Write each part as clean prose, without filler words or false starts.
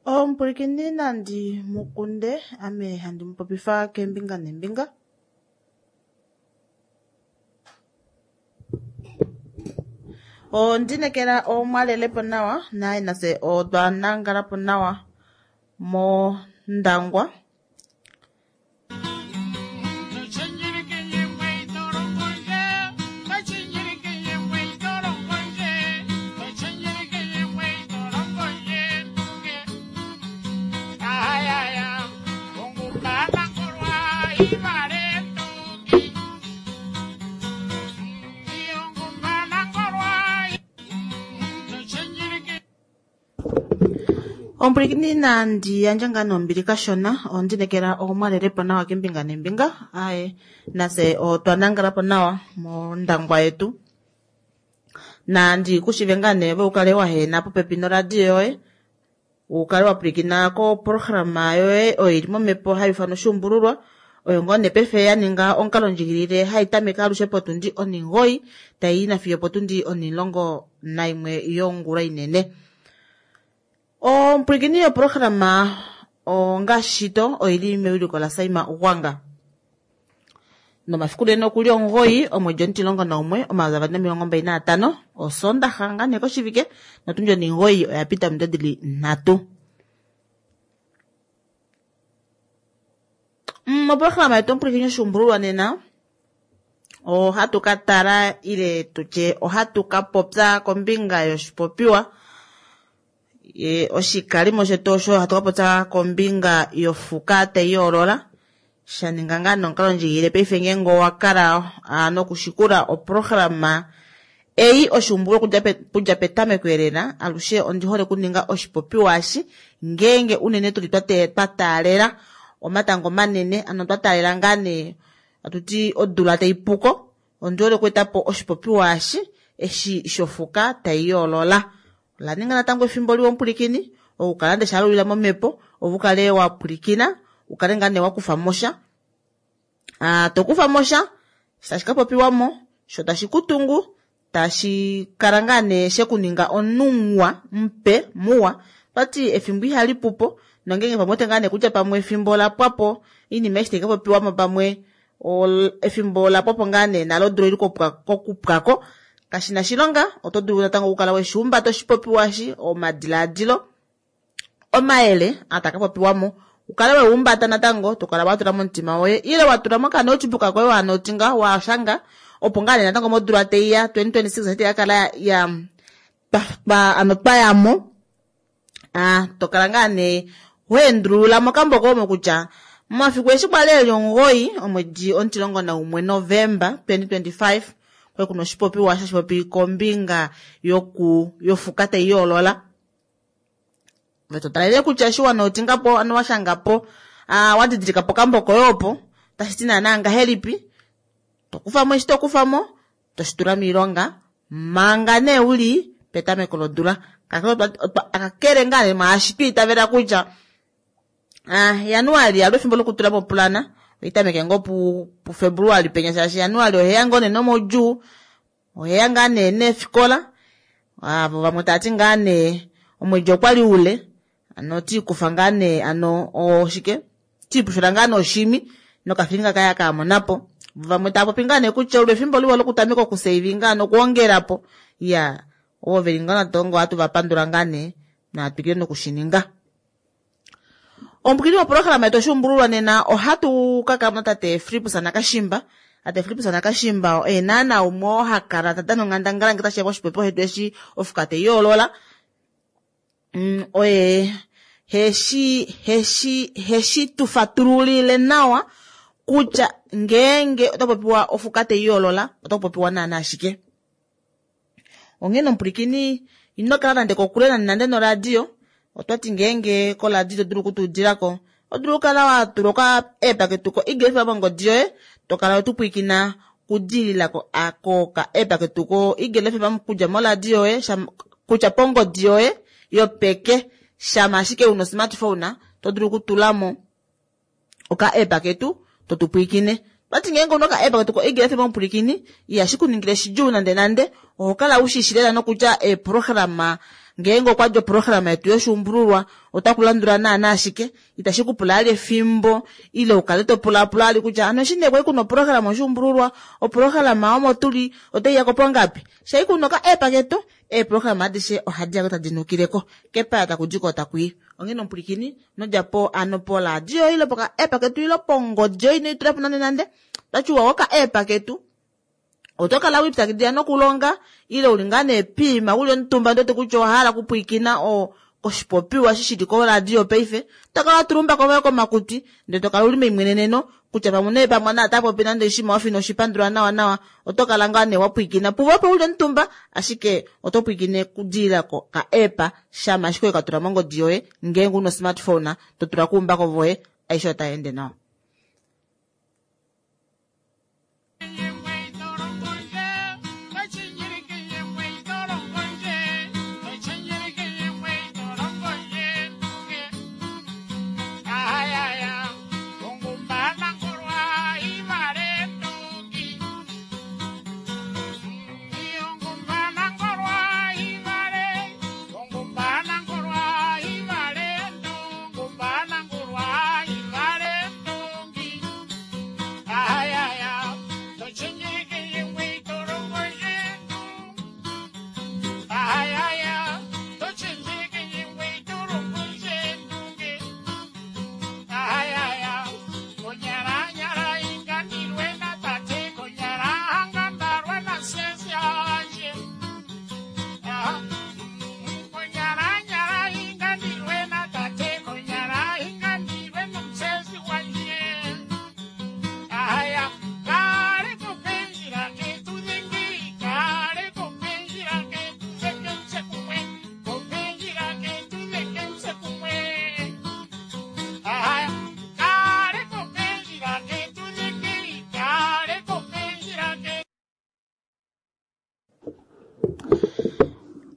Omupwilikini nandi mukunde ame handi mupopifa keembinga neembinga. Ondinekela omwalelepo nawa naye nafye otwa nangalapo nawa mOndangwa. Omupwilikini nandi yandje ngaa nombili kashona ondinekela omwalelepo nawa kembinga nembinga aye nafye otwa nangalapo nawa mondangwa yetu nandi kushive ngaa nee ove ukale wahena popepi noradio yoye ukale wapwilikina koprograma yoye oyo ili momhepo hayi ifanwa oshuumbululwa oyo ngoo nee paife ya ninga omukalo ndjikilile hai tameke alushe potundi onhingoyi tayi nafiyo opotundi onhimulongo naimwe yongula inene. Omupwilikini yoprograma ongashito oili mewiliko laSaima Ugwanga. Nomafiku nene okuli 9 omwedi 11 2025 osondaxa ngaa nee koshivike notundi 9 oya pita ominute dili 3. Moprograma yetu omupwilikini oshuumbululwa nena ohatu ka tala ile tutye ohatu ka popya kombinga yoshipopiwa oshikalimo shetu osho hatu ka popya kombinga yofuka tai yoolola shaninga ngaa nomukalo ndjigilile paife ngeenge owa kala nokushikula oprograma ei oshuumbululwa okudja petameko elela alushe ondi hole okuninga oshipopiwa eshi ngeenge unene tuli twa taalela omatango manene ano twa taalela ngaa nee atuti odula tai puko ondi hole okweetapo oshipopiwa eshi eshi shofuka tai yoolola. Ola ninga natango efimbo liwa omupwilikini okukala nde shalulila momhepo ove ukale wa pwilikina ukale ngaa nee wakufa mosha tokufa mosha tashi ka popiwamo sho tashi kutungu tashi kala ngaa nee shekuninga omunhu muwa mupe muwa vati efimbo ihali pupo nongenge pamwe ote ngaa nee kutya pamwe efimbo lapwapo oinima eshi tai ka popiwamo pamwe efimbo lapwapo ngaa nee nalo odula ili kokupwako kashina shilonga oto dulu natango okukala weshihumbata oshipopiwa eshi omadilaadilo omayele ataka popiwamo ukale wehumbata natango tokala watula momutima woye ile watula mokanotebook koye wanotinga washanga opo ngaa nee natango modula teiya 2026 ati yakala ya ano twayamo tokala ngaa nee weendulula mokambo komo kutya momafiku eshi kwali eli 9 omwedi 11 Novemba 2025 kwali kuna oshipopiwa shashipopi kombinga yofuka tai yoolola. Totalele kutya eshi wanotingapo ano washangapo wadidilika pokambo koye opo tashi ti naana ngahelipi tokufamo eshi tokufamo toshitula moilonga manga nee uli petameko lodula kakele ngaa nee mwaashi twiitavela kutya Januali alo efimbo lokutula mopulana oitameke ngoo puFebruali penya shaashi Januali oheya ngoo nee nomaudjuu oheya ngaa nee neefikola avo vamwe tava ti ngaa nee omwedi okwali ule ano tiikufa ngaa nee ano oshike tiipushula ngaa nee oshimi nokafilinga kaya kaamonapo vamwe tava popi ngaa nee kutya olo efimbo liwa lokutameka okusavinga nokuongelapo ya ovo veli ngaa natango ohatu vapandula ngaa nee natwikile nokushininga. Omupwilikini woprograma yetu oshuumbululwa nena ohatu ka kala tate Fillipus Nakashimba. Tate Fillipus Nakashimba oye naana umwe oo ha kala ta dana onghandangala ngee tashiya koshipopiwa shetu eshi ofuka tai yoolola. Oye heshi tu fatululile nawa kutya ngeenge ota popiwa ofuka tai yoolola ota popiwa naana ashike. Onghee nomupwilikini ino kala nande kokule nande noradio otwati ngeenge koradio ito dulu okutuudilako odulu okukala watula oka app ketu ko Eagle FM mongodi yoye tokala wetupwilikina kudilila koka app ketu ko Eagle FM kudja moradio yoye kutya pongodi yoye yopeke shama ashike una osmartphone to dulu okutulamo oka app ketu totupwilikine. Vati ngeenge una oka app ketu ko Eagle FM omupwilikini ihashi kuningile shidjuu nande nande oho kala ushishi lela nokutya eeprograma Ngeenge okwa di oprograma yetu yoshuumbululwa otaku landula naana ashike. Itashi ku pula ali efimbo ile ukale to pulaapula ali kutya ano eshi nee kwali kuna oprograma yoshuumbululwa, oprograma omo tuli otai yako pongapi. Shai kuna oka app ketu, eeprograma adishe ohadi yako tadi nukileko. Kepaya taku diko taku i. Onghene omupwilikini, nodjapo ano poradio ile poka app ketu ile pongodi yoye ino itula po nande nande. Otachiwa oka app ketu. Oto kala wipyakidila nokulonga ile uli ngaa nee piima uli omutumba ndoti kutya owa hala okupwilikina koshipopiwa eshi shili koradio paife, to kala wa tula oumbako voye komakutwi ndele to kala uli meimweneneno kutya pamwe nee pamwe naa ota popi nande oshinima wafa ino shi pandula nawa nawa, oto kala ngaa nee wa pwilikina puvo opo uli omutumba ashike oto pwilikine okudilila koka app shama ashike weka tula mongodi yoye ngeenge una osmartphone to tula koumbako voye aishe otai ende nawa.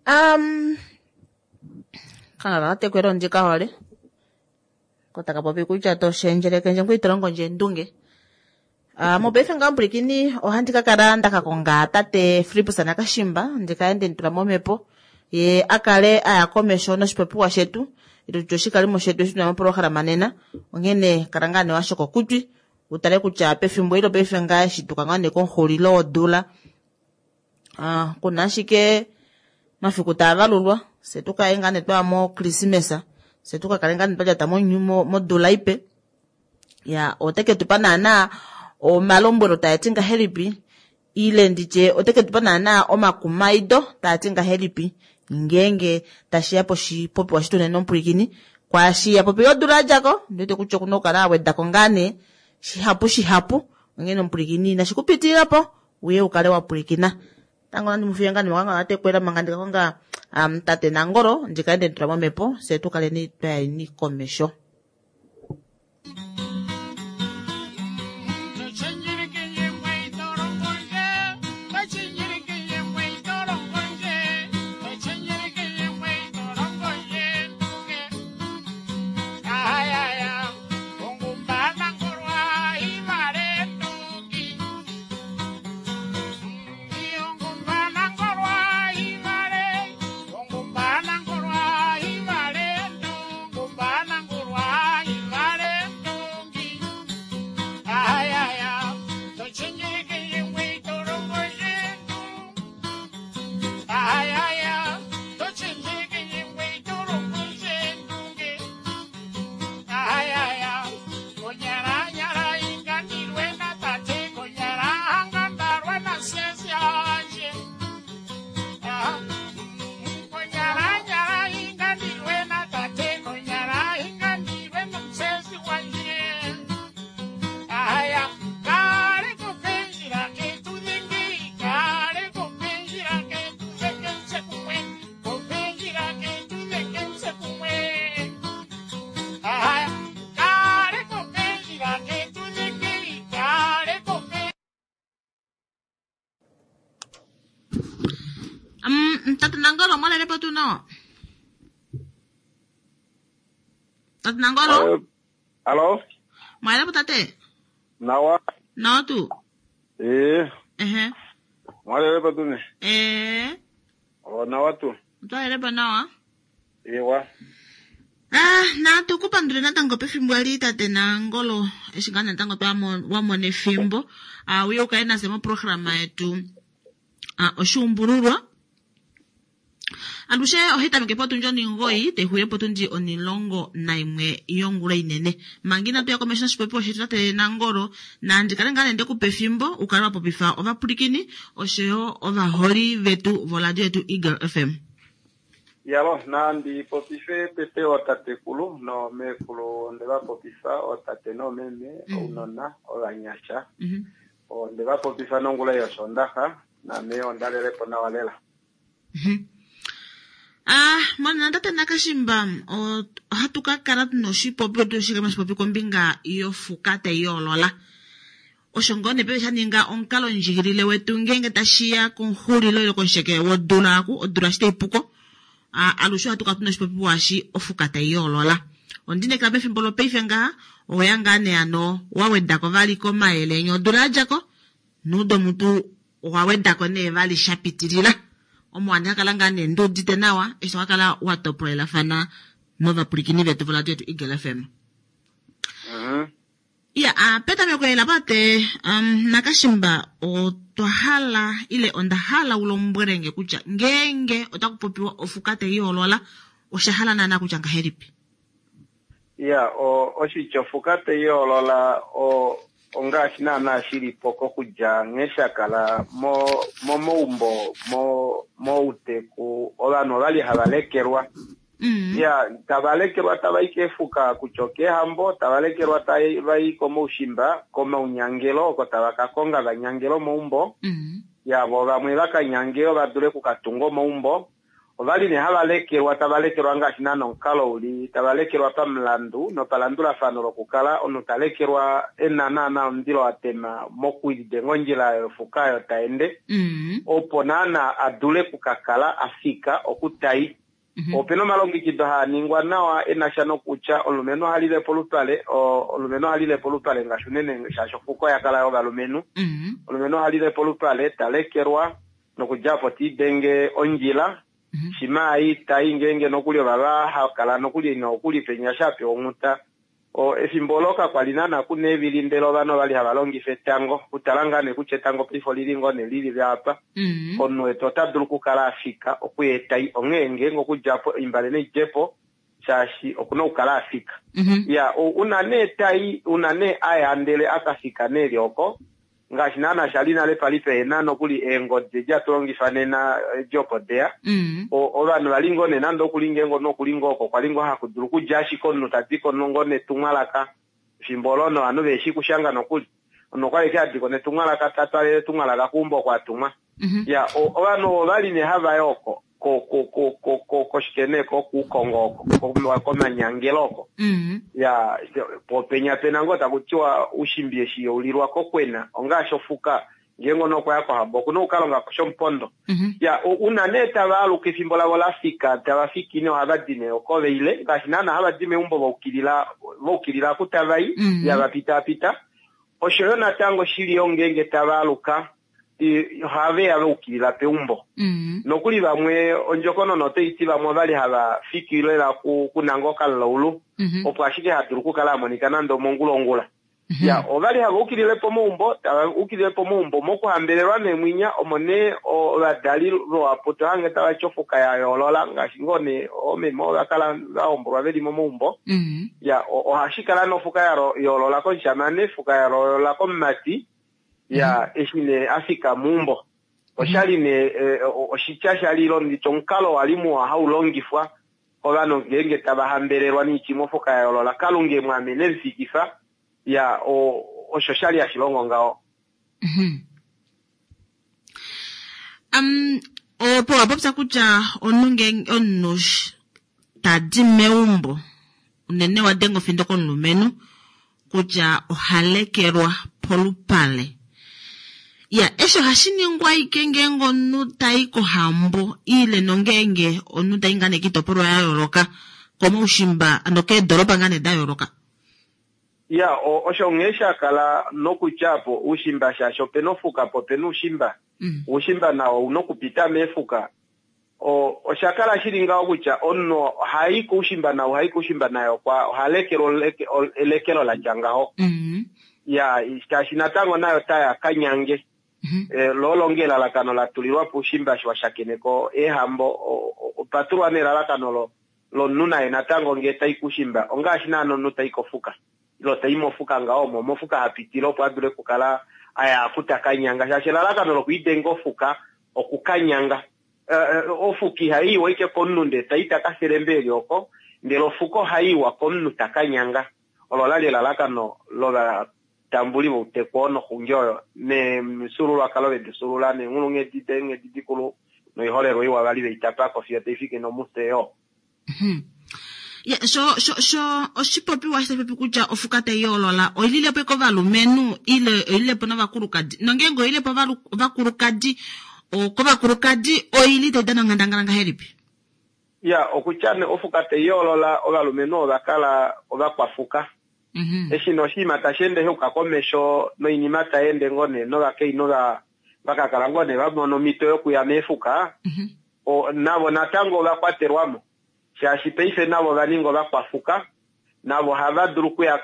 Um, kangala katekwela ondika hole ko taka popi kutya to shendjeleke ndje ngoye ito longo ndje endunge. Uh, mopaife ngaa mpwilikini ohandi ka kala nda ka konga tate Filippus Nakashimba ndi kale nde mu tula momhepo ye a kale a ya komesho noshipopiwa shetu ile tutye oshikalimo shetu eshi tuna mopolohalama nena. Onghene kala ngaa nee wa shokokutwi u tale kutya pefimbo eli lopaife ngaa eshi tuka ngaa nee komxulilo wodula Ah, kuna ashike mafiku taa valulwa fye tu kaye ngaa nee twaya mokrismesa fye tu ka kale ngaa nee twa lyata modula ipe ya ote ke tu pa naanaa omalombwelo taa ti ngahelipi ile nditye ote ke tu pa naanaa omakumaido taa ti ngahelipi ngeenge tashi ya poshipopiwa shetu nena omupwilikini kwaashi ya popile odula ya dja ko ndiwete kutya okuna okukala a weda ko ngaa nee shihapu shihapu onghene omupwilikini inashi ku pitilila po uye u kale wa pwilikina. Tango nandi mu fiye ngaa nemwakanga la tekwela manga ndi ka konga um, tate Nangolo ndi kale nde mu tula momhepo fye tu kaleni twa yeni komesho. Tate Nangolo, mwalele po tuu nawa? Tate Nangolo? Alo? Mwalele po tate? Nawa. Nawa tuu? Ee. Ehe. Mwalele po tuu ne? Ee. O, nawa tuu. Otwa nawa. Ewa. Ah, natu ku pandule natango pefimbo eli tate Nangolo eshi ngaa natango wa mona efimbo ah, uye ukale nase moprograma yetu ah, oshuumbululwa alushe ohayi tameke potundi onimgoyi tayi xulile potundi onilongo naimwe yongula inene. Manga inatu ya komesho noshipopiwa shetu tate Nangolo, nandi kale ngaa nee ndekupa efimbo u kale wa popifa ovapwilikini oshoyo ovaholi vetu voradio yetu Eagle FM. Yalo, nandi popife tete ootatekulu noomeekulu, onde va popifa ootate noomeme, ounona, ovanyasha. Onde va popifa nongula yOshoondaxa, naame onda lele po nawa lela. Ah, monena tate Nakashimba, ohatu ka kala tuna oshipopi tu shike mashipopi kombinga yofuka tai yoolola. Osho ngoo nee paife sha ninga omukalo ndjikilile wetu ngeenge tashiya komxulilo ile komusheke wodula aku, odula eshi tai puko, alushe ohatu kala tuna oshipopiwa eshi ofuka tai yoolola. Ondinekela pefimbo lopaife ngaha, oweya ngaa nee hano wa wedako vali komayele enya odula yadjako, nuudo mutu owa wedako nee vali sha pitilila. Omo handi ka kala ngaa nee ndi udite nawa eshi to ka kala wa topolelafana novapwilikini vetu voradio yetu Eagle FM. Iya, a petameko ela pate um, Nakashimba otwa hala ile onda hala u lombwele nge kutya ngeenge otaku popiwa ofuka tai yoolola osha hala naana kutya ngahelipi? Iya, oshitya ofuka tai yoolola o ongaashi naana shi li po kokudja nghee sha kala momaumbo mouteku ovanhu ovali hava lekelwa. Ya, tava lekelwa tava i keefuka kutya okeehambo, tava lekelwa tava i komaushimba, komaunyangelo oko tava ka konga va nyangele omaumbo. Ya, vo vamwe va ka nyange va dule oku ka tunga omaumbo. Ovali nee hava lekelwa tava lekelwa ngaashi naana omukalo uli, tava lekelwa pamulandu nopalandulafano lokukala omunhu ta lekelwa e na naana omundilo wa tema mokulidenga ondjila yofuka oyo ta ende, opo naana a dule oku ka kala a fika oku ta i. Ope na omalongekido haa ningwa nawa e na sha nokutya omulumenhu oha lile polupale, omulumenhu oha lile polupale ngaashi unene shaashi ofuka oya kala yovalumenhu. Omulumenhu oha lile polupale, ta lekelwa nokudja opo te idenge ondjila. Shimha a i ta i ngeenge nokuli ovava ha kala nokuli ina okuli penya sha pewa onghuta. Efimbo olo kakwa li naana ku na eevili ndele ovanhu ovali hava longifa etango. Okutala ngaa nee kutya etango paife olili ngoo nee lili apa, omunhu wetu ota dulu okukala a fika okuya etai. Onghee ngeenge okudja po oimbale nai dje po shaashi okuna okukala a fika. Iya, una nee tai, una nee a ya ndele a ka fika nee li oko, Ngaashi naana sha li nale pali pehena nokuli eengodi edi hatu longifa nena edi opo deya. Ovanhu vali ngoo nee nande okuli ngeenge omunhu okuli ngoo oko kwali ngoo haku dulu okudja ashike omunhu ta diko ngoo netumwalaka efimbo olo novanhu veheshi kushanga nokuli. Omunhu okwali ashike ha diko netumwalaka ta twalele etumwalaka keumbo oko a tumwa. Ya, ovanhu ovo vali nee hava yi oko ko ko ko ko ko koshike nee ko kuukongo oko ko komanyangelo oko. Ya, po penya pena ngoo taku tiwa ushimbi eshi yeulilwa kokwena ongaashi ofuka ngeenge omunhu okwa ya kohambo okuna oku ka longa ko shomupondo. Ya, una nee tava aluka efimbo lavo la fika tava fiki nee ohava di nee oko vaile ngaashi naana hava di meumbo va ukilila va ukilila oku tava i ya va pitaapita. Osho yo natango shili yo ngeenge tava aluka ohave ya va ukilila peumbo. Nokuli vamwe ondjokonona otai ti vamwe ovali hava fiki lela kunanga okamulaulu opo ashike ha dulu okukala a monika nande omongulongula. Ya, ovali hava ukilile pomaumbo, tava ukilile pomaumbo mokuhambelelwa neemwinya omo nee ovadali luhapu to hange tava ti ofuka ya yoolola ngaashi ngoo nee oomeme ova kala va hombolwa veli momaumbo. Ya, ohashi kala nofuka ya yoolola komushamane, fuka ya yoolola komumati. Ya, eshi nee a fika meumbo, osha li nee oshitya sha li longitwa, omukalo wa li muwa hau longifwa kovanhu ngeenge tava hambelelwa niitimofoka ya yoolola. Kalunga e mu amene e mu fikifa. Ya, osho sha li hashi longo ngaho. Um, opo wa popya kutya omunhu ngeenge omunhu ta di meumbo unene wa denga ofindo komulumenhu kutya oha lekelwa polupale. Ya, eshi ohashi ningwa ike ngeenge omunhu ta i kohambo ile nongeenge omunhu ta i ngaa nee kiitopolwa ya yooloka komaushimba ano keedolopa ngaa nee da yooloka. Ya, osho nghee sha kala nokutya po uushimba shaashi opena ofuka po opena uushimba. Uushimba nawo ouna okupita meefuka. Osha kala shili ngaho kutya omunhu ohai koushimba naye ohai koushimba naye oha lekelwa elekelo la tya ngaho. Ya, shaashi natango naye otaya ka nyange. Lo olo nge elalakano la tulilwa po oushimba eshi wa shakeneka eehambo, opa tulwa nee elalakano lomunhu naye natango ngee tai koushimba ongaashi naana omunhu tai kofuka. Ile tai mofuka ngaho omo mofuka ha pitile opo a dule okukala a ya aku ta ka nyanga. Shaashi elalakano lokwiidenga ofuka okukanyanga. Ofuka ihai iwa ashike komunhu ndee tai ta ka felembe eli oko, ndele ofuka ohai iwa komunhu ta ka nyanga. Olo la li elalakano lovatambuli vouteku oo noxungi oyo, nemifyuululwakalo ve di fyuulula, neenghulunghedi deenghedi dikulu noiholelwa iwa vali vei tapa ko fiyo tai fiki nomufye yoo. Ya, sho sho sho oshipopiwa tashi popi kutya ofuka tai yoolola oi lile po kovalumenhu ile oi lile po novakulukadi, nongeenge oi lile po ovakulukadi, kovakulukadi oi li tai dana onghandangala ngahelipi? Ya, okutya nee ofuka tai yoolola ovalumenhu ova kala ovakwafuka. Eshi nee oshinima tashi ende sha yuka komesho noinima tai ende ngoo nee novakainhu va ka kala ngoo nee va mona omhito yokuya meefuka, navo natango ova kwatelwa mo. Shaashi paife navo ova ninga ovakwafuka, navo ohava dulu okuya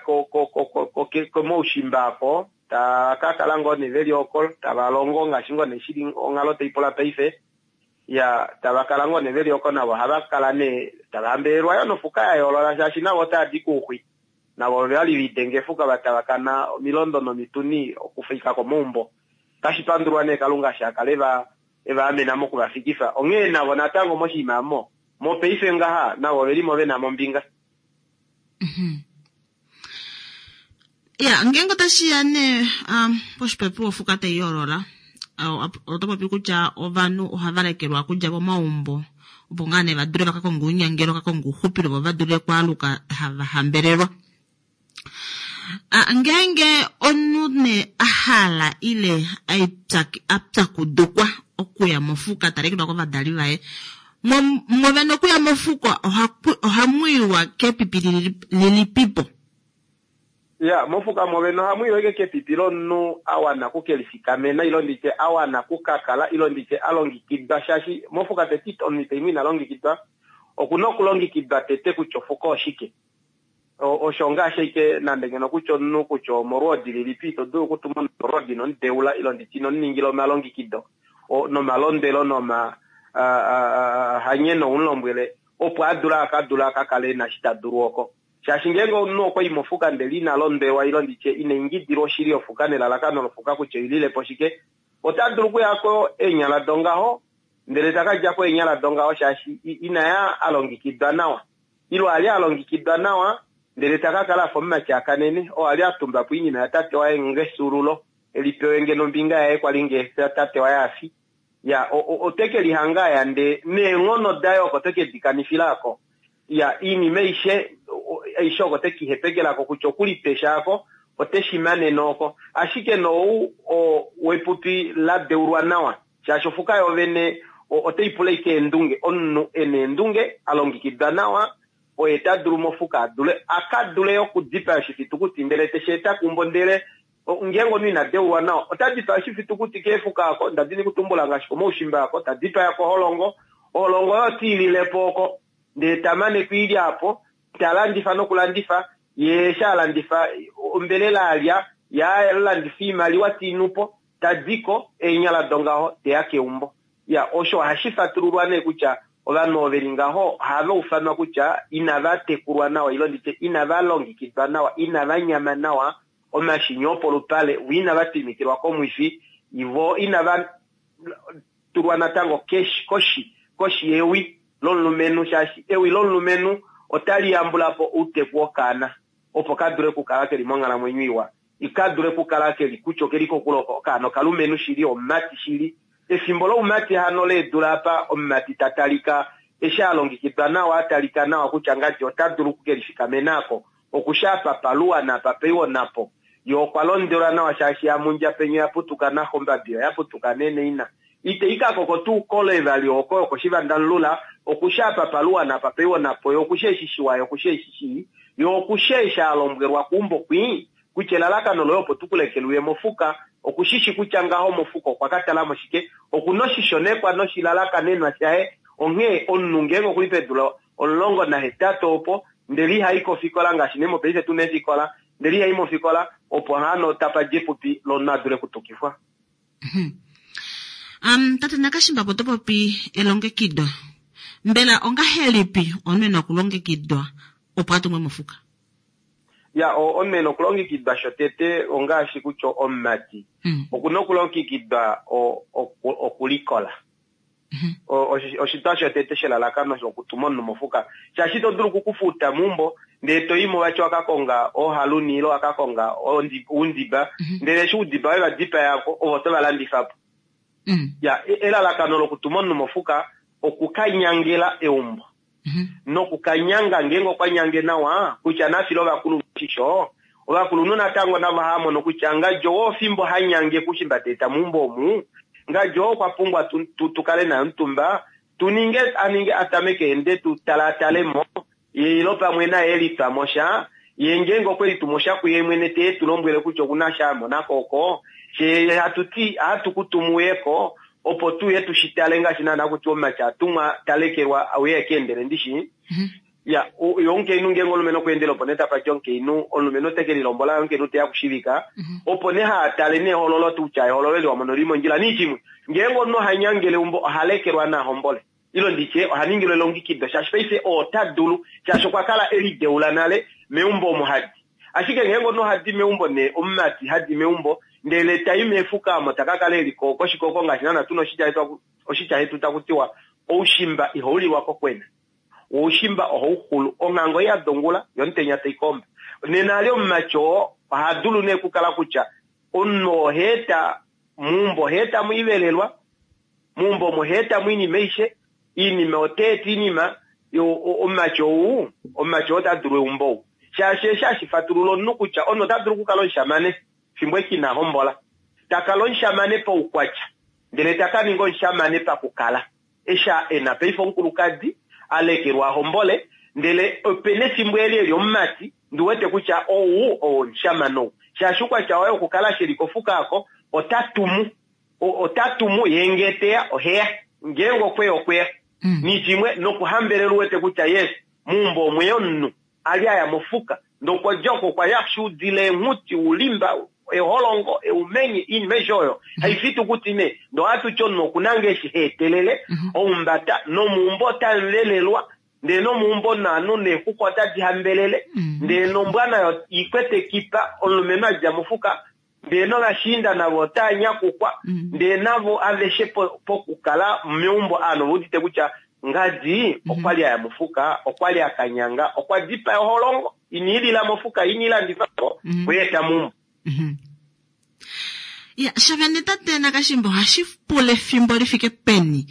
komaushimba ako, tava ka kala ngoo nee veli oko, tava longo ngaashi ngoo nee shili onghalo tai pula paife. Ya, tava kala ngoo nee veli oko navo ohava kala nee tava hambelelwa yo nofuka ya yoolola shaashi navo otava di kouxwi. Navo ova li ve lidenga efuka va tavakana omilondo nomituni okufika komaumbo. Otashi pandulwa nee Kalunga eshi a kala e va amena moku va fikifa. Onghee navo natango moshinima omo, mopaife ngaha, navo ove li mo ve na mo ombinga. Ya, ngeenge otashi ya nee poshipopiwa ofuka tai yoolola, oto popi kutya ovanhu ohava lekelwa okudja momaumbo opo ngaa nee va dule va ka konge ounyangelo, va ka konge ouxupilo vo va dule okwaaluka hava hambelelwa. Ngeenge omunhu nee a hala ile a pyakudukwa okuya mofuka ta lekelwa kovadali vaye, mwovene okuya mofuka ohamu iwa kepipi lilipipo? Ya, mofuka mwovene ohamu iwa ashike kepipi lomunhu a wana oku ke lifikamena ile nditye a wana oku ka kala ile nditye a longekidwa, shaashi mofuka tete omunhu ita i mo ina longekidwa, oku na okulongekidwa tete kutya ofuka oshike. Osho ngaashi ashike nande ngeno kutya omunhu kutya omolwoodi lilipi, ito dulu okutuma omunhu molwoodi ino mu deula ile nditye ino mu ningila omalongekido nomalondwelo noma hanyeno u mu lombwele opo a dule a ka dule a ka kale e na eshi ta dulu oko. Shaashi ngeenge omunhu okwa i mofuka ndele ina londwelwa ile nditye ina ingidilwa oshili yofuka nelalakano lofuka kutya oi lile po shike, ota dulu okuya ko eenyala dongaho ndele ta ka dja ko eenyala dongaho shaashi ina ya a longekidwa nawa. Ile a li a longekidwa nawa, ndele ta ka kala a fa omumati a kanene, oo a li a tumba po oinima yatate waye ngefyuululo, e li pewe ngeno ombinga yaye kwa li ngee tate waye a fi. Ya, ote ke lihanga a ya ndee neenghono daye oko te ke di kanifila ko. Ya, oinima aishe, aishe oko te ke i hepekela ko, kutya oku lipesha ako, ote shi manene oko. Ashike nou oo wepupi la deulwa nawa, Shaashi ofuka yoovene otai pula ashike eendunge. Omunhu e na eendunge, a longekidwa nawa, oye ta dulu mofuka a dule a ka dule okudipaya oshifitukuti ndele te shi eta keumbo. Ndele ngeenge omunhu ina deulwa nawa, ota dipaya oshifitukuti keefuka oko, nda dini kutumbula ngaashi komaushimba oko, ta dipaya koholongo, oholongo oyo te i lile po oko, ndele ta mane ku i lya po, ta landifa nokulandifa, ye eshi a landifa ombelela a lya, ye a landifa oimaliwa te i nu po, Ta di ko, eenyala dongaho, te ya keumbo. Iya, osho ohashi fatululwa nee kutya ovanhu ovo ve li ngaho ohava ufanwa kutya inava tekulwa nawa ile nditye inava longekidwa nawa, inava nyama nawa omashini opolupale, vo inava twimikilwa komwifi, vo inava tulwa natango koshi koshi yewi lomulumenhu shaashi ewi lomulumenhu otali yambula po outeku wokaana opo ka dule okukala ke li monghalamwenyo iwa. Ika dule okukala ke li kutya oke li kokule oko okaana okalumenhu shili, omumati shili. Efimbo loumati hano leedula apa omumati ta talika eshi a longekidwa nawa, a talika nawa kutya ngadi ota dulu oku ke lifikamena ako, oku shi apa paluwa naapa paiwo napo. Ye okwa londelwa nawa shaashi yamundja penya oya putuka naxe ombabi oya putuka nee naina. Ite i ka koko tuu kole vali oko yokoshivandamulula, oku shi apa paluwa naapa paiwo napo. Ye oku shi eshi shiwa ye oku shi eshi shii. Ye oku shi eshi a lombwelwa keumbo kwii, kutya elalakano loye opo tu ku lekele uye mofuka, oku shi shi kutya ngaho mofuka okwa ka tala mo shike, oku na oshishonekwa noshilalakanenwa shaye. Onghee omunhu ngeenge okuli peedula 18 opo ndele ihai kofikola ngaashi nee mopaife tuna eefikola, ndele ihai mofikola opo hano tapa dja epupi lomunhu a dule okutukifwa. Um, tate Nakashimba opo to popi elongekido. Mbela ongahelipi omunhu e na okulongekidwa opo a tumwe mofuka? Ya, omunhu e na okulongekidwa shotete ongaashi kutya omumati oku na okulongekidwa okulikola. Oshitwa shotete shelalakano shokutuma omunhu mofuka, shaashi ito dulu okukufuta meumbo ndele to i mo vati waka konga oohaluni ile waka konga oundiba, ndele eshi oudiba we va dipaya ko ovo to va landifa po. Ya, elalakano lokutuma omunhu mofuka okukanyangela eumbo. Nokukanyanga ngeenge okwa nyange nawa kutya na file ovakulunhu oshisho, ovakulunhu natango navo ohava mono kutya ngadjo oo fimbo ha nyange kushimba ta eta meumbo omu, ngadjo oo okwa pumbwa tu, tu, tu kale naye omutumba, tu ninge a ninge a tameke ende tu talaatale mo, ye ilo pamwe naye e litwa mo sha, ye ngeenge okwe litu mo sha kuye mwene te tu lombwele kutya oku na sha a mona ko oko, fye hatu ti ohatu ku tumu uye ko, opo tu uye tu shi tale ngaashi naana kutya omumati a tumwa ta lekelwa a uye e ka endele ndishi. Ya, ye omukainhu ngeenge omulumenhu okwa endele opo nee tapa dja omukainhu, omulumenhu ote ke lilombola ye omukainhu te ya okushivika, opo nee haa tale nehololo tuu kutya ehololo eli wa mona oli li mondjila. Niishimwe, ngeenge omunhu oha nyangele eumbo oha lekelwa na hombole. Ile nditye, oha ningilwa elongekido, shaashi paife ota dulu, shaashi okwa kala e lideula nale meumbo omo ha di. Ashike ngeenge omunhu oha di meumbo nee, omumati ha di meumbo, ndele ta i meefuka omo ta ka kala e li ko koshikoko ngaashi naana tu na oshitya hetu taku tiwa, Oushimba ihau lilwa kokwena, wo oushimba ohau xulu. Onghango ya dongula, yo omutenya tai komba. Nena ali omumati oo oha dulu nee okukala kutya omunhu oha eta meumbo, oha eta mo oivelelwa, Meumbo omo oha eta mo oinima aishe, oinima ota eta oinima, omumati ou, omumati oo ota dulu eumbo ou. Shaashi eshi hashi fatulula omunhu kutya omunhu ota dulu okukala omushamane fimbo eshi ina hombola. Ta kala omushamane paukwatya, ndele ta ka ninga omushamane pakukala. Eshi e na paife omukulukadi, a lekelwa a hombole, ndele ope na efimbo eli e li omumati, ndi wete kutya ou oo omushamane ou. Shaashi oukwatya waye wokukala eshi e li kofuka oko, ota tumu. Ota tumu, ye nge te ya, ohe ya. Ngeenge okwe ya, okwe ya. Nishimwe, nokuhambelela u wete kutya, yes, meumbo omwe ya omunhu, a li a ya mofuka. Ndele okwa dja oko, okwa ya shuudila eenghuti, oulimba, eholongo, eumenye, oinima aishe oyo. Haifi tuu kuti nee, ndele ohatu ti omunhu oku na ngoo eshi ha etelele, oumbata, nomeumbo otamu velelwa, ndele nomeumbo naanhu neexuxwa otadi hambelele, ndele nombwa nayo i kwete ekipa, omulumenhu a dja mofuka, Ndee novashiinda navo otaa nyakukwa, ndee navo aveshe pokukala meumbo aanhu ove udite kutya ngadi okwa li a ya mofuka, okwa li a ka nyanga, okwa dipaya oholongo, ine i lila mofuka, ine i landifa po, okwe i eta meumbo. Ya, shavene tate Nakashimba ohashi pula efimbo li fike peni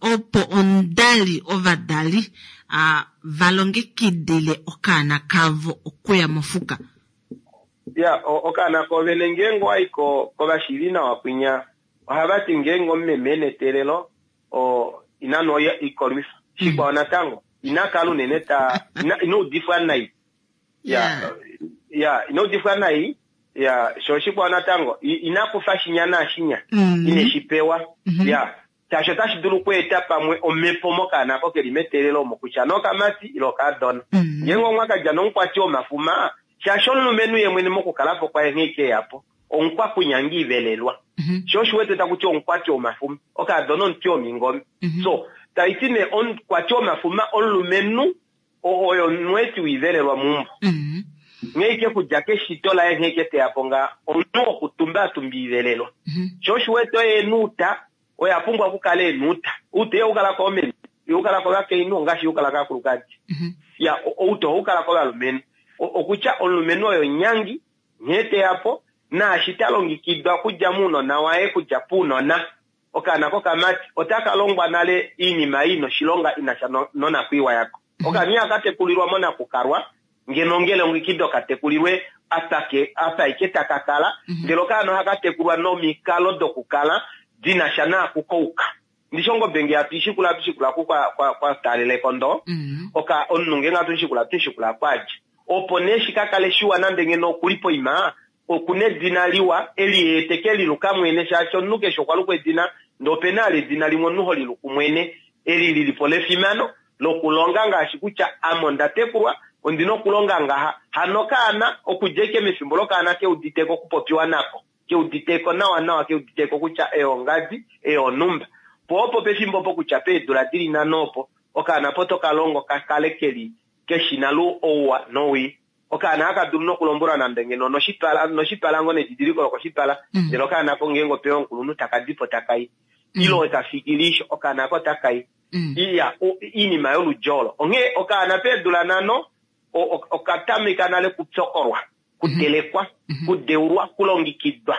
opo omudali, ovadali va longekidile okaana kavo okuya mofuka? Ya, okaana koovene ngeenge owa i ko kovashiivi nawa kwinya, ohava ti ngeenge omumeme e na eteelelo, o, ina nwa oikolwifa. Shikwao natango, ina kala unene ta, ina, ina udifwa nai. Ya, ya, ina udifwa nai. Ya, sho shikwao natango, ina kufa shinya naashinya, ine shi pewa. Ya, Shaashi otashi dulu okweeta pamwe omhepo mokaana oko ke li meteelelo omo, kutya nee okamati ile okaadona. Ngeenge omwa ka dja nomukwati womafuma, shaashi omulumenhu ye mwene mokukala po kwaye nghee ke ya po, omukwakunyanga ivelelwa. Sho osho u wete taku tiwa omukwati womafuma. Okaadona omuti womingome. So, tai ti nee omukwati womafuma omulumenhu oyo omweeti wiivelelwa meumbo. Nghee ike kudja keshito laye nghee ike teya po nga omunhu wokutumba a tumba iivelelwa. Sho osho u wete oye e na uuta, Oye a pumbwa okukala e na outa. Outa ihau kala koomeme, ihau kala kovakainhu ongaashi ihau kala kaakulukadi. Ya, outa ohau kala kovalumenhu. Okutya omulumenhu oye omunyangi, nghee te ya po, naashi ta longekidwa okudja mounona waye, kudja pounona. Okaana kokamati otaka longwa nale oinima ei i na oshilonga i na sha nonakwiiwa yako. Okaana ihaka tekulilwa monakukalwa, ngeno ongele ongekido ka tekulilwe apa ke apa ike taka kala, ndele okaana ohaka tekulwa nomikalo dokukala di na sha naaku kouka. Ndishi ongobe nge hatu i shikula, hatu shikula oku kwa, kwa, kwa taalela ekondo, oka, omunhu ngeenge hatu mu shikula, hatu mu shikula oku a dja. Opo nee shi ka kale shiwa nande ngeno oku li poima, oku na edina liwa, e li ye te ke li luka mwene, shaashi omunhu keshe okwa lukwa edina, ndee ope na vali edina limwe omunhu ho li luku mwene. Eli li li po lefimano lokulonga ngaashi kutya ame onda tekulwa, ondi na okulonga ngaha. Hano okaana, okudja ashike mefimbo lokaana ke udite ko okupopiwa nako, ke udite ko nawanawa, ke udite ko kutya ei ongadi, ei onhumba. Po opo pefimbo opo kutya peedula di li nhano opo, okaana po to ka longo ka kale ke li ke shi nale ouwa nowii. Okaana haka dulu nokulombwelwa nande ngeno onoshipala, noshipala ngoo nedidiliko lokoshipala, ndele okaana ko ngeenge opeya omukulunhu taka di po taka i. Ile oye ta fiki lisho, okaana ako otaka i. Iya, oinima yoludji olo. Onghee okaana peedula nhano okatameka nale kupyokolwa, kutelekwa, kudeulwa, kulongikidwa.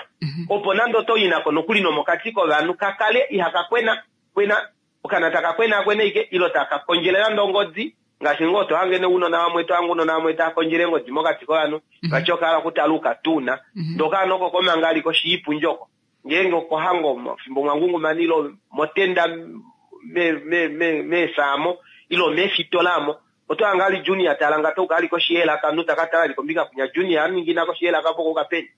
Opo nande oto i nako nokuli nomokati kovanhu, ka kale ihaka kwena, kwena, okaana taka kwenaakwena ashike, ile taka kondjele nande ongodi, ngaashi ngoo to hange nounona vamwe, to hange ounona vamwe tava kondjele eengodi mokati kovanhu, vati oka hala okutala oukatuuna, ndee okaana oko komanga ali koshi yoipundi oko. Ngeenge okohango omo, fimbo mwa ngungumana ile motenda meesaamo ile omeefitola omo, oto hange ali Junior tala ngate uka ali koshi yeelaka, omunhu ta ka tala ali kombinga kwinya Junior a ningina koshi yeelaka opo kouka peni.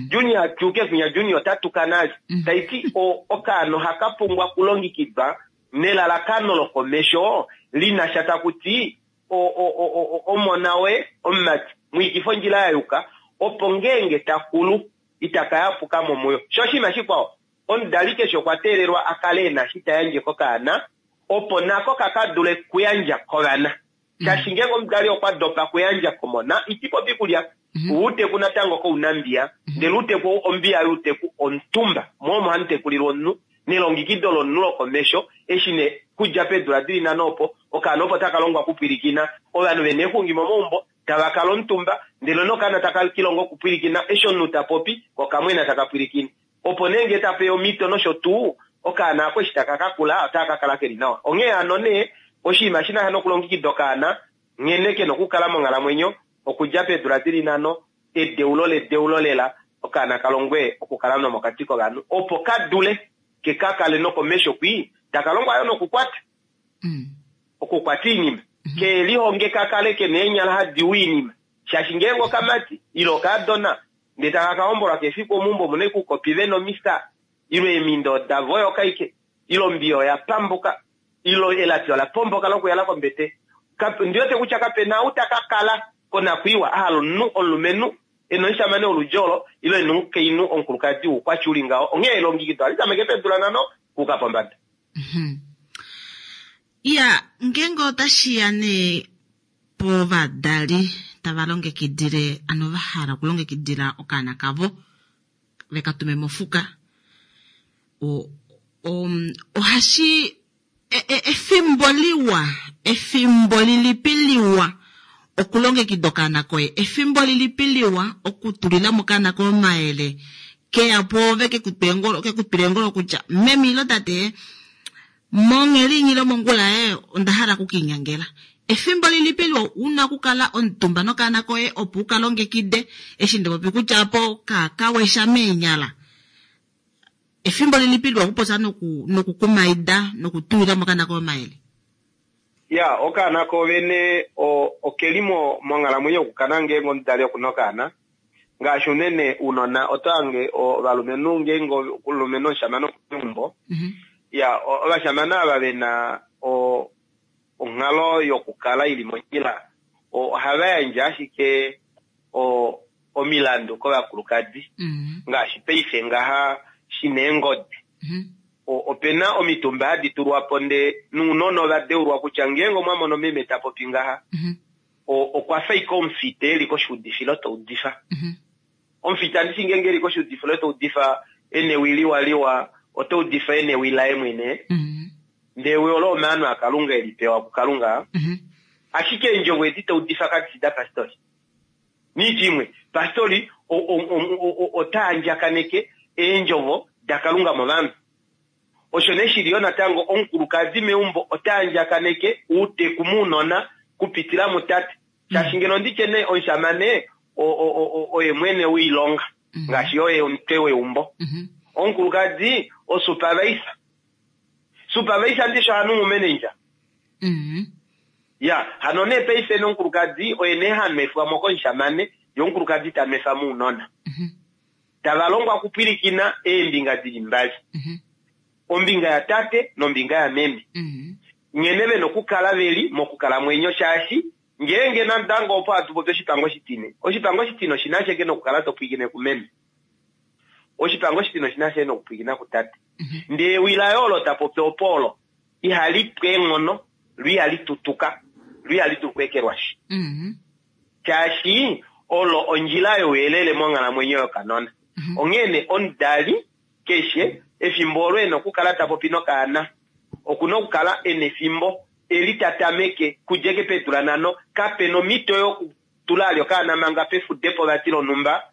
Junior a tyuke kwinya Junior ota tuka nale. Tai ti okaana ohaka pumbwa okulongikidwa nelalakano lokomesho li na sha taku ti omona woye omumati mu ikifa ondjila ya yuka opo ngeenge ta kulu ita ka yapuka mo muyo. Sho oshinima shikwao, omudali keshe okwa teelelwa a kale e na eshi ta yandje kokaana opo nako ka ka dule kuyandja kovana. Shaashi ngeenge omudali okwa dopa kuyandja komona, iti popi kulya outeku natango kounambiya, ndele outeku ou ombiya youteku omutumba, mo omo hamu tekulilwa omunhu, nelongikido lomunhu lokomesho, eshi nee kudja peedula dili nhano opo, okaana opo taka longwa okupwilikina, ovanhu vena eexungi momaumbo, tava kala omutumba, ndele nokaana taka kilongo okupwilikina eshi omunhu ta popi, ko okamwena taka pwilikine. Opo nee ngee ta pewa omhito nosho tuu, okaana ako eshi taka ka kula otaka ka kala ke li nawa. Onghee hano nee, oshinima shi na sha nokulongikida okaana nghene ke na okukala monghalamwenyo, okudja peedula di li nhano, edeulo ledeulo lela, okaana ka longwe okukala nomokati kovanhu, opo ka dule ke ka kale nokomesho kwii, taka longwa yo nokukwata. Okukwata oinima. Ke lihonge ka kale ke na eenyala hadi u oinima, shaashi ngeenge okamati, ile okaadona, ndee taka ka hombolwa kefiku omeumbo omu na ashike oukopi ve na omisa, ile eemindo oda voyoka ashike, ile ombiya oya pambuka, ile elapi ola pomboka lokuyala kombete. Ondi wete kutya kape na ou ta ka kala konakwiiwa a hala omunhu omulumenhu e na omushamane woludji olo, ile e na omukainhu omukulukadi woukwatya u li ngaho. Onghee elongekido ohali tameke peedula nhano okuuka pombada. Iya, ngeenge otashi ya nee povadali tava longekidile, ano va hala okulongekidila okaana kavo ve ka tume mofuka, ohashi efimbo liwa, efimbo lilipi liwa okulongekida okaana koye, efimbo lilipi liwa okutulila mo okaana koye omayele, ke ya pwoove ke ku twile eengolo kutya meme ile tate mongheli inyi ile mongula ee onda hala oku kiinyangela. Efimbo lilipi liwa u na okukala omutumba nokaana koye opo u ka longekide eshi nda popi kutya opo ka ka wesha meenyala. Efimbo lilipi liwa okupopya noku nokukumaida nokutulila mo okaana koye omayele? Ya, okaana ko vene oke li monghalamwenyo yokukana ngeenge omudali oku na okaana. Ngaashi unene ounona oto hange ovalumenhu ngeenge omulumenhu omushamane oku li meumbo, ya, ovashamane ava ve na onghalo yokukala i li mondjila ohava yandje ashike omilandu kovakulukadi. Ngaashi paife ngaha shi na eengodi. Ope na omitumba hadi tulwa po ndee nounona ova deulwa kutya ngeenge omwa mono meme ta popi ngaha, okwa fa ashike omufita e li koshiudifilo ta udifa. Omufita ndishi ngeenge e li koshiudifilo ta udifa e na ewi liwaliwa, ota udifa e na ewi laye mwene, ndee ewi olo omaano aKalunga e li pewa kuKalunga, ashike eendjovo edi ta udifa kadi fi dapastori. Niitya imwe, pastori ota andjakaneke eendjovo daKalunga movanhu. Osho nee shili yo natango omukulukadi meumbo ota andjakaneke outeku mounona kupitila mutate. Shaashi ngeno nditye nee omushamane oye mwene woilonga, ngaashi oye omutwe weumbo. Omukulukadi osupervisor. Supervisor ndishi oha nungu manager. Ya, hano nee paife nomukulukadi oye nee ha nwefwa mo komushamane, ye omukulukadi ta nwefa mounona. Tava longwa okupwilikina eembinga di li mbali. Ombinga yatate nombinga yameme. Nghene vena okukala veli mokukalamwenyo shaashi ngeenge natango opo hatu popi oshipango oshitine. Oshipango oshitine oshina ashike nokukala to pwilikine kumeme. Oshipango oshitine oshina ashike nokupwilikina kutate. Ndee ewi laye olo ta popi opo olo ihali pu eenghono, lo ihali tutuka, lo ihali dulu okweekelwashi. Shaashi olo ondjila youyelele monghalamwenyo yokanona. Onghee nee omudali keshe efimbo olo e na okukala ta popi nokaana, oku na okukala e na efimbo eli ta tameke kudja eke peedula nhano. Kape na omhito yokutula ali okaana manga pefudepo vati lonhumba,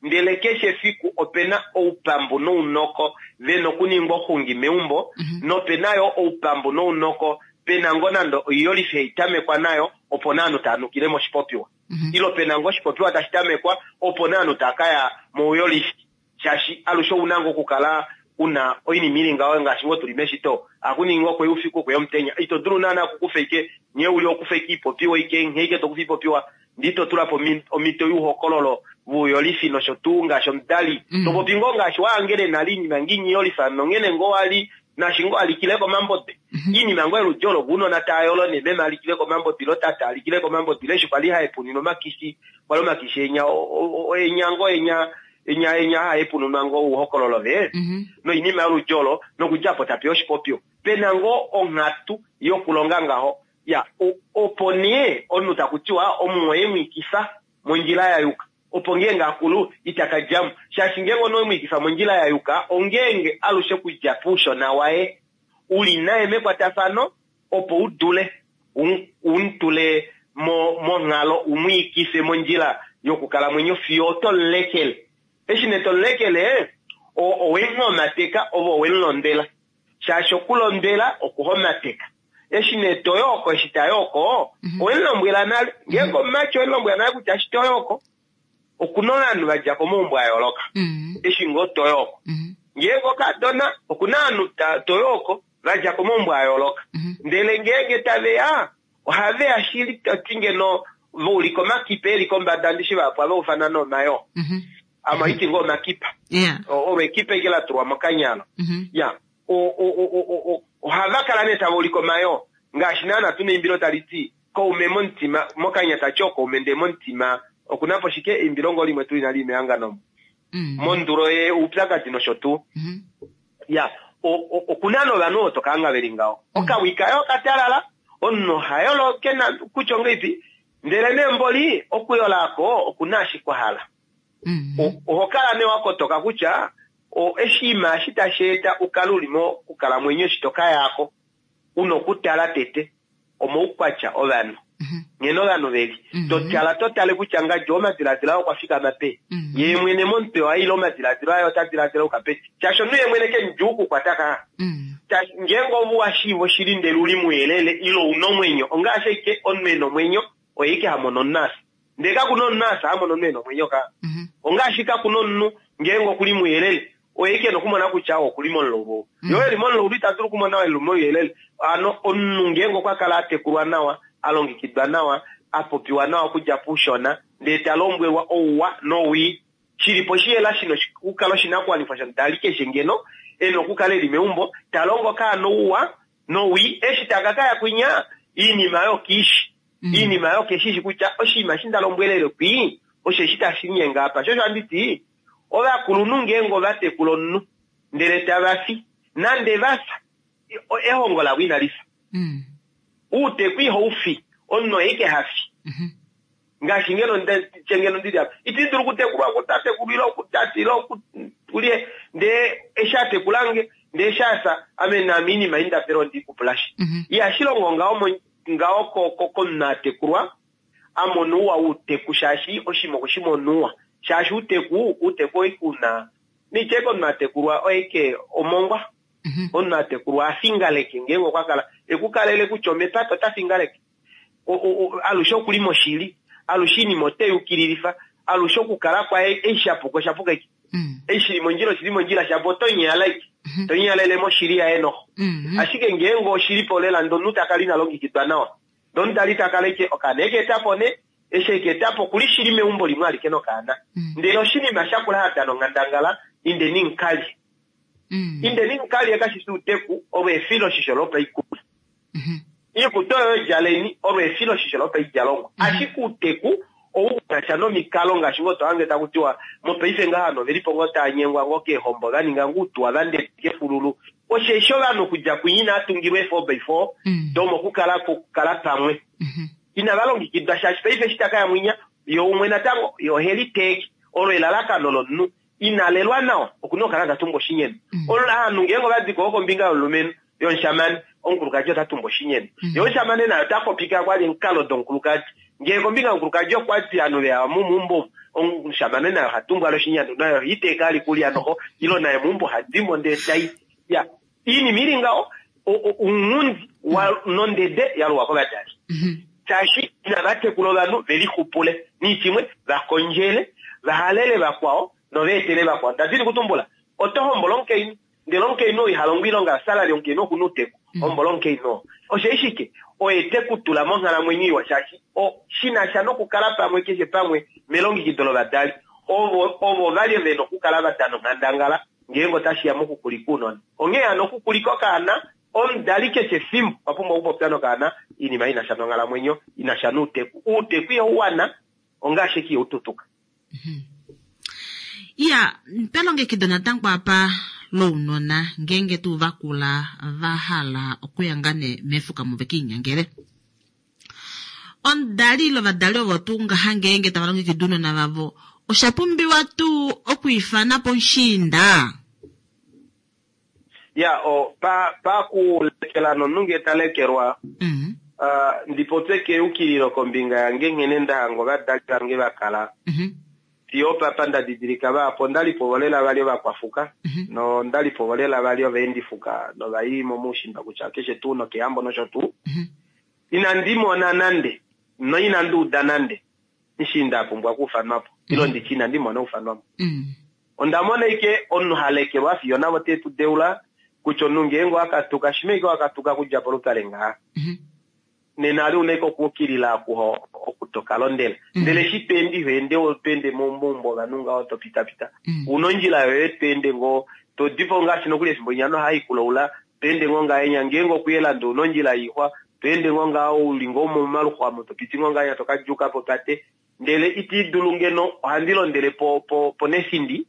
ndele keshe efiku ope na oupambu nounoko ve na okuningwa oxungi meumbo, nope na yo oupambu nounoko pe na ngoo nande oiyolifi hai tamekwa nayo opo nee ovanhu tava nukile moshipopiwa. Ile ope na ngoo oshipopiwa tashi tamekwa opo nee ovanhu tava ka ya mouyolifi. Shaashi alushe ou na ngoo okukala u na oinima i li ngaho ngaashi ngoo tu li meshito. Ohaku ningi ngoo kweya oufiku, kweya omutenya. Ito dulu naana okukufa ike nghee u li okufa ike oipopiwa ike nghee ike to kufa oipopiwa ndee ito tula po omhito youhokololo vouyolifi nosho tuu ngaashi omudali. To popi ngoo ngaashi wa hangele nale oinima ngee inyiyolifa nonghene ngoo wa li naashi ngoo alikile komambode. Iinima ngoo yoludi olo ounona tava yolo nee meme alikile komambode ile tate alikile komambode ile eshi kwali haepunine omakishi kwali omakishi enya enya ngoo enya enya enya haepununwa ngoo ouhokololo ve noinima yoludi olo nokudja apo tapeya oshipopiwa. Pena ngoo onghatu yokulonga ngaho ya opo nee omunhu taku tiwa omumwoye mwiikifa mondjila ya yuka opo ngeenge akulu ita ka djamo shaashi ngeenge omunhu owe mwiikifa mondjila ya yuka ongeenge alushe kudja poushona waye uli naye mekwatafano opo u dule u mutule monghalo u mwiikife mondjila yokukalamwenyo fiyo oto mulekele. Eshi nee to mulekele owe muhomateka ove owe mulondwela shaashi okulondwela okuhomateka. Eshi nee to yooko eshi ta yooko owe mulombwela nale ngeenge omumati owe mulombwela nale kutya eshi to yooko okuna ovanhu va dja komaumbo a yooloka eshi ngoo to yooko. Ngeenge okadona okuna ovanhu to yooko va dja komaumbo a yooloka. Ndele ngeenge tave ya ohave ya shili to ti ngeno va ulika omakipa e li kombada ndishi vahapu ohava ufana noomayoo. Ame ohandi ti ngoo omakipa. Olo ekipa eke la tulwa mokanyalo. Ya ohava kala nee tava ulike omayoo ngaashi naana tuna eimbilo tali ti koume momutima mokanya tati okoume ndee momutima okuna po shike eimbilo ngoo limwe tuu inali mehangano omo. Mondulo ye oupyakadi nosho tuu. Ya okuna nee ovanhu ovo to ka hanga veli ngaho. Okawi kaye okatalala omunhu oha yolo kena kutya ongeipi ndele nee mboli okuyola ako okuna ashike kwa hala. Oho kala nee wa kotoka kutya oshinima eshi tashi eta u kale u li mokukalamwenyo eshi to ka yako, u na okutala tete omaukwatya ovanhu, nghene ovanhu ve li. To tala to tale kutya ngadi omadiladilo aye okwa fikama peni, yee mwene momutwe waye ile omadiladilo aye ota diladila a yuka peni. Shaashi omunhu yee mwene ke mudjuu okukwata ka. Shaashi ngeenge ove wa shiiva oshili ndele u li mouyelele ile u na omwenyo, ongaashi ashike omunhu e na omwenyo oye ashike ha mono omunhu a fya. Ndele kaku na omunhu a fya a mona omunhu e na omwenyo ka. Ongaashi kaku na omunhu ngeenge oku li mouyelele oye ke na okumona kutya oku li momulaulu. Ye oo e li momulaulu ita dulu okumona oo e li mouyelele. Hano omunhu ngeenge okwa kala a tekulwa nawa, a longekidwa nawa, a popiwa nawa okudja poushona, ndele ta lombwelwa ouwa nowii, shi li po oshiyela shi na okukala oshinakuwanifwa shomudali keshe ngeno e na okukala e li meumbo ta longo okaana ouwa nowii, eshi taka ka ya kwinya oinima oyo kiishi. Iinima oyo keshishi kutya oshinima eshi nda lombwelele kwii osheshi tashi linyenge apa. Sho osho handi ti ovakulunhu ngeenge ova tekula omunhu ndele tava fi, nande va fya, ehongo lavo inali fya. Uuteku ihau fi, omunhu oye ike ha fi. Ngaashi ngeno tye ngeno ndili apa, iti dulu okutekulwa kutatekulu ile okutate ile okulye, ndee eshi a tekulange ndee eshi a fya, ame naame oinima ei nda pele ondi i kupulashi. Ihashi longo ngaho ngaho komunhu a tekulwa a mona ouwa wouteku shaashi oshinima okwe shi mona ouwa shaashi outeku outeku oike una nitye komunhu a tekulwa oike omongwa omunhu a tekulwa a fingaleke ngeenge okwa kala ekukalele kutya omepata ota fingaleke alushe okuli moshili alushe oinima ote yukililifa alushe okukala kwaye eshi shapuka oshapuka eke eshi shili mondjila oshili mondjila shapo oto nyala ike to nyalele moshili yaye noho ashike ngeenge oshili po lela ndee omunhu ta kala ina longekidwa nawa ndee omudali ta kala ike okaana eke eta po nee eshi eke eta po okuli shili meumbo limwe alike nokaana ndele oshinima shakula ha dana onghandangala indeni mukalye. Indeni mukalye kashi fi uuteku, olwo efiloshisho lopaikulya. Iikutu oyo djaleni, olwo efiloshisho lopaidjalomwa. Ashike uuteku ou na sha nomikalo ngaashi ngoo to hange taku tiwa mopaife ngaha ovanhu oveli po ngoo tava nyengwa ngoo keehombo va ninga ngoo uutuwa va ndeteka efululu. Osheshi ovanhu okudja kwinya inava tungilwa ee four by four domokukala kukala pamwe. Inava longekidwa shaashi paife eshi ta ka ya mwinya ye umwe natango ye ohe liteeke. Olo elalakano lomunhu ina lelwa nawa oku na okukala ta tumbwa oshinyenu. Ovanhu ngeenge ova di ko kombinga yomulumenhu yomushamane, omukulukadi ota tumbwa oshinyenu. Ye omushamane naye ota popi ka kwali omukalo domukulukadi. Ngee kombinga yomukulukadi okwa di ovanhu veya momuumbo omu, omushamane naye oha tumbwa ale oshinyanu, naye oha iteeka ali kulya noho, ilo naye meumbo oha dimo ndee tai. Ya, iinima ili ngaho, ounghundi wa nondede ya luwa kovadali. Shaashi inava tekula ovanhu ve lixupule niitshimwe, va kondjele, va halele vakwao nova etele vakwao. Nda dini kutumbula, oto hombola omukainhu, ndele omukainhu oo iha longo oilonga yosalary, omukainhu oku na outeku, hombola omukainhu oo. Osheshi shike? Oye te ku tula monghalamwenyo iwa shaashi o, shi na sha nokukala pamwe keshe pamwe melongekido lovadali. Ovo, ovo va li ve na okukala va dana onghandangala ngeenge otashi ya mokukulika ounona. Onghee hano, okukulika okaana, omudali keshe efimbo okwa pumbwa okupopya nokaana oinima i na sha nonghalamwenyo, i na sha nouteku. Outeku ihau wana, ongaashi ashike ihau tutuka. Iya, pelongekido natango apa lounona ngeenge tuu va kula va hala okuya ngaa nee mefuka mu ve kiinyangele. Omudali ile ovadali ovo tuu ngaha ngeenge tava longekida ounona vavo, osha pumbiwa tuu okwiifana po omushiinda? Ya, o, pa, pakulekela nomunhu ngee ta lekelwa, mm. uh, ndi popye keyukililo kombinga yange nghene nda hanga ovadali vange va kala. Mm -hmm. Fiyo opapa nda didilika vahapu onda li povo lela vali ovakwafuka, mm -hmm. nonda li povo lela vali ovaendifuka novai momoushimba kutya keshe tuu nokehambo nosho tuu. Mm -hmm. Inandi mona nande, noinandi uda nande, mushiinda a pumbwa okuufanwa po, ile nditye inandi mona oufanwa po. Onda mona ashike omunhu ha lekelwa fiyo navo te tu deula kutya omunhu ngeenge owa katuka, shimha ashike wa katuka okudja polupale ngaha, nena ali una ashike okuukilila oku oku to ka londela. Ndele eshi to ende iho ende to ende momaumbo ovanhu ngaho to pitapita. Una ondjila yoye to ende ngoo, to di po ngaashi nokuli efimbo linya noha i kulaula, to ende ngoo ngahenya ngeenge okuyela ndee una ondjila yoixwa, to ende ngoo ngaho u li ngoo momaluxwa omo to piti ngoo ngahenya to ka djuuka popate. Ndele iti dulu ngeno ohandi londele po po ponethindi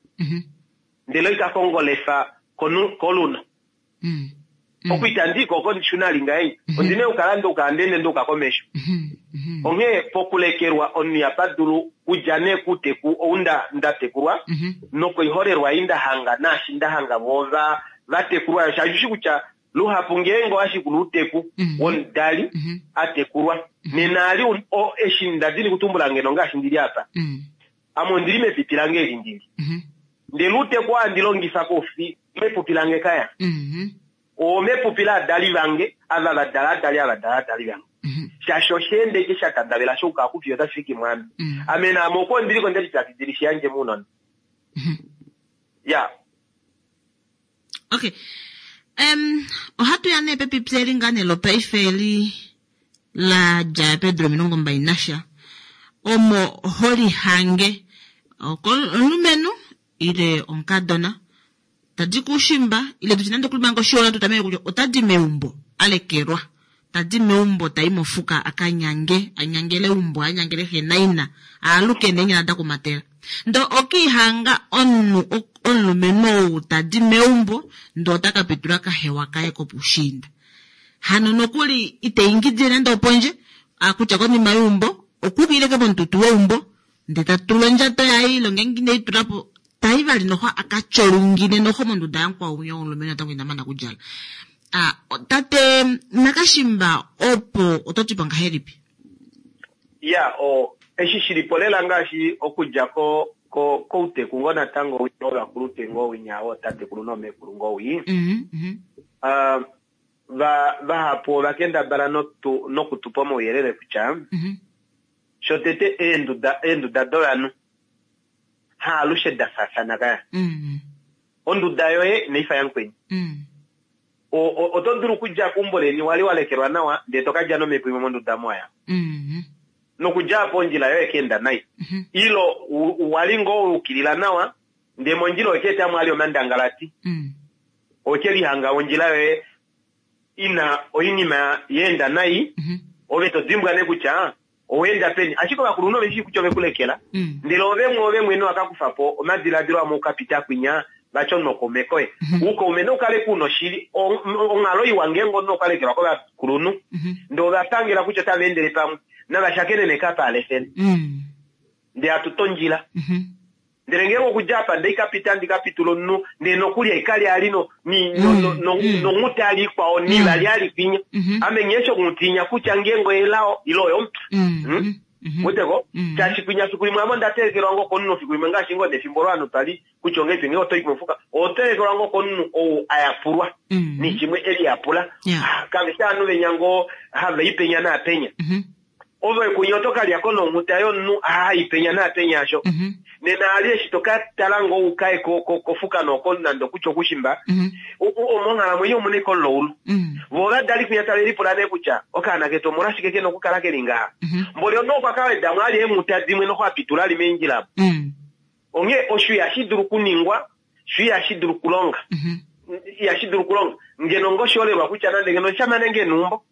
ndele oita kongolefa konu koluno. Oku itandi ko oko ndishuna ali ngahenya. Ondina okukala nduuka handi ende nduuka komesho. Onghee pokulekelwa omunhu ihapa dulu kudja nee kuuteku ou nda nda tekulwa nokoiholelwa ei nda hanga naashi nda hanga voo va va tekulwa yo shaashi ushi kutya luhapu ngeenge owa shikula outeku womudali a tekulwa nena ali o eshi nda dini kutumbula ngeno ngaashi ndili apa ame ondili mepipi lange eli ndili ndele outeku oo handi longifa koufi mepupi lange kaya oo mepupi laadali vange ava va dala adali ava dala adali vange shaashi osha enda eke sha tandavela sha uka kufiyo otashi fiki mwaame ame naame oko ndiliko nde lipyakidila shi yandje mounona ya Okay. Um, ohatu ya nee pepipi eli ngaa nee lopaife eli la dja peedula 24 nasha omo ho lihange omulumenhu ile omukadona tadi kuushimba ile tutye nande okuli manga oshiona tu tameke kutya ota di meumbo a lekelwa ta di meumbo ta i mofuka a ka nyange a nyangele eumbo a nyangele xe naina a aluke neenyala da kumatela Ndoo okiihanga omunhu omulumenhu ou ta di meumbo ndoo ota ka pitula kahewa kaye kopuushiinda. Hano nokuli ite ingidile nande opondje, a kutya konima yeumbo okuukilile ke momututu weumbo ndee ta tula ondjato yaye ile ngeenge ine i tula po ta i vali noxo a ka tyolungine noxo monduda yamukwao winya womulumenhu natango ina mana okudjala. A tate Nakashimba opo oto ti po ngahelipi? Ya, o, eshi shi li po lela ngaashi okudja ko, ko, kouteku ngoo natango winya wovakulupe ngoo winya wootatekulu noomekulu ngoo wii. Mm -hmm. Uh, va, vahapu ova kendabala notu, noku tu pa omauyelele kutya mm -hmm. shotete eenduda, eenduda dovanhu haalushe da faafana kaya. Mm -hmm. Onduda yoye inai fa yamukweni. Mm. Oto dulu okudja keumbo leni wali wa lekelwa nawa ndee to ka dja nomhepo imwe monduda omo waya. Mm-hmm. Nokudja apo ondjila yoye ka enda nai. Mm-hmm. Ilo wali ngoo wa ukilila nawa ndee mondjila owe ka eta mo ali omandangalati. Mm. Oke lihanga ondjila yoye ina oinima ya enda nai, ove to dimbwa nee kutya owa enda peni. Ashike ovakulunhu ove shii kutya ove ku lekela, ndele ove mwe ove mwene wa ka kufa po omadiladilo amwe uka pita kwinya vati omunhu okaume koye. Oukaume nau kale ku na oshili. Onghalo iwa ngeenge omunhu okwa lekelwa kovakulunhu, ndele ova pangela kutya otava endele pamwe, nava shakene nekapa alefele. Ndele hatu tondjila. Ndele ngeenge okudja apa nde ka pita ndi ka pitula omunhu, ndele nokuli haikali ali no, ni, no, no, no, nonghuti ali ikwao, ni vali ali kwinya. Ame nghee eshi onghuti inya kutya ngeenge oyelao ile oyomupya. Hmm? Weteko? Shaashi kwinya fiku limwe ame onda telekelwa ngoo komunhu fiku limwe ngaashi ngoo nefimbo olo ovanhu twa li kutya ongahelipi ngeenge oto i mofuka, oho telekelwa ngoo komunhu ou a yapulwa, ni shimwe e liyapula. Ah, kave shi ovanhu venya ngoo hava i penya naapenya. Ove kunya oto ka lya ko nonghuta yomunhu a i penya naapenya asho. Nena ali eshi to ka tala ngoo u kaye kofuka nooko nande okutya okushimba, monghalamwenyo omu na ashike omulaulu. Vo ovadali kwinya tave lipula nee kutya okaana ketu omolwashike ke na okukala ke li ngaha. Mboli omunhu okwa ka weda mo ali eenghuta dimwe noho a pitula ali meendjila omo. Onghee osho ihashi dulu okuningwa, sho ihashi dulu okulonga. Ihashi dulu okulonga. Ngeno ngoo oshiholelwa kutya nande ngeno oshamane ngee eneumbo.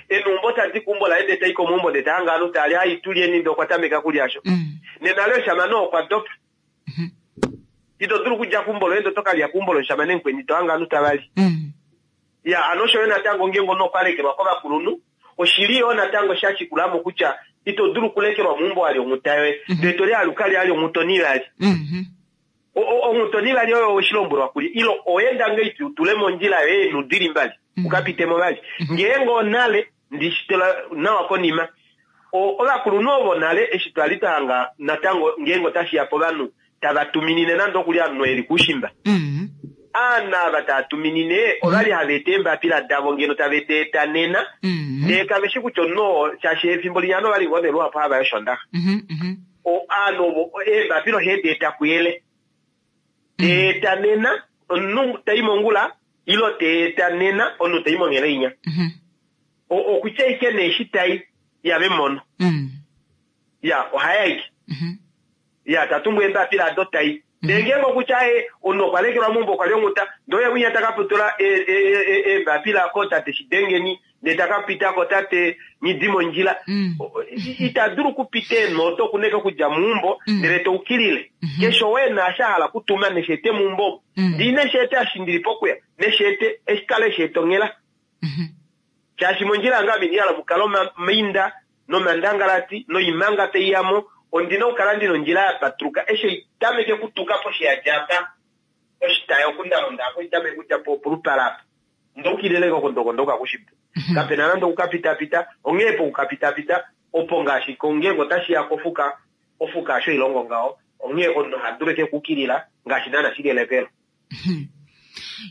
Eneumbo tadi keumbo laye ndee tai komeumbo ndee ta hange ovanhu tava li, hai tulyeni ndee okwa tameka kulya sho. Nena ale omushamane oo okwa dopa. Ito dulu okudja keumbo loye ndee oto ka lya keumbo lomushamane mukweni to hange ovanhu tava li. Ya, hano osho yo natango ngeenge omunhu okwa lekelwa kovakulunhu, oshi li yoo natango sha shikula mo kutya ito dulu okulekelwa meumbo wa lya onghuta yoye ndee to lialuka li ali onghuta onivali. Onghuta onivali oyo owe shi lombwelwa kulye ile owa enda ngahelipi u tule mondjila yoye eenhu di li mbali u ka pite mo vali. Ngeenge onale, ndi shi tula nawa konima, ovakulunhu ovo nale eshi twa li twa hanga natango ngeenge otashi ya povanhu tava tuminine nande okuli omunhu e li koushimba. Aanhu ava tava tuminine ovali hava eta eembapila davo ngeno tave di eta nena, ndele kave shi kutya omunhu oo, shaashi efimbo linya ovanhu ovali ngoo nee luhapu hava i Oshoondaxa. Ovanhu ovo eembapila ohe di eta kuyele. Te eta nena omunhu ta i mongula ile te eta nena omunhu ta i monghela inya. Okutya ashike nee eshi tai ihave mono. Ya, ohaya ashike. Ya, ta tumbu eembapila ado tai. Ndele ngeenge okutya aye omunhu okwa lekelwa meumbo okwa li onghuta, ndele oye winya ta ka putula eembapila kootate Shidengeni, ndele ta ka pita kotate Nghidimondjila. Ita dulu okupita eenhoto oku na ashike okudja meumbo ndele ta ukilile. Keshe ou e na eshi a hala okutuma neshi ete meumbo omu. Ndee ine shi eta eshi ndi li pokuya, neshi ete, eshi kala eshi eta onghela. Shaashi mondjila yange ame inandi hala mukale omainda nomandangalati noimanga tai ya mo, ondi na okukala ndi na ondjila ya patuluka eshi ei tameke okutuka poshi ya dja apa, oshitayi oku nda londa apa, ei tameke okudja polupale apa. Nda ukilila oko ndoko kushimba. Kape na nande okukapitapita, onghee pokukapitapita opo ngaashi ngeenge otashi ya kofuka, ofuka hasho ilongo ngaho, onghee omunhu oha dulu ashike okuukilila ngaashi naana shi li elekelo.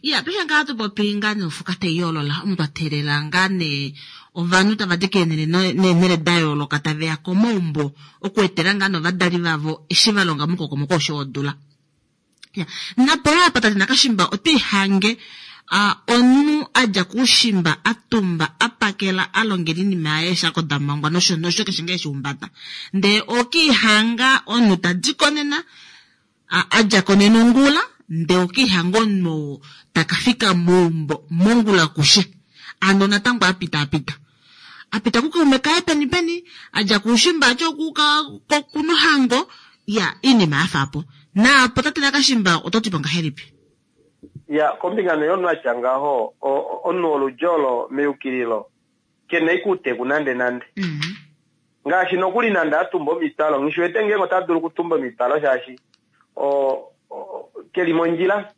Ya, paife ngaa hatu popi ngaa nee ofuka tai yoolola, omu twa teelela ngaa nee ovanhu tava di keenhele neenhele da yooloka tave ya komaumbo okuetela ngaa nee ovadali vavo eshi va longa momukokomoko osho wodula. Ya, napo yo apa tate Nakashimba otwe i hange a, omunhu a dja koushimba a tumba a pakela a longela oinima yaye eeshako da mangwa nosho nosho keshe ngaa eshi humbata. Ndee okiihanga omunhu ta di ko nena A, a dja ko nena ongula, ndee okiihanga omunhu oo ta ka fika meumbo mongula kushe. Ano natango a pitaapita. A pita kukaume kaye peni peni, a dja koushimba ati okuuka kokunohango, ya, oinima ya fa po. Naapo tate Nakashimba oto ti po ngahelipi? Ya, kombinga nee yomunhu a tya ngaho, o, omunhu woludji olo meyukililo, ke na ashike outeku nandenande. Ngaashi nokuli nande a tumba omitwalo, nghi shi wete ngeenge ota dulu okutumba omitwalo shaashi o, o, ke li mondjila.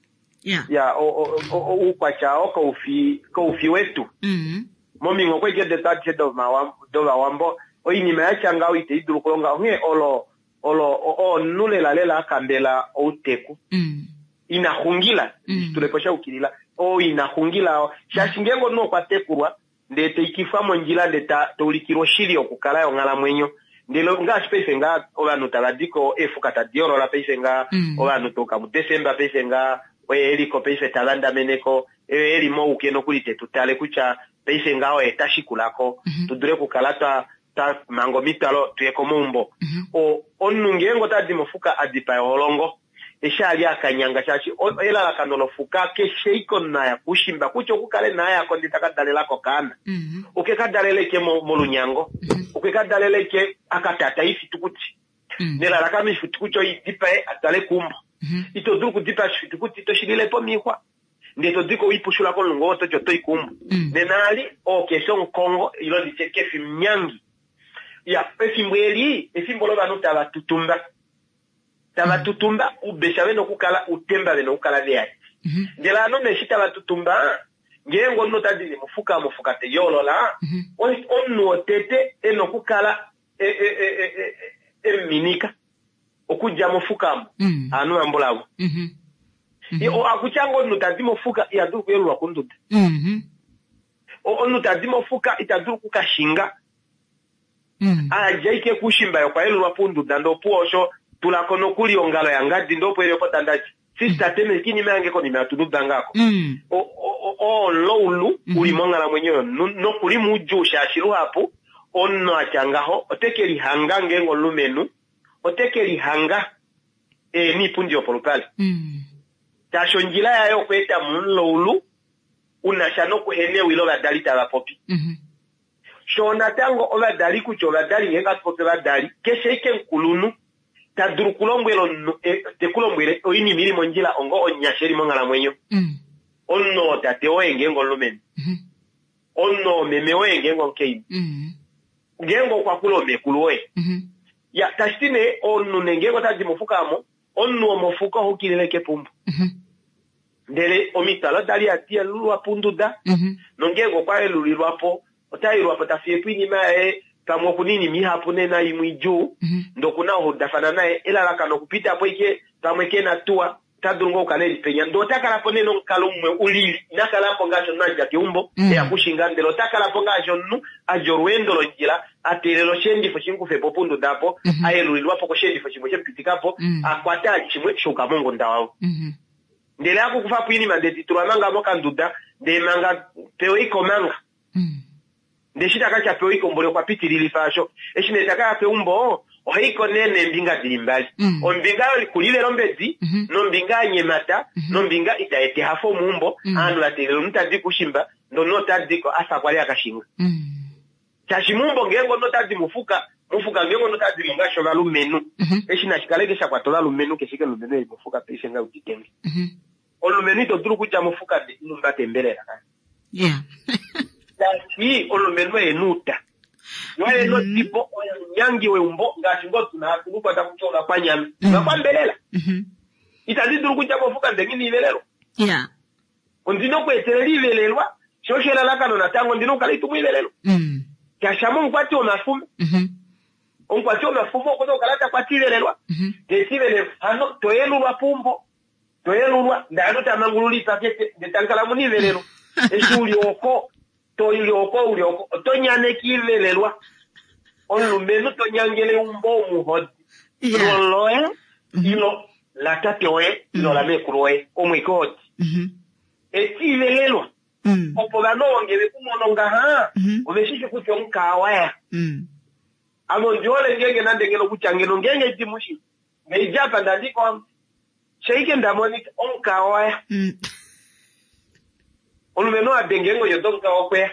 Yeah. Ya, oukwatya oo kau fi, kau fi wetu. Mm. Mominghoko aishe detu adishe dOvawambo, oinima ya tya ngaho itai dulu okulonga. Onghee olo, olo omunhu lelalela a kambela outeku. Mm. Ina xungila, Mm. tule po sha yukilila. Oo ina xungila, shaashi ngeenge omunhu okwa tekulwa, ndee ta ikifwa mondjila ndee ta ta ulikilwa oshili yokukala yonghalamwenyo. Ndele ngaashi paife ngaa ovanhu tava di ko eefuka tadi yoolola paife ngaa, Mm. ovanhu toka muDesemba paife ngaa oye e li ko paife ta vandamene ko, oye e li mouke nokuli te tu tale kutya paife ngaa oye ta shikula ko, Mhm. tu dule okukala twa twa manga omitwalo tu ye komaumbo. Mhm. O, omunhu ngeenge ota di mofuka a dipaya oholongo, eshi ali akanyanga shaashi elalakano lofuka keshe iko naya kushimba kutya okukale nayako ndee taka dalelako okaana okwe ka daleleke molunyango okwe ka daleleke akatata ifitukuti nelalakano ifitukuti oidipae atwale keumbo. Ito dulu okudipaa oshifitukuti to shi lilepo miixwa ndee to diko wipushula komulungu oo toti oto i keumbo. Nena ali oo kefi omukongo ilo nditye kefi omunyangi. Ya efimbo eli efimbo lovanhu tava tutumba. Tava tutumba oubesha vena okukala outemba vena okukala veyadi. Ndele ovanhu nee eshi tava tutumba ngeenge omunhu ota dini mofuka mofuka te yoolola omunhu wotete ena okukala emuminika okudja mofuka omo ovanhu vambulavo. Akutya ngoo omunhu tadi mofuka iha dulu okuyelulwa konduda. Omunhu tadi mofuka ita dulu okukashinga. Adja ike kuushimba ye okwa yelulwa pounduda ndee opuwo osho tulako nokuli ongalo yangadi ndee opo eli opo tandati sister teme inima yange konima yatududanga ako. Oo omulaulu uli monghalamwenyo yomunhu nokuli moudjuu shaashi luhapu omunhu atya ngaho ote ke lihanga ngeenge omulumenhu ote ke lihanga e niipundi yopolupale. Shaashi ondjila yaye okweeta mo omulaulu unasha nokuhena ewi lovadali tava popi. Shoo natango ovadali kutya ovadali ngeenge hatu popi ovadali, keshe ashike omukulunhu ta dulu okulombwela omunhu te ku lombwele oinima ili mondjila onga omunyasha eli monghalamwenyo. Omunhu oo tate woye ngeenge omulumenhu. Omunhu oo meme woye ngeenge omukainhu. Ngeenge okwa kula omekulu woye. Ya, tashi ti nee omunhu nee ngeenge ota di mofuka omo, omunhu womofuka oha ukilile kepumbu. Ndele omitwalo oda li hadi yelulwa ponduda, nongeenge okwa yelulilwa po, ota yelulwa po ta fiye po oinima yaye, pamwe oku na oinima ihapu nena imwe idjuu, ndee oku na okuudafana naye, elalakano okupita po ashike pamwe ke na tuwa, ota dulu ngoo okukala e li penya, ndee ota kala po nee nomukalo umwe u lili, ina kala po ngaashi omunhu a dja keumbo e ya kushinga, ndele ota kala po ngaashi omunhu a dja olweendo londjila, a teelela osheendifo shi mu kufe po ponduda opo, a yelulilwa po kosheendifo shimwe she mu pitika po, a kwata shimwe sha yuka mongunda wavo. Ndele aku kufa po oinima ndee ti tulwa manga mokanduda ndee manga pewa iko manga. Ndee eshi taka tya pewa iko mboli okwa pitililifa asho. Eshi nee taka ya keumbo ohaiko nee neembinga dili mbali. Ombinga yokulivela ombedi nombinga ya nyemata nombinga ita eta ehafo meumbo. Ovanhu va teelela omunhu tadi kuushimba ndee omunhu ota diko afa kwali akashinga. Shaashi meumbo ngeenge omunhu ota di mofuka, mofuka ngeenge omunhu ota di mo ngaashi ovalumenhu. Eshi nashi kale ike sha kwata ovalumenhu keshe ike omulumenhu eli mofuka paife nga udite nge. Omulumenhu ito dulu okudja mofuka ndee ino humbata embelela. Shaashi omulumenhu oye nuuta. Ye oye nodibo, oye omunyangi weumbo ngaashi ngoo tuna hatu lukwa taku ti ovakwanyama. Ovakwambelela. Itandi dulu okudja mofuka ndee nghi na ivelelwa. Ondi na okweetelela ivelelwa, sho osho elalakano natango ondi na okukala itumwa ivelelwa. Shaashi ame omukwati womafumo. Omukwati womafumo oku na okukala ta kwata ivelelwa. Ndee ti ivelelwa, hano to yelulwa peumbo, to yelulwa, ndee hano ta mangulula oipakete, ndee tamu kala mu na ivelelwa. Eshi u li oko, to li oko, u li oko, oto nyaneke ivelelwa. Omulumenhu to nyangele eumbo omuhodi. Loloye, ilo latate woye, ilo lameekulu woye, omweke hodi. Eti ivelelwa. Opo ovanhu ovo nge ve ku mono ngaha, ove shi shi kutya omukaa wa ya. Ame ondi hole ngeenge nande ngeno kutya ngeno ngeenge ndi mu shi, ngeidja apa nda ndi ko, shaike nda monika, omukaa wa ya. Omulumenhu a denge eengonyo domukaa okwe ya.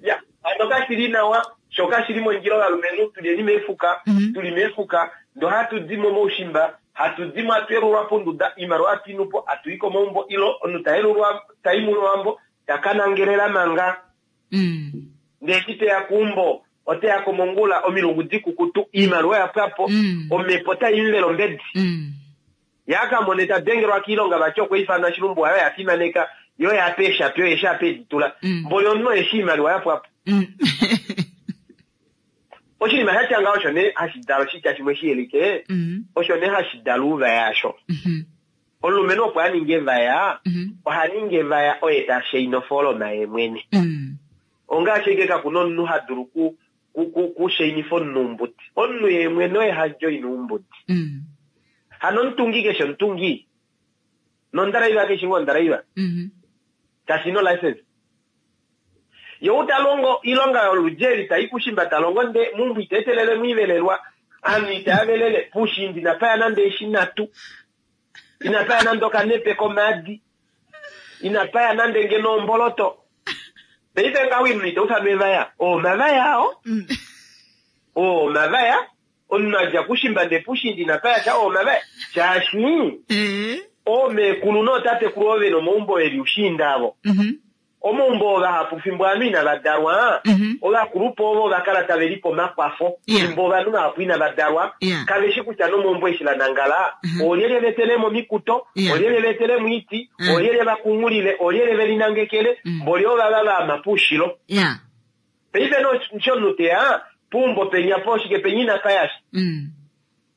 Ya, hano kashi li nawa, sho kashi li mondjila ovalumenhu tu lyeni meefuka, tu li meefuka, ndee ohatu di mo moushimba, hatu di mo hatu yelulwa ponduda, oimaliwa hatu i nu po, hatu i komaumbo, ilo omunhu ta yelulwa, ta i mowambo, ta ka nangelela manga. Ndee eshi te ya keumbo, ote ya ko mongula, omilungu dikukutu, oimaliwa oya pwa po, omhepo otai mu vele ombedi. Ye a ka mone ta dengelwa kiilonga vati okwa ifanwa shilumbu waye oya fimaneka yo ya pe eeshapi oye eshi apa edi tula. Mboli omunhu oye eshi oimaliwa ya pwa po. Oshinima sha tya ngaho osho nee hashi dala oshitya shimwe shi yelike, osho nee hashi dala ouvaya asho. Omulumenhu opo a ninge evaya, oha ningi evaya oye ta shaina ofooloma ye mwene. Ongaashi ashike kaku na omunhu ha dulu ku kushainifa omunhu oumbudi. Omunhu ye mwene oye ha joina oumbudi. Hano omutungi keshe omutungi nondraiva keshe ngoo ondraiva. Kashi na olicense. Ye ou ta longo oilonga yoludji eli tai kushimba ta longo nde meumbo ita etelele mo ivelelwa. Aanhu itaya velele puushiinda inapa ya nande eeshi nhatu, inapa ya nande okanepe komaadi, inapa ya nande ngeno omboloto. Paife ngaho oinima ita ufanwa evaya, oo omavaya oo. Oo omavaya, omunhu a dja kushimba ndee puushiinda inapa ya sha, oo omavaya. Shaashi oomeekulu nootatekulu ovo vena omaumbo eli ushiinda avo. Omaumbo oo vahapu fimbo ovanhu inava dalwa, ovakulupe ovo va kala tave lipe omakwafo fimbo ovanhu vahapu inava dalwa, kave shi kutya nomaumbo eshi la nangala, oolyelye va etele mo omikuto, oolyelye va etele mo oiti, oolyelye va kunghulile, oolyelye ve linangekele, mboli ovava va ama poushilo. Paife nee omunhu te ya peumbo penya pooshike penya inapa ya sha.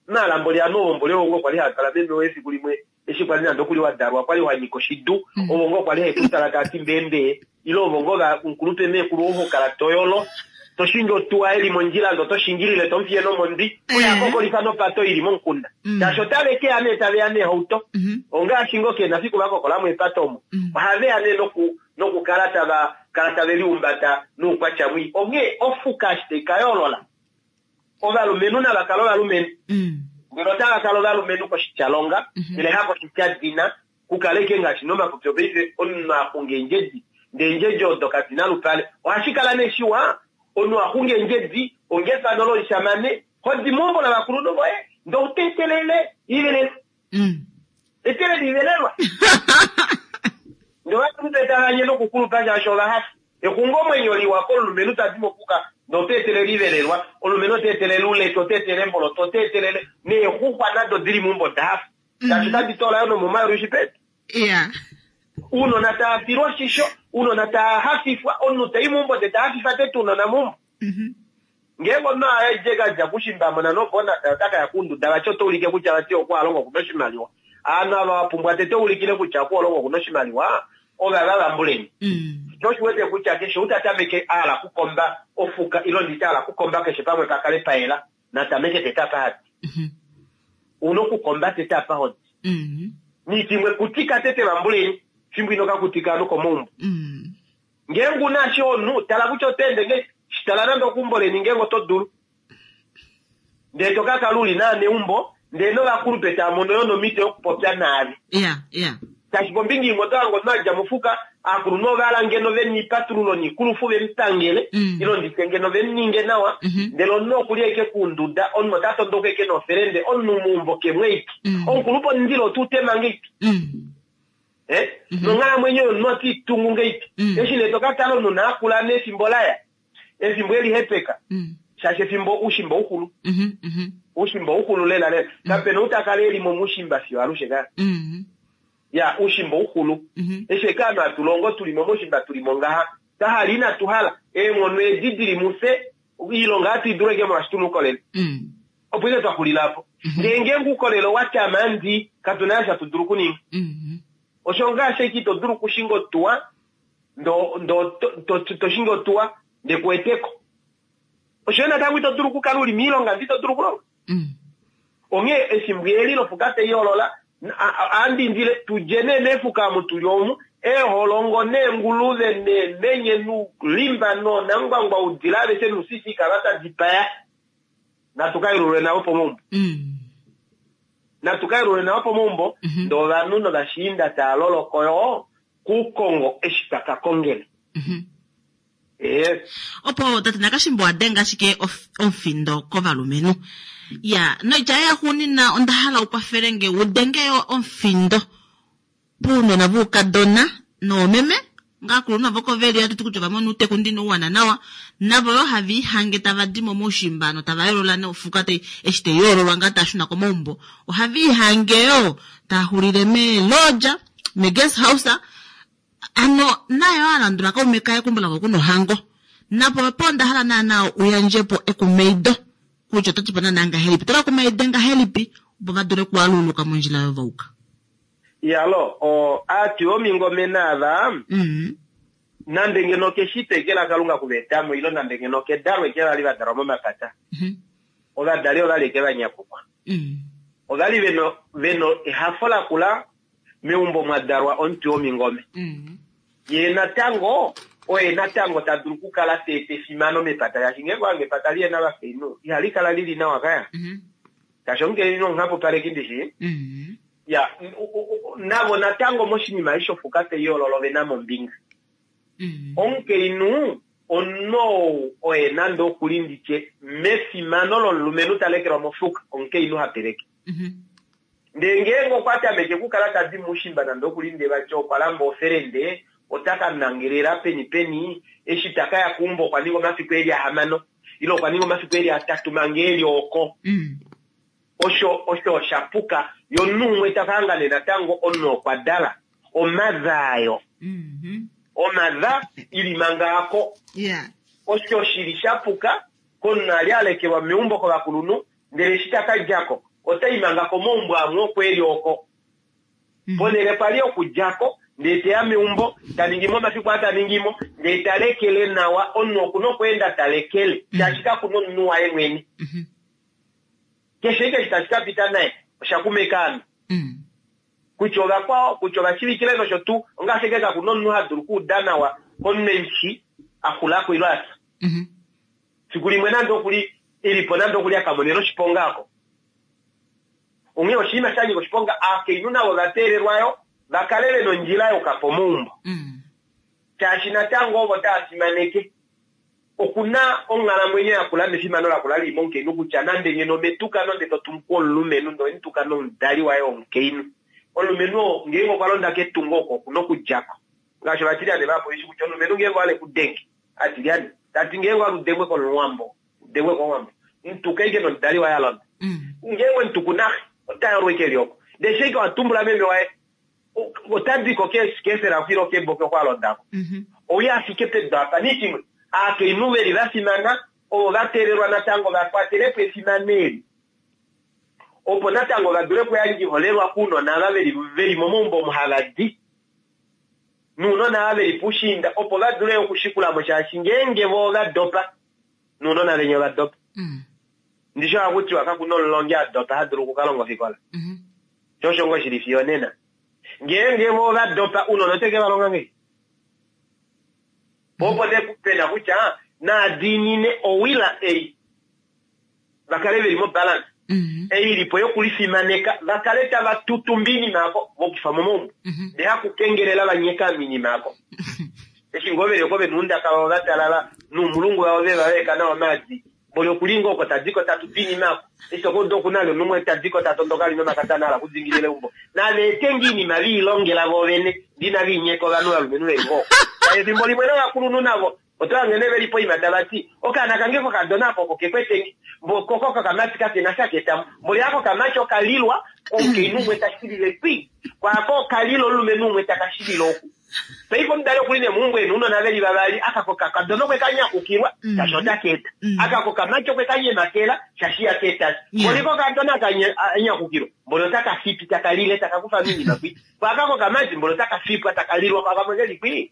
Maala mboli ame ovo mboli ovo ngoo kwali haa kala meme woye efiku limwe eshi kwali nande okuli wa dalwa kwali wa nyika oshidu ovo ngoo kwali hae ku tala taa ti mbeembee ile ovo ngoo va mukulupe meekulu ou ho kala to yolo to shingi otuwa eli mondjila ndo to shingilile to mufiye nomondwi oye a kokolifa nopato ili momukunda shaashi otave ke ya nee tave ya neehauto ongaashi ngoo kena fiku va kokola mo epato omo ohave ya nee noku nokukala tava kala tave liumbata noukwatya mwii onghee ofuka eshi tai ka yoolola Ovalumenhu nava kale ovalumenhu. Ndele otava kala ovalumenhu koshityalonga, ndele hakoshityadina, ku kale ashike ngaashi nomapopyo paife, omunhu a xunga eendjedi, ndee eendjedi odo kadi na lupale. Ohashi kala nee shiwa omunhu a xunga eendjedi onga efano lomushamane, ho di meumbo lovakulunhu voye, ndee ou ta etelele ivelelwa. Etelele ivelelwa. Ndee ovakulupe tava nye nokukulupa shaashi ova hafa. Exungomwenyo liwa komulumenhu ta di mofuka ndee ota etelele ivelelwa, omulumenhu ota etelele ouleke, ota etelele eemboloto, ota etelele neexuxwa nado dili meumbo oda hafa shaashi otadi toola yo nomomayulu shipedu. Ounona tava filwa oshisho, ounona tava hafifwa, omunhu tai meumbo ndee ta hafifa tete ounona meumbo. Ngeenge omunhu a dje ka dja kushimbamona nobonasa ota ka ya kounduda vati ota ulike kutya vati okwa longa okuna oshimaliwa. Ovanhu ava wa pumbwa tete ulikile kutya okwa longa okuna oshimaliwa ovava vambuleni. Sho osho wete kutya keshe ou ta tameke a hala okukomba ofuka ilo nditye a hala okukomba keshe pamwe pa kale pa yela na tameke tete apa hadi. Ouna okukomba tete apa hodi. Niiti imwe kutika tete vambuleni fimbo ino ka kutika ovanhu komaumbo. Ngeenge u na ashike omunhu, tala kutya oto ende ngahelipi. Shi tala nande okeumbo leni ngeenge oto dulu. Ndele to ka kala u li naaneumbo, ndele novakulupe tava mono yo nomhito yokupopya naave. Iya, iya. Shaashi kombinga imwe oto hange omunhu a dja mofuka, aakulunhu ova hala ngeno ve niipatululo niikulufu ve mu pangele, ile nditye ngeno ve mu ninge nawa, ndele omunhu oku li ashike kuunduda, omunhu ota tondoka ashike nofelende, omunhu meumbo ke mu ashike. Omukulupe omundilo ote u tema ngahelipi? Eh? Mhm. Nonghalamwenyo yomunhu ote i tungu ngeipi? Mm. Eshi nee to ka tala omunhu naa kula nefimbo laya, efimbo e lihepeka, mm. shaashi efimbo oushimba ouxulu. Mhm, mhm. Oushimba ouxulu lela lela. Kapena ou ta kala e li momushimba fiyo alushe ka. Ya, oushimba ouxulu. Eshi eke ovanhu hatu longo tu li mo moushimba tu li mo ngaha. Twa hala inatu hala, eenghono edi di li mufye, oilonga ohatu i dulu ashike molwaashi tu na oukolele. Opo ike twa xulila apo. Ndele ngeenge oukolele owa tyama ndi, katu na eshi hatu dulu okuninga. Osho ngaashi ashike ito dulu okushinga otuwa, ndo, ndo, to, to, to, to shingi otuwa, nde ku weteko. Osho yo natango ito dulu okukala u li moilonga ndee ito dulu okulonga. Onghee efimbo eli lofuka tai holola, ohandi indile tu dje nee meefuka omu tu li omu, eeholongo neenguluve neemenye nuulimba noonangwangwa oudila aveshe nuusisi kava ta dipaya. Natu ka yelulwe navo pomaumbo. Natu ka yelulwe navo pomaumbo, ndee ovanhu novashiinda taa loloko yoo kuukongo eshi twa ka kongele. Ee. Opo tate Nakashimbo wa denga ashike omufindo kovalumenhu. Ya, noitya yoye yaxuuninwa onda hala u kwafele nge u denge yo omufindo pounona voukadona noomeme ngaakulunhu navo oko veli hatu ti kutya ova mona outeku ndino uwana nawa navo yoo have ihange tava di mo moushimba notava yoolola nofuka tai eshi tai yoololwa ngaa taa shuna komaumbo ohave ihange yoo taa xulile meelodja meguest house ano naye oo a landula kaume kaye keumbo lavo kuna ohango napo opo onda hala naana u yandje po ekumaido kutya oto ti po naana ngahelipi oto va kumaide ngahelipi opo va dule okualuluka mondjila oyo va uka Iyalo, o, aatwi yomingome naava, Mm. nande ngeno okeshito eke laKalunga ku va eta mo, ile nande ngeno okedalo eke va li va dalwa momapata, Mhm. ovadali ova li eke va nyakukwa. Mm. Ova li ve no, ve no ehafo lakula meumbo mwa dalwa omutwi womingome. Mm. Ye natango Oye natango ta dulu okukala ta eta efimano mepata, shaashi ngeenge owange epata lihena ovakainhu ihali kala lili nawa kaya. Shaashi omukainhu omuhapupaleki ndishi. Ya, navo natango moshinima eshi shofuka tai yoolola ove na mo ombinga. Omukainhu omunhu ou oye nande okuli nditye mefimano lomulumenhu ta lekelwa mofuka, omukainhu ha teleke. Ndee ngeenge okwa tameke okukala ta di moushimba nande okuli ndee vati okwa lamba ofelende, ota ka nangelela peni peni, eshi ta ka ya keumbo okwa ninga omafiku e li ahamano ile okwa ninga omafiku e li atatu manga e li oko. Osho osho osha puka. Ye omunhu umwe ta ka hanga nee natango omunhu okwa dala omadha ayo. Omadha ili manga ako. Osho shi li sha puka komunhu a li a lekelwa meumbo kovakulunhu ndele eshi ta ka dja ko ota i manga komaumbo amwe oko e li oko. Ponhele kwa li okudja ko ndee te ya meumbo, ta ningi mo omafiku aa ta ningi mo, ndee ta lekele nawa. Omunhu oku na okweenda ta lekele shaashi kaku na omunhu waye mwene. Keshe ashike eshi tashi ka pita naye osha kuma ekaano. Kutya ovakwao, kutya ovashivikile nosho tuu, ongaashi ashike kaku na omunhu ha dulu okuuda nawa komunhu eshi a xula ko ile a fya. Fiku limwe nande oku li e li po nande oku li a ka monena oshiponga oko. Onghee oshinima sha nyika oshiponga, aakainhu navo ova teelelwa yo va kale ve na ondjila yokuka pomaumbo. Shaashi natango ovo tava fimaneke. Oku na onghalamwenyo yakula nefimano lakula li li momukainhu kutya nande ngeno ometukano ndele to tumu komulumenhu ndele owe mu tuka nomudali waye womukainhu. Omulumenhu oo ngeenge okwa londa ketungo oko oku na okudja ko. Ngaashi ovatilyane vahapu veshi kutya omulumenhu ngeenge owa hala e ku denge, atilyane, ta ti ngeenge owa hala u dengwe komuwambo, u dengwe komuwambo, mu tuka ashike nomudali waye a londa. Ngeenge we mu tuku naxe, ota yolwa ashike e li oko. Ndele eshi ashike wa tumbula meme waye, ota di ko keefela oko ile keboke oko a londa ko. Ouye a fike pedu apa. Nishimwe, aakainhu ve li va fimana ovo va teelelwa natango va kwatele po efimano eli opo natango va dule okuyandja oiholelwa kounona ava ve li momaumbo omo hava di nounona ava ve li poushiinda opo va dule okushikula mo shaashi ngeenge vo ova dopa nounona venya ova dopa. Ndishi ohaku tiwa kaku na omulongi a dopa ha dulu oku ka longa ofikola. Sho osho ngoo shi li fiyo onena. Ngeenge vo ova dopa, ounona ote ke va longa ngahelipi? Po opo nee pe na kutya naa diinine owila ei, va kale ve li mobalance ei i li po yokulifimaneka, va kale tava tutumba oinima yako vokufa momaumbo, ndee hakukengelela va nyeka oinima yako. Eshi ngoo ve li oko ve na oundaka vavo va talala noumulungu vavo ve va vaeka nawa omaadi, Mboli oku li ngoo oko ta di ko ta tutu iinima ako. Eshi to ka uda oku na ali omunhu umwe ta di ko ta tondoka ali nomakatana a hala okudingilila eumbo. Nava ete ngoo iinima ve i longela voovene, ndee inava i nyeka ovanhu ovalumenhu ve li ngoo oko. Shaashi efimbo limwe novakulunhu navo oto hange nee ve li poima tava ti, Okaana kange kokadona aka oko ke kwete nge, mbo ko kokamati kake na sha ka eta mo. Mboli aka okamati oka lilwa komukainhu umwe ta shilile kwii, kwaako oka lila omulumenhu umwe taka shilile oku. Paife omudali okuli nee meumbo ena ounona veli vavali, aka kokakadona okwe ka nyakukilwa shaashi ota ka eta, aka kokamati okwe ka nyemakela shaashi ihaka eta sha. Mboli kokadona aka nyakukilwa, mboli otaka fipi taka lile taka kufa moinima kwii. Ko aka kokamati mboli otaka fipwa taka lilwa kwa kamwe keli kwii.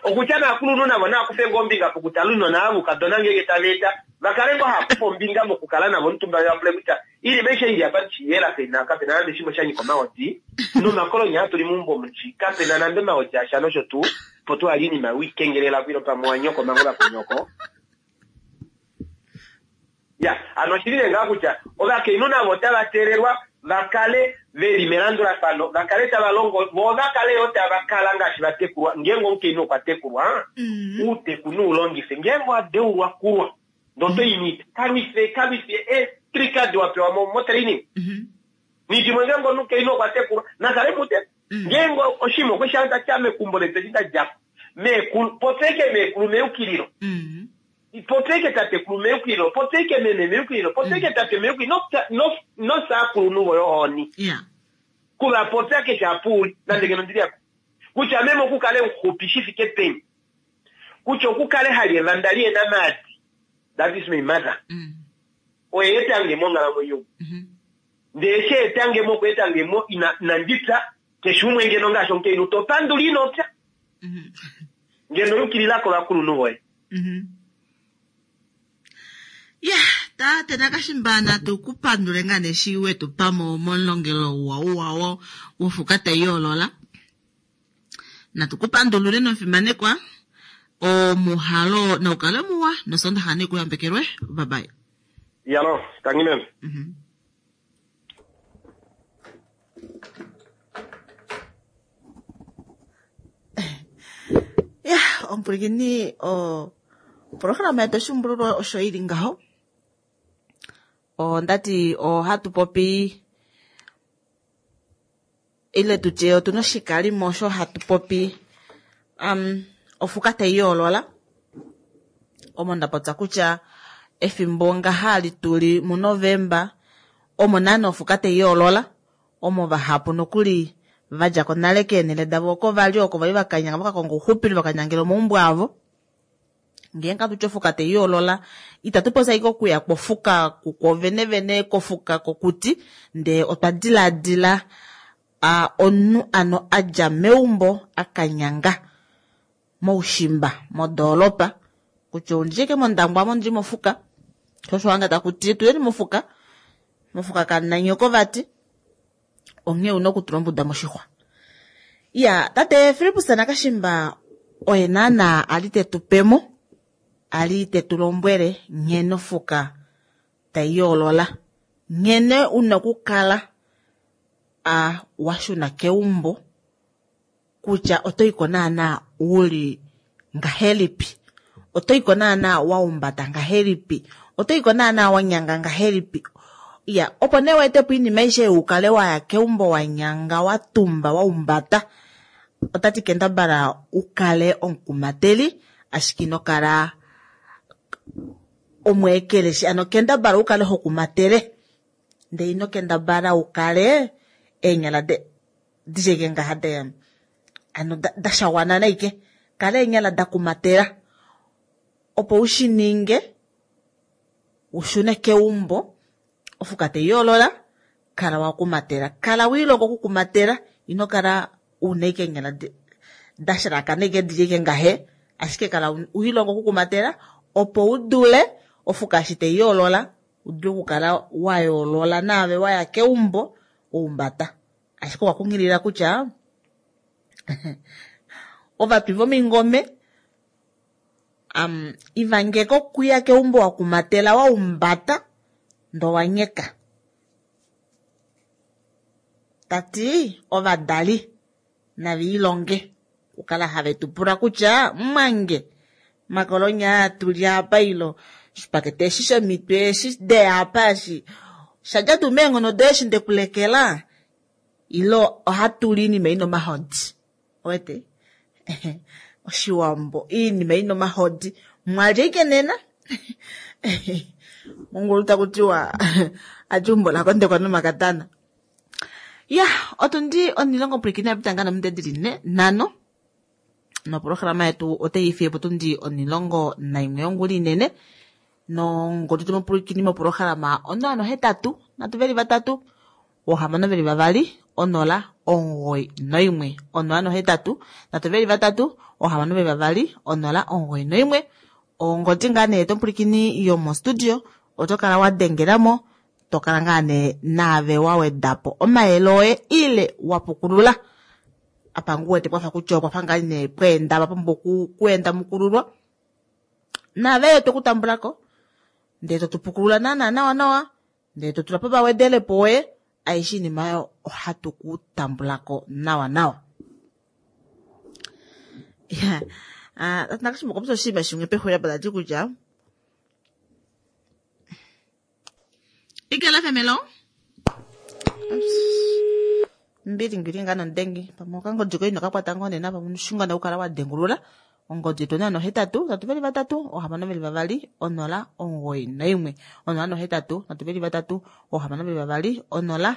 Okutya naakulunhu navo naa kufe ngoo ombinga pokutala ounona ava voukadona ngeenge tava eta, va kale ngoo hava kufa ombinga mokukala navo omutumba ve va pule kutya Iinima aishe ili apa ndishi yela pena kapena nande shimwe sha nyika omahodi nomakolonya atu li meumbo mushi kapena nande omahodi asha nosho tuu opo tu hali iinima wiikengelela kwilo pamwe wa nyoko mango vakunyoko ya ano oshili nee ngaa kutya ovakainhu navo otava teelelwa va kale ve li melandulafano va kale tava longo vo va kale yo tava kala ngaashi va tekulwa ngeenge omukainhu okwa tekulwa uuteku nuulongife ngeenge owa deulwa kulwa Ndee oto i miita. Kalwife, kalwife eetrika adi wa pewa mo, motraining. Nidimwe ngeenge omukainhu okwa tekulwa, na kale muteku. Ngeenge oshinima okwe shi hanga tya mekumbo letu eshi nda dja ko, meekulu, popya ashike meekulu meyukililo. Popya ashike tatekulu meyukililo, popya ashike meme meyukililo, popya ashike tate meyukililo, no, no, nosaakulunhu voye ohoni. Ku va popya keshe apa u li, nande ngeno ndi li apa. Kutya meme oku kale muxupi shi fike peni. Kutya oku kale ha li evanda li ena maadi, that is my mother, oye eta nge monghalamwenyo omu. Ndee eshi a eta nge mo, okwa eta nge mo ina, inandi pya, keshe umwe ngeno ngaashi omukainhu to pandula ino pya. Ngeno yukilila kovakulunhu voye. Ya, tate Nakashimba natu ku pandule ngaa nee eshi we tu pa mo momulongelo uwa uwa wofuka tai yoolola. Natu ku pandulule nomufimanekwa. Omuhalo naukale muwa nosondaxa nekuyambekelwe. Bye bye. Yalo, tangi meme. Ya, omupwilikini oprograma yetu oshimbululwa osho ili ngaho. Ondati ohatu popi ile tutye otuna oshikalimo osho hatu popi ofuka tai yoolola. Omo nda popya kutya efimbo ngaha li tuli muNovemba omo naana ofuka tai yoolola, omo vahapu nokuli vadja ko nale keenhele davo oko vali oko vali vakanyanga vakakonga ouxupilo vakanyangela omaumbo avo. Ngeenge atutye ofuka tai yoolola itatu popya ashike okuya kwofuka kukwo venevene kofuka kokuti, ndee otwa dilaadila omunhu ano adja meumbo akanyanga moushimba modoolopa kutya oundji ke mondangwa amo ndili mofuka sho osho hanga takuti tuyeni mofuka mofuka kananyoko vati onghee una okutula ombuda moshixwa. Ya tate Fillipus Nakashimba oye naana ali tetupemo ali tetulombwele nghene ofuka tai yoolola nghene una okukala washuna keumbo kutya otoiko naana uli ngahelipi, otoiko naana waumbata ngahelipi, otoiko naana wanyanga ngahelipi. Ya, opo nee weetepo oinima aishe ukale waya keumbo wanyanga watumba waumbata. Otati kendabala ukale omukumateli ashike ino kala omweekeleshi, ano kendabala ukale hokumatele ndee ino kendabala ukale eenyala disheke ngaha de ano dashawana naike, kala eenyala dakumatela opo ushininge ushune keumbo ofuka tai yoolola. Kala wakumatela, kala wiilonga okukumatela, ino kala una ike eenyala dashalakana ike dili ike ngahe, ashike kala wiilonga okukumatela opo udule ofuka eshi tai yoolola udule okukala wa yoolola naave waya keumbo waumbata. Ashike okwa kunghilila kutya ovatwi vomingome ivangeka okuya keumbo wakumatela waumbata ndo wanyeka. Tati ovadali naviilonge okukala have tu pula kutya mwange makolonya tuli apa ilo shipakete eshi shomitwe eshi deya apa eshi shadja tuu meenghono doye eshi ndekulekela ilo ohatuli iinima ina omahodi. Owete oshiwambo iinima ina omahodi mwalya ike nena mongulu takutiwa ati umbo lakondekwa nomakatana. Ya, otundi onilongo pwilikini yapita ngaa nominute dili nhano noprograma yetu otai fiye po tundi 11 yongula inene nongodi tumupwilikini moprograma 083 323 622 0 91 083 323 622 091. Ongodi ngaa nee tomupwilikini yomostudio oto kala wa dengelamo to kala ngaa nee naave wa wedapo omayele oye ile wa pukulula apa ngu wete pwafa kutya okwafa ngaa nee pweenda papumbwa okuenda mukululwa naave yo tokutambulako ndee totupukulula naana nawa nawa ndee totula po vawedelepo oye aishe iinima oyo ohatu kutambulako nawa nawa. Ya, nakashimba okwa popya oshinima shimwe pexulilo apa tati kutya Ikela femelo. Mbili ngili nga nondengi pamwe okangodi koye ino kakwata ngoo nena pamwe oshingwana okukala wa dengulula ongodi yetu 083 323 622 0 91 083 323 622 0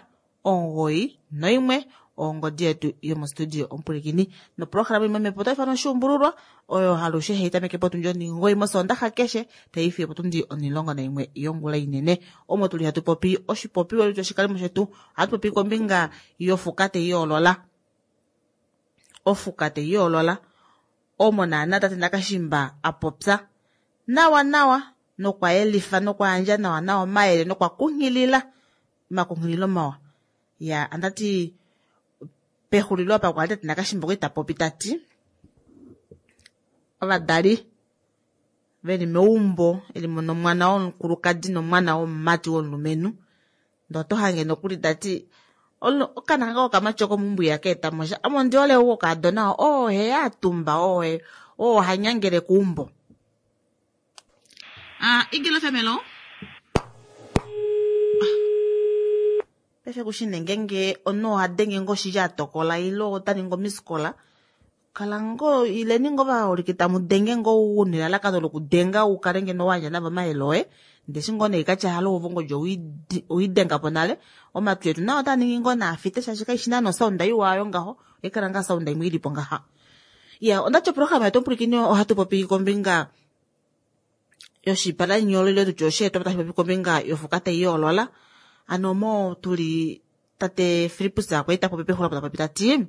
91 ongodi yetu yomostudio omupwilikini noprograma imwe mepo otai fanwa oshuumbululwa oyo halushe hei tameke potundi 9 mosondaxa keshe tai fiyo potundi 11 yongula inene omo tuli hatu popi oshipopiwa letu oshikalimo shetu ohatu popi kombinga yofuka tai yoolola ofuka tai yoolola omo naana tate Nakashimba a popya nawa nawa nokwa yelifa nokwa yandja nawa nawa omayele nokwa kunghilila omakunghililo mawa. Ya, andati pexulilo apa kwali tate Nakashimba okwa ita popi tati Ovadali ve li meumbo eli mo nomwana womukulukadi nomwana womumati womulumenhu. Ndee oto hange nokuli tati okana kange kokamati oko meumbo ihaka eta mo sha. Ame ondi hole ou wokaadona oo ohe a tumba oo oo ha nyangele keumbo. Ah, Igilo FM, hello. Paife kushi nee ngeenge omunhu oha denge ngoo shili a tokola ile ota ningi omiskola. Kala ngoo ileni ngoo vaholike tamu denge ngoo u nelalakano lokudenga u kale ngeno wa yandja navo omayele oye. Ndele eshi ngoo nee katya halo uvu ngodi owii denga po nale. Omatwi etu nao otaa ningi ngoo naafite shaashi kaishi naana osaunda iwa oyo ngaho. Ohaikala ngaa osaunda imwe ilipo ngaha. Ya, ondati oprograma yetu omupwilikini ohatu popi kombinga yoshipalanyolo ile tutye osheetwa tashi popi kombinga yofuka tai yoolola. Ano omo tuli tate Filippus kwali ta popi pexulilo ta popi tati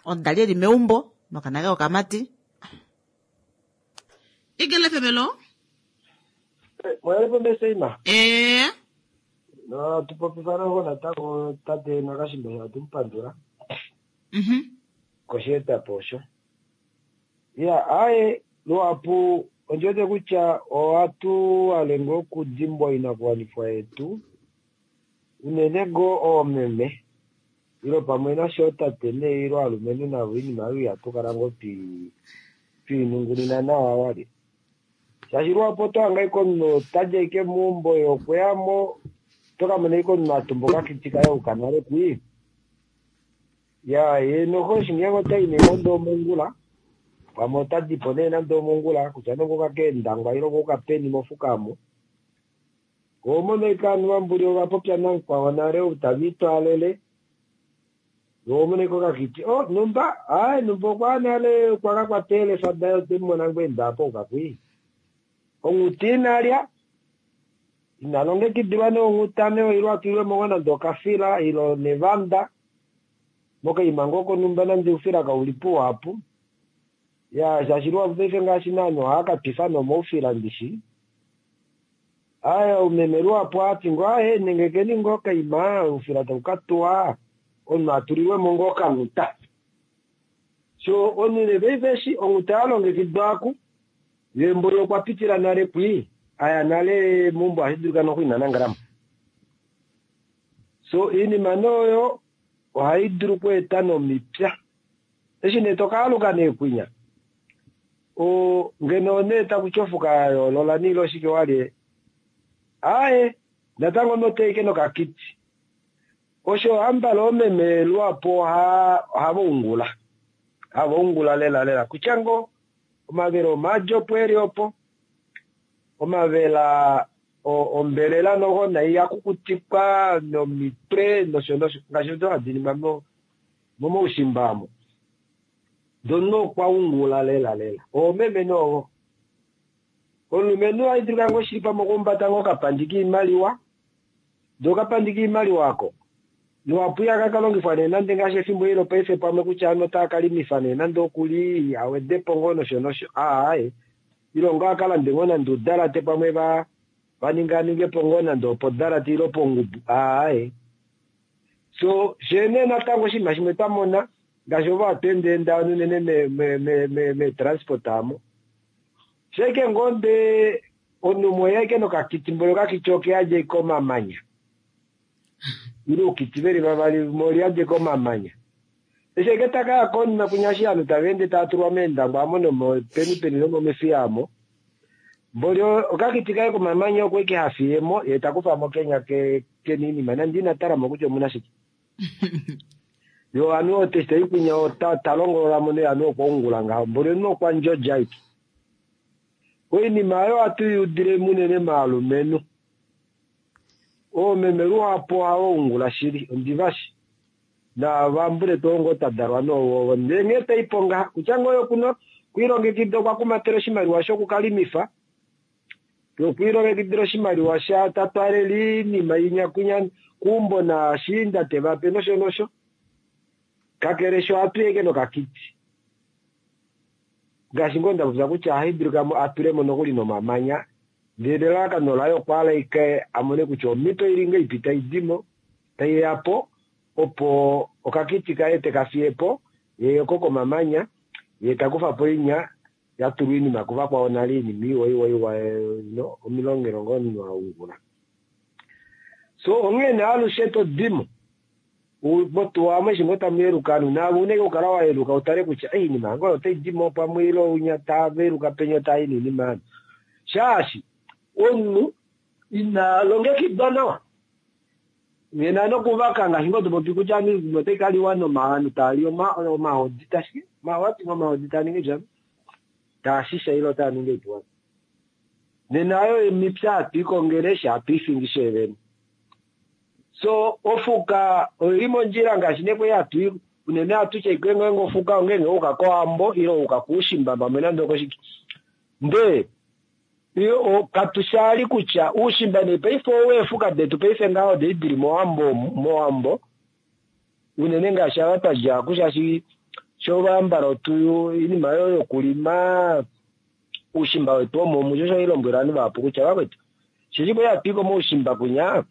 omudali eli meumbo nokana kaye okamati. Igele FM, hello. Mwelepo Meseima. Eh. No, tupopifana ngo natango tate Nakashimba tumupandula. Kosheetapo osho. Ya, aye luhapu ondi kutya ohatu hale ngoo okudimbwa oinakuwanifwa yetu unene ngoo oomeme ilo pamwe nasho tate nee ilo alumenhu navo oinima oyo ihatu kala ngoo twiinungunina nawa wali. Shaashi luhapu oto hanga ashike omunhu otadi ashike meumbo ye okweyamo oto kamona ashike omunhu atumba okakiti kaye ouka nale kwii. Ya ye noho eshi ngeenge otai nee nande omongula pamwe ota dipo nee nande omongula kutya nee okwa keendangwa ile okwa peni mofuka omo. Oho ashike ovanhu vambuli ova popya namukwao nale ou tava itwaalele. Oho mono ashike okakiti oh numba aye numba okwa nale okwa ka kwata eelefa daye otwe mu mona ngoo enda apa ouka kwii. Onghuti inalya ina longekidilwa nee onghuta nee ile atulilwe mo nande okafila ile nevanda mokaima ngoo konhumba nande oufila kauli puhapu. Ya shaashi luhapu paife ngaashi naanhu ohaya ka twifa nomoufila ndishi. Aya umeme luhapu ohati ngoo aye nengekeni ngoo okaima oufila tau ka tuwa omunhu atulilwe mo ngoo okanghuta. So omunhu paife eshi onghuta ya longekidwa aku ye mboli okwa pitila nale kwii aya nale meumbo ohashi dulika noku ina nangalamo. So iinima nee oyo ohayi dulu okweeta nomipya. Eshi nee tokaaluka nee kwinya ngeno nee taku ti ofuka ya yoolola niile oshike walye aaye natango noteike nokakiti. Osho hambala oomeme luhapu ohava ungula. Hava ungula lela lela kutya ngoo omavela omaadi opo eli opo omavela ombelela noho nai yakukutikwa nomitwe nosho nosho ngaashi odo hadi ningwa momaushimba amo. Dono okwa ungula lela lela. Oomeme noovo. Omulumenhu ohayi dulika ngoo shili pamwe okuhumbata ngoo okapandi kiimaliwa. Ndee okapandi kiimaliwa ako luhapu ihaka ka longifwa nee nande ngaashi efimbo eli lopaife pamwe kutya ovanhu otava ka limifa nee nande okuli awedepo ngoo nosho nosho aaye ile ngoo aka lande ngoo nande oudalate pamwe va ninganingepo ngoo nande opodalate ile pongubu aaye. So shee nee natango oshinima shimwe twamona ngaashi ovo hatu endaenda unene meetransport amo shaike ngoo ndee omunhu umwe oye ashike nokakiti mboli okakiti okeyadja ashike omamanya ile oukiti veli vavali limwe oliyadi ashike omamanya. Eshi ashike takaya konima kwinya eshi ovanhu tava ende tava tulwa meendangwa amo nomopeni peni nomomefiya amo mboli okakiti kaye komamanya oko ashike hafiyemo ye takufamo kenya kena oinima nande ina talamo kutya omuna shike. Yo ovanhu eshi tayi kwinya talongololamo nee ovanhu okwa ungula ngaho mboli omunhu okwa ndjodja ashike. Oinima oyo ohatu i udile munene maalumenhu. Oomeme luhapu ohava ungula shili ondivashi. Naavambule tuu ngoo tadalwa noovovo ndee nghee taipo ngaha kutya ngoo yokuno kwiilongekida okwa kumatela oshimaliwa shokukalimifa yokwilongekidila oshimaliwa sha tatwalele iinima inya kuumbo naashiinda tevape nosho nosho. Kakele sho ohatu yeke nokakiti. Ngaashi ngoo ndapopya kutya ohayi dulika atulemo nokuli nomamanya ndele elalakano laye okwa hala ashike amone kutya omhito ili ngahelipi tai dimo taiya po opo okakiti kaye teka fiyepo ye oko komamanya ye takufa po inya Ya tulwa iinima kuvakwao nale iinima iwa iwa iwa no omilongelo ngoo omunhu a ungula. So onghee nee alushe to dimo motuwa omo eshi ngoo tamu yeluka ovanhu naave una ashike okukala wa yeluka u tale kutya iinima yange oyo otai dimo pamwe ile unya tava yeluka penya otaa i noinima yano shaashi omunhu ina longekidwa nawa Nena nokuvaka ngaashi ngoo to popi kutya ovanhu oinima otai ka liwa novanhu tava li omahodi tashike omahodi omahodi taa ningi oipya taa shisha ile otaa ningi oipuwa. Nena oyo emipya hatu i kongele eshi hatu i fingi fye vene. So ofuka oili mondjila ngaashi nee kwali hatu i unene ohatu tya ashike ngeenge ofuka ongeenge wa yuka kOwambo ile wa yuka koushimba pamwe nande okoshike. Ndee Katushali kutya uushimba nee paife ou eefuka detu paife ngaha odei dili mowambo mowambo unene ngaashi ava twa dja ku shaashi sho vambala otu iinima yo yokulima uushimba wetu omo omu sho osho lombwela ovanhu vahapu kutya vakwetu shili kwali hatu i komaushimba kwinya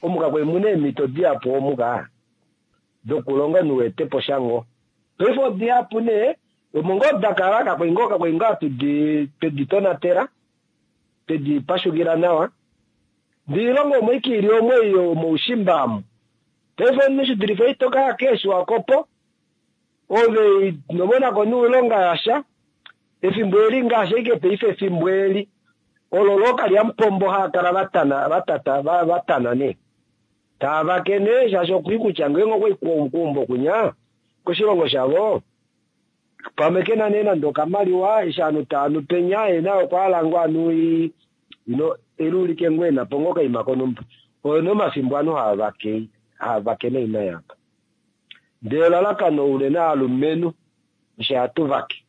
omu kakwali muna eemhito dihapu omu ka dokulonga omunhu weete po sha ngoo paife odihapu nee Omo ngoo da kala, kakwali ngoo kakwali ngoo hatu di twedi tonatela, twedi pashukila nawa. Ndee oilonga omo ike ili omo ei yomoushimba amu. Paife omunhu shi dulife ito ka ya keeSwakopo, ove ino monako noilonga yasha. Efimbo eli ngaashi ashike paife efimbo eli, olo lookalyamupombo hava kala vatana vatata vatana nee. Tava vake nee shaashi okwii kutya ngeenge okwai keumbo kwinya koshilongo shavo, Pamwe ke na nee nande okamaliwa eshi ovanhu tava nu penya ye naye okwa hala ngoo anu ino eluulike ngoo ena po ngoo okaima konhumba. Oyo nee omafimbo ovanhu hava vake hava vake noima yaapa. Ndee elalakano unene aalumenhu osho hatu vake.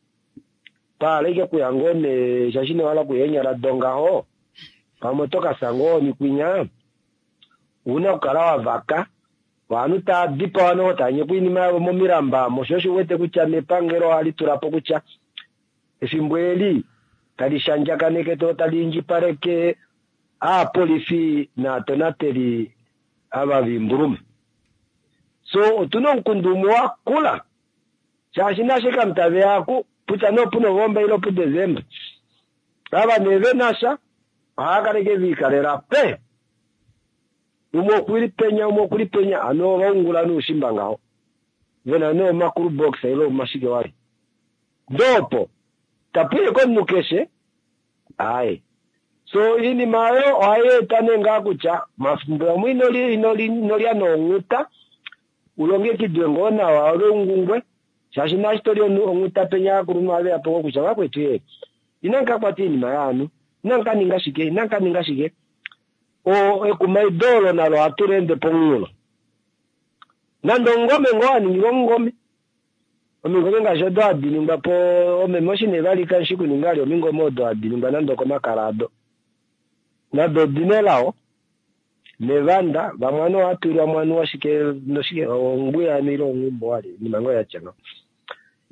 Twa hala ashike okuya ngoo nee shaashi ino hala okuya eenyala dongaho pamwe oto ka fya ngoo ohoni kwinya. Ouna okukala wa vaka Ovanhu tava dipawa noho tava nyekwa oinima yavo momilamba omo, sho osho u wete kutya nepangelo ohali tula po kutya efimbo eli tali shandjakaneke to tali indjipaleke aapolifi naatonateli ava voimbuluma. So otuna omukundu umwe wakula shaashi nashe kamutave aku kutya nee opuNovomba ile opuDesemba ava nee venasha ohava kala ashike viikalela pe. Umwe okuli penya, umwe okuli penya, hano ova ungula nuushimba ngaho. Ve na nee omakulu box ile omashike wali. Ndee opo, tapu iye komunhu keshe, aaye. So, iinima oyo ohai eta nee ngaa kutya, omafimbo amwe ino li, ino li, ino lya noonghuta, u longekidwe ngoo nawa ove ungungwe, shaashi naashi to li onghuta penya aakulunhu ohave ya po ngoo kutya vakwetu ye, inamu ka kwata iinima yaanhu, inamu ka ninga shike, inamu ka ninga shike. O, ekumaido olo nalo ohatu li ende pomunghulo. Nande omungome ngoo wa ningilwa omungome. Omingome ngaashi odo hadi ningwa po, omeme oshi nee vali kashi kuninga vali omingome odo hadi ningwa nande okomakala ado. Nado odi na elao, nevanda, vamwe aniwa ohatu ilwa mo anuwa shike noshike, ongwiya ano ile onghumbo wali, oinima ngoo yatya ngaho.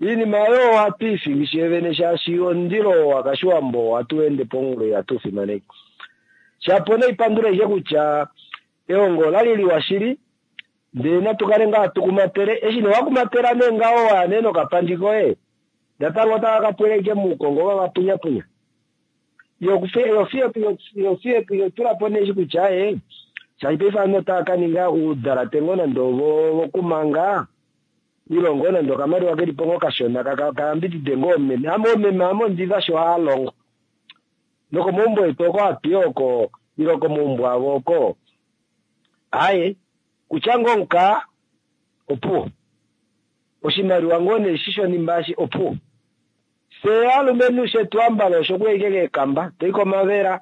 Iinima oyo ohatu i fingi fyee vene shaashi omundilo oo wakashiwambo ohatu ende pomunghulo ihatu u fimaneke. Shapo naipandula ashike kutya ehongo olali liwa shili ndee natu kale ngaa hatu kumatele. Eshi nee wakumatela nee ngaho waya nee nokapandi koye natango otava ka pwila ashike muukongo ova va punyapunya. Yo tula po nee eshi kutya aaye shaashi paife ovanhu otava ka ninga oudalate ngoo nande ovokumanga ile ngoo nande okamaliwa keli po ngoo kashona ka yambidide ngoo oomeme. Ame oomeme ame ondi va shi ohava longo. Nokomaumbo etu oko hatu i oko ile komaumbo avo oko, aaye, kutya ngoo omukaa, opuwo. Oshimaliwa ngoo nee eshi shonhimba eshi, opuwo. Fye aalumenhu shetu ambala osho okuya ashike keekamba, to i komavela,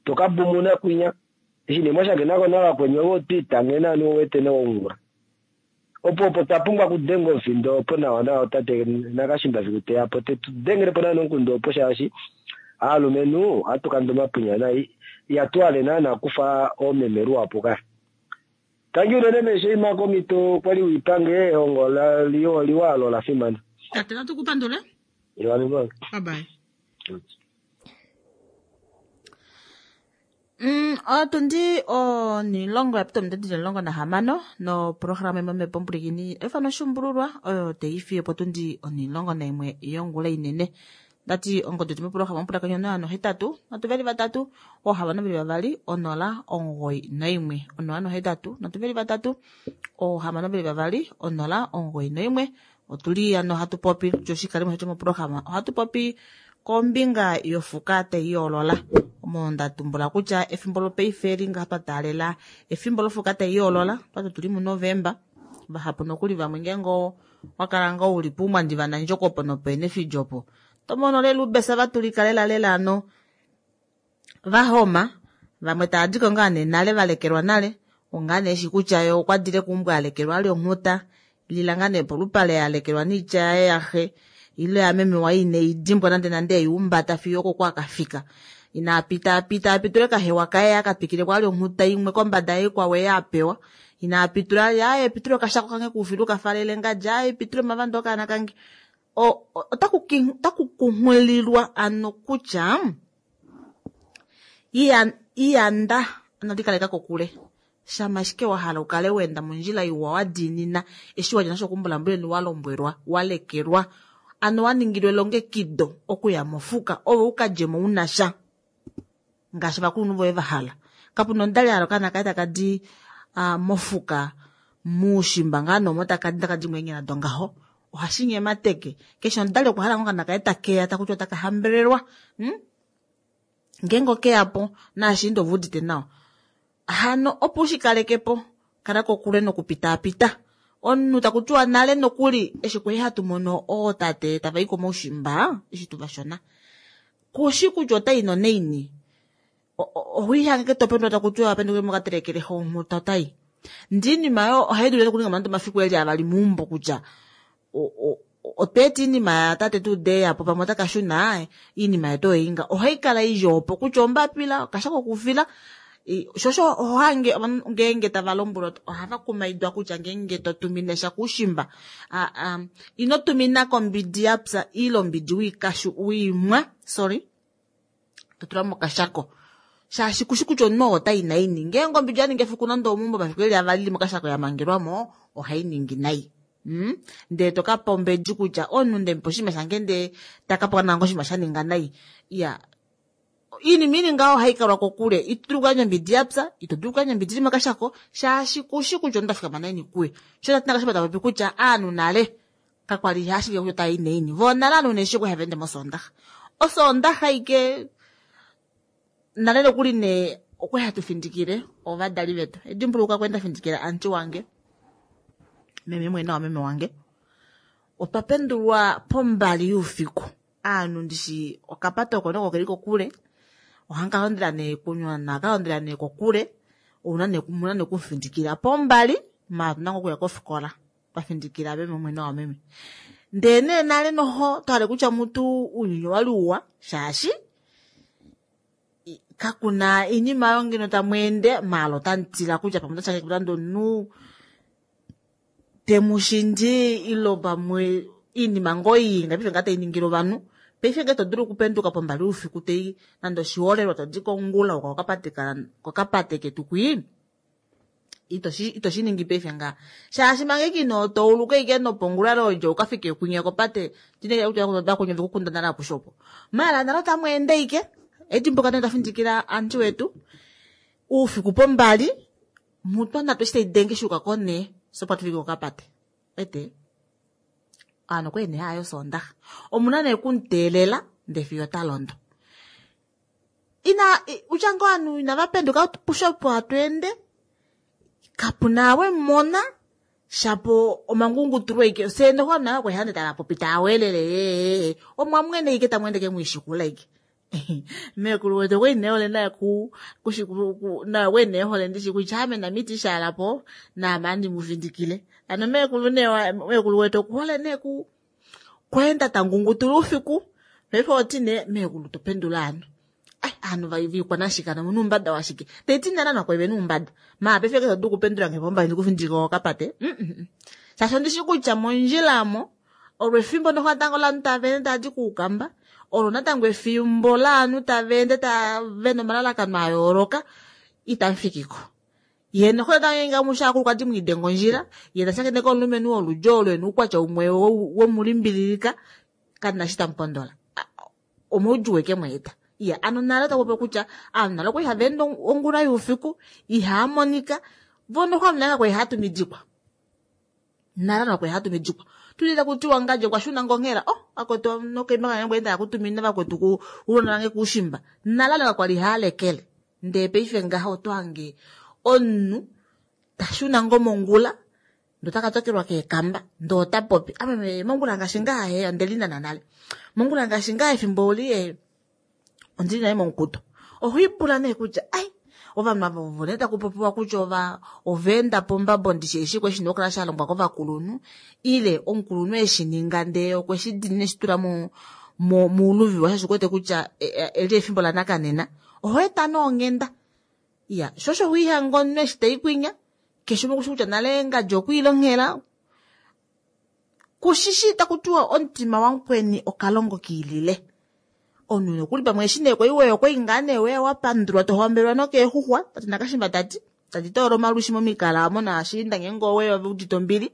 to ka bumuna kwinya. Eshi nee mwa shakenako navakweni ove oto itange naanhu u wete nee waungula. Opo opo twa pumbwa okudenga omufindo opo nawa nawa tate Nakashimba fiku teya po te tu dengele po naana omukundu opo shaashi aalumenhu ohatu kanda omapunya nai ihatu hale naana kufa oomeme luhapu ka. Tangi unene meesheima komito kwali wiipange ehongo liwa olo ola fimana. Tate natu ku pandule. Bye bye. Mm, otundi onilongo ya pita ominute dili 16 noprograma imwe yomhepo omupulikini efano shumbululwa oyo taifi opotundi 11 yongula inene. Ndati ongodi yetu moprograma omupulakeni 081 3 622 091 081 3 622 091. Otuli ano hatu popi kutya oshikalimo shetu moprograma ohatu popi kombinga yofuka tai yoolola. Omo nda tumbula kutya efimbo lopaife eli ngaha twa taalela efimbo lofuka tai yoolola, twati otuli muNovemba. Vahapu nokuli vamwe ngeenge owa kala ngoo uli puumwandi vanandjoko opo nopeenefidja opo to mono lela oubesa vatulika lela lela ano vahoma, vamwe tava diko ngaa nee nale valekelwa nale, ongaa nee eshi kutya ye okwa dile keumbo alekelwa ali onghuta, lila ngaa nee polupale alekelwa noitya yaye yaxe ile yameme waye ine i dimbwa nande nande ei umbata fiyo okoko akafika. Ina pita pita apitule kahewa kaye akatwikile kwali onghuta imwe kombada yaikwao ei apewa. Ina pitula aye pitule okashako kange kuufilu kafalele ngadji aye pitule omavando okaana kange. Otaku kunghulilwa ano kutya iyanda ano likaleka kokule. Shama ashike wa hala ukale wenda mondjila iwa wa diinina eshi wadja nasho kumbulambuleni wa lombwelwa wa lekelwa ano wa ningilwa elongekido okuya mofuka ove ukadjemo una sha ngaashi ovakulunhu voye va hala. Kapuna omudali a hala okaana kaye taka di mofuka muushimba ngaa nomo taka di taka di moeenyala dongaho. Ohashi nyemateke. Keshe omudali okwa hala ngoo okaana kaye takeya takuti otaka hambelelwa. Ngeenge okeya po naashiinda ove udite nawa. Hano opo ushikaleke po kala kokule nokupitaapita. Omunhu takutiwa nale nokuli eshi kwali hatu mono ootate tava i komaushimba eshi tuvashona. Kushi kutya otai nonaini. Ohoihange ketopendo takutiwa wapenduke mokatelekele onghuta otai. Ndi iinima oyo ohai dulu okuninga nande omafiku eli avali meumbo kutya otwa eta iinima yatate tuu deyapo pamwe otaka shuna iinima yetu oyo inga. Ohai kala ili opo kutya ombapila okashako kokufila. Shosho ohange ovanhu ngeenge tava lombwelwa ohava kumaidwa kutya ngeenge to tumine sha kuushimba ino tumina kombidi yapya ile ombidi wiikashu wiimwa sorry to tula mokashako shaashi kushi kutya omunhu oo otai naini. Ngeenge ombidi ya ningi efiku nande omeumbo omafiku eli avali ili mokashako ya mangelwamo ohai ningi nai. Ndele to kapa ombedi kutya omunhu ndemupa oshinima shange ndee taka pewa natango oshinima sha ninga nai. Iya iinima ili ngaho ohai kalwa kokule. Ito dulu okuyandja ombidi yapya, ito dulu okuyandja ombidi ili mokashako shaashi kushi kutya omunhu ta fikama naini kuye. Sho tati nakashipa ta popi kutya aanhu nale kakwali ashike kutya otava i naini. Voo nale aanhu neshi okwali hava ende mosoondaxa. Osoondaxa ike nale nokuli nee okwali hatu findikile ovadali vetu. Edimbuluka kwali nda findikila aunty wange meme mwene wameme wange. Otwa pendulwa pombali youfiku. Aanhu ndishi okapata oko noko keli kokule. Ohanka londela nee kunywa naka londela nee kokule. Ouna nee muna nee kumufindikila pombali maala otuna ngoo okuya kofikola. Twa findikila meme mwene wameme. Ndee nee nale noho twahale kutya mutu ounyuni owali uwa shaashi kakuna iinima oyo ngeno tamu ende maala otamu tila kutya pamwe otashange nande omunhu temushindi ilo pamwe iinima ngoo ii ngaashi ngaa tai ningile ovanhu. Paife ngee to dulu okupenduka pombali oufiku tai nande oshiholelwa to di kongula uka kokapate ketu kwii ito shi ningi paife ngaa shaashi manga ike ino tauluka ike nopongula lodja ukafike kwinya kopate tinekela kutya vakunya vekukunda nale apushe opo. Maala nale otamu ende ike edimbuka nee tafindikila aunty wetu oufiku pombali mutwa natu eshi taidenge shuuka konee sopa tufike kokapate. Ete ano kwene nee hayo Soondaxa. Omuna nee kumuteelela ndee fiyo ota londo. Ina utya ngoo ovanhu inava penduka pushe opo hatu ende kapuna we mona shapo omangungutulwa ike fye noho nayo kwali hande tava popi tava welele omwa mwene ike tamu ende ke mwishikula ike. Meekulu wetu okwali nee hole naye naye okwali nee hole ndishi kutya ame namiti shaalapo naame andi mu findikile. Ano meekulu nee meekulu wetu okuhole nee kweenda tangungutula oufiku. Paife oti nee meekulu topendula ano. Ai aanhu vaikwanashike ano omuna oumbada washike. Taiti nale aanhu kwali vena oumbada. Maala paife ke todu okupendula nge pombali ndikufindike kokapate. Shaashi ondishi kutya mondjila amo olo efimbo noho natango laanhu tava ende tava di kuukamba, olo natango efimbo laanhu tava ende vena omalalakano a yooloka itamufikiko. Ye noho natango ngeenge amushe aakulukadi mwiidenga ondjila, ye tashakeneke omulumenhu woludyo olo ena oukwatya umwe wemulimbililika, kamuna eshi tamupondola. Omaudjuu eke mu eta. Iya, ano nale otaku popi kutya aantu nale okwali hava ende ongula youfiku, ihaa monika, vo noho ovanhu nale kakwali hava tumidikwa. Nale ovanhu kakwali hava tumidikwa. Tuli taku tiwa ngadje okwa shuna ngonghela, oh, vakwetu nokaima kange ngwe enda kutumina vakwetu ku ulona vange kuushimba. Nale ovanhu kakwali hava lekele. Ndee paife ngaha oto hange omunhu ta shuna ngo mongula, ndee ota ka tokelwa keekamba, ndee ota popi. Ame mongula ngaashi ngaha he, onde linana nale. Mongula ngaashi ngaha efimbo oli e, ondili nale momukuto. Oho ipula nee kutya, ai, ovanhu ava ovo nee taku popiwa kutya ova enda pombabo ndishi eshi kwe shi nokukala sha longwa kovakulunhu, ile omukulunhu eshi ninga ndee okwe shi dinina eshi tula mouluvi waye shaashi okuwete kutya eli efimbo lanakanena. Oho eta nee onghenda. Iya, sho osho hoihanga omunhu eshi taikwinya, keshe umwe okushi kutya nale ngadi okwiilongela. Kushishi taku tiwa omutima wamukweni okalongo kiilile. Omunhu nokuli pamwe eshi nee kwai weya okwai ngaa nee weya wa pandulwa to hambelwa nokeexuxwa, tati nakashimba tati, tati toola omalwishi momikala omo naashiinda ngeenge oweya ove udite ombili.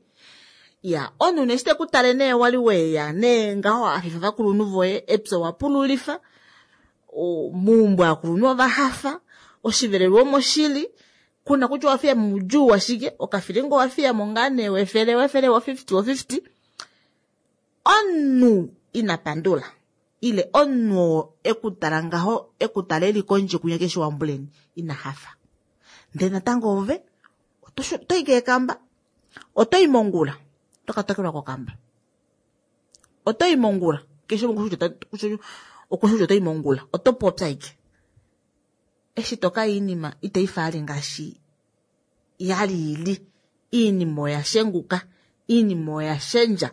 Iya, omunhu nee eshi teku tale nee wali weya nee ngaho afifa ovakulunhu voye, epya owa pululifa, meumbo aakulunhu ova hafa, oshivelelwa omoshili, kuna kutya owa fiya moudjuu washike, okafilinga owa fiya mo ngaa nee wefele, wefele, wo 50, wo 50. Omunhu ina pandula, ile omunhu oo e ku tala ngaho, e ku tala e li kondje kunya keshe wambuleni, ina hafa. Ndele natango ove, oto i keekamba, oto i mongula, oto ka tokelwa kokamba. Oto i mongula, keshe umwe okushi kutya oto i mongula, oto popya aike. Eshi to ka iinima itai faali ngaashi yali ili. Iinima oya shenguka, iinima oya shendja.